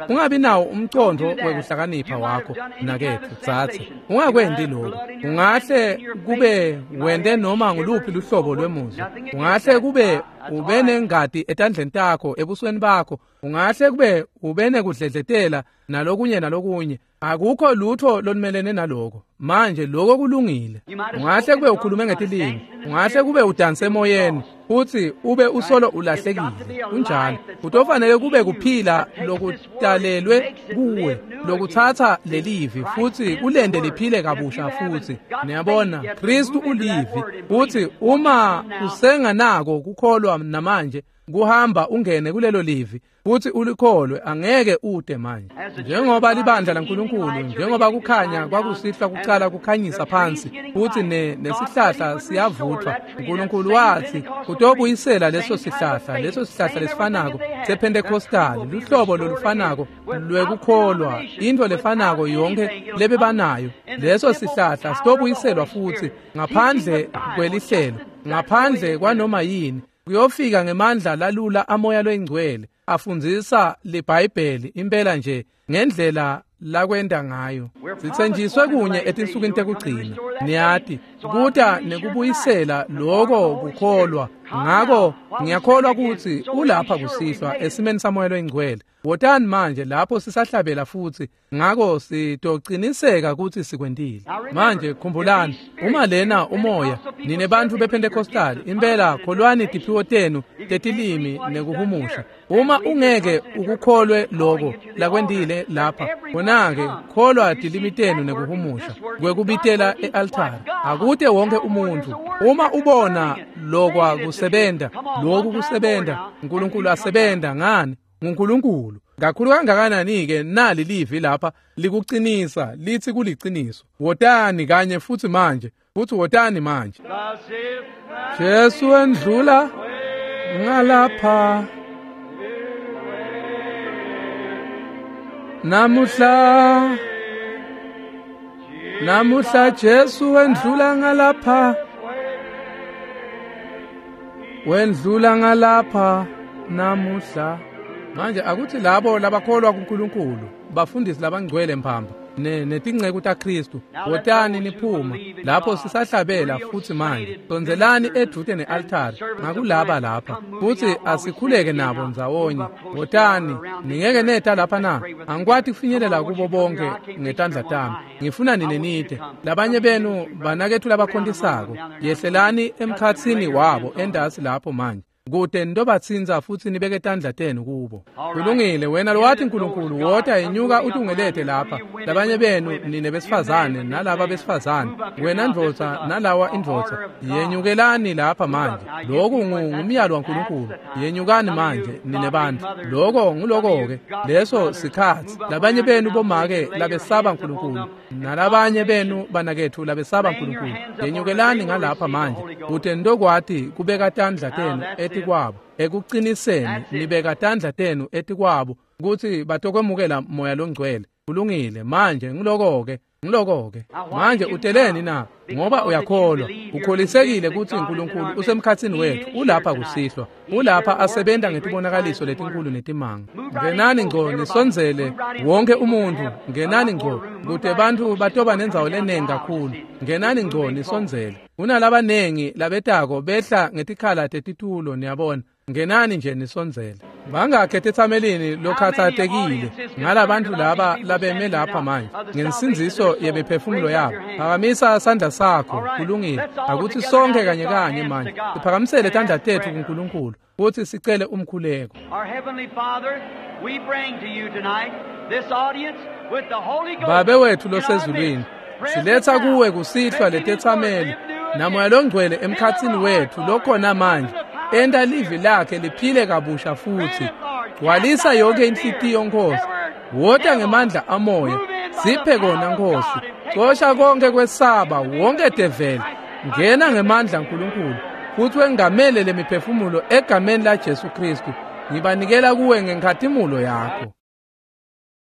ungabi nawo umcondo wekuhlakanipha wakho nakethu tsatse ungakwendi lokho. Ungahle kube wende noma nguluphi luhlobo lwemuzwa, ungahle kube ube nengati etandleni takho ebusweni bakho, ungahle kube ube nekudledletela nalokunye nalokunye. Akukho lutho lolumelene naloko. Manje lokho kulungile. Ungahle kube ukhulume ngetilimi, ungahle kube udanse emoyeni futhi ube usolo ulahlekile. Kunjalo. Kutofanele kube kuphila lokutalelwe kuwe lokuthatha lelivi futhi kulende liphile kabusha futhi. Niyabona, Kristu ulivi futhi uma usenganako kukholwa namanje kuhamba ungene kulelo livi futhi ulikholwe angeke ude manje. Njengoba libandla laNkulunkulu, njengoba kukhanya kwakusihlwa kucala kukhanyisa phansi futhi nesihlahla siyavuthwa, uNkulunkulu wathi utobuyisela leso sihlahla, leso sihlahla lesifanako sePentecostal, luhlobo lolufanako lwekukholwa, into lefanako yonke lebebanayo. Leso sihlahla sitobuyiselwa futhi ngaphandle kwelihlelo, ngaphandle kwanoma yini. Kuyofika ngemandla lalula amoya loyingcwele afundzisa liBhayibheli impela nje ngendlela lakwenda ngayo. Sitsenjiswe kunye etinsukwini tekugcina. Niyati kuta nekubuyisela lokho kukholwa. Ngako ngiyakholwa ukuthi ulapha kusihlwa esimeni samoya loyingcwele. Wotani manje lapho sisahlabela futhi, ngako sitociniseka ukuthi sikwentile. Manje khumbulani, uma lena umoya nine bantfu bePentecostal impela kholwani tiphiwo tenu tetilimi nekuhumusha. Uma ungeke ukukholwe lokho lakwentile lapha, khona-ke kholwa tilimi tenu nekuhumusha kwekubitela e-altare. Akute wonke umuntu. Uma ubona lokwa kusebenta, lokhu kusebenta, uNkulunkulu asebenta ngani? nguNkulunkulu. Kakhulu kangakanani-ke nali livi lapha likuqinisa lithi kuliciniso. Wotani kanye futhi manje, futhi wotani manje. Jesu endlula ngalapha namuhla, namuhla Jesu endlula ngalapha, wendlula ngalapha namuhla. Manje akuthi labo labakholwa kuNkulunkulu, bafundisi labangcwele mphamba netinceku taKristu, wotani niphuma lapho sisahlabela futhi manje. Sondelani edvute ne-altari ngakulaba lapha futhi asikhuleke nabo ndzawonye. Wotani, ningeke neta lapha na? Angikwati kufinyelela kubo bonke ngetandla tami. Ngifuna nine nite. Labanye benu banakethu labakhontisako, yehlelani emkhatsini wabo endasi lapho manje. Kude nitobatsinza futhi nibeke tandla tenu kubo. Kulungile, wena lowathi uNkulunkulu wota inyuka utungelete lapha. Labanye benu nine besifazane nalaba besifazane, wena ndvodza nalawa indvodza, yenyukelani lapha manje. Lokhu ngumyalo waNkulunkulu. Yenyukani manje nine bantu. Lokho nguloko-ke leso sikhathi. Labanye benu bomake labesaba uNkulunkulu nalabanye benu banakethu labesaba uNkulunkulu, yenyukelani ngalapha manje. Kude nitokwati kubeka tandla tenu etikwabo ekuqiniseni, nibeka tandla tenu etikwabo ukuthi batokwemukela moya longcwele. Kulungile, manje ngiloko-ke, ngiloko-ke. Manje uteleni na? Ngoba uyakholwa, ukholisekile ukuthi uNkulunkulu usemkhatsini wethu, ulapha kusihlwa, ulapha asebenta ngetibonakaliso letinkulu netimanga. Ngenani ngco nisondzele wonke umuntu, ngenani ngco kute bantfu batoba nendzawo lenengi kakhulu. Ngenani ngco nisondzele. Kunalabanengi labetako behla ngetikhala tetitulo, niyabona. Ngenani nje nisondzele. Bangakhe ethethamelini lokhathatekile ngalabantu laba labeme lapha manje ngensindziso yemiphefumulo yabo. Phakamisa sandla sakho. Kulungile, akuthi sonke kanye kanye manje siphakamisele tandla tethu kuNkulunkulu futhi sicele umkhuleko. Babe wethu losezulwini, siletha kuwe kusihlwa letethameli namoya longcwele emkhatsini wethu lokhona manje enta livi lakhe liphile kabusha futsi. Gcwalisa yonkhe inhlitiyo, Nkhosi. Wota ngemandla amoya, siphe kona, Nkhosi. Cosha konke kwesaba, wonke develi. Ngena ngemandla Nkulunkulu, futhi wengamele lemiphefumulo egameni laJesu Kristu. Ngibanikela kuwe ngenkhatimulo yakho.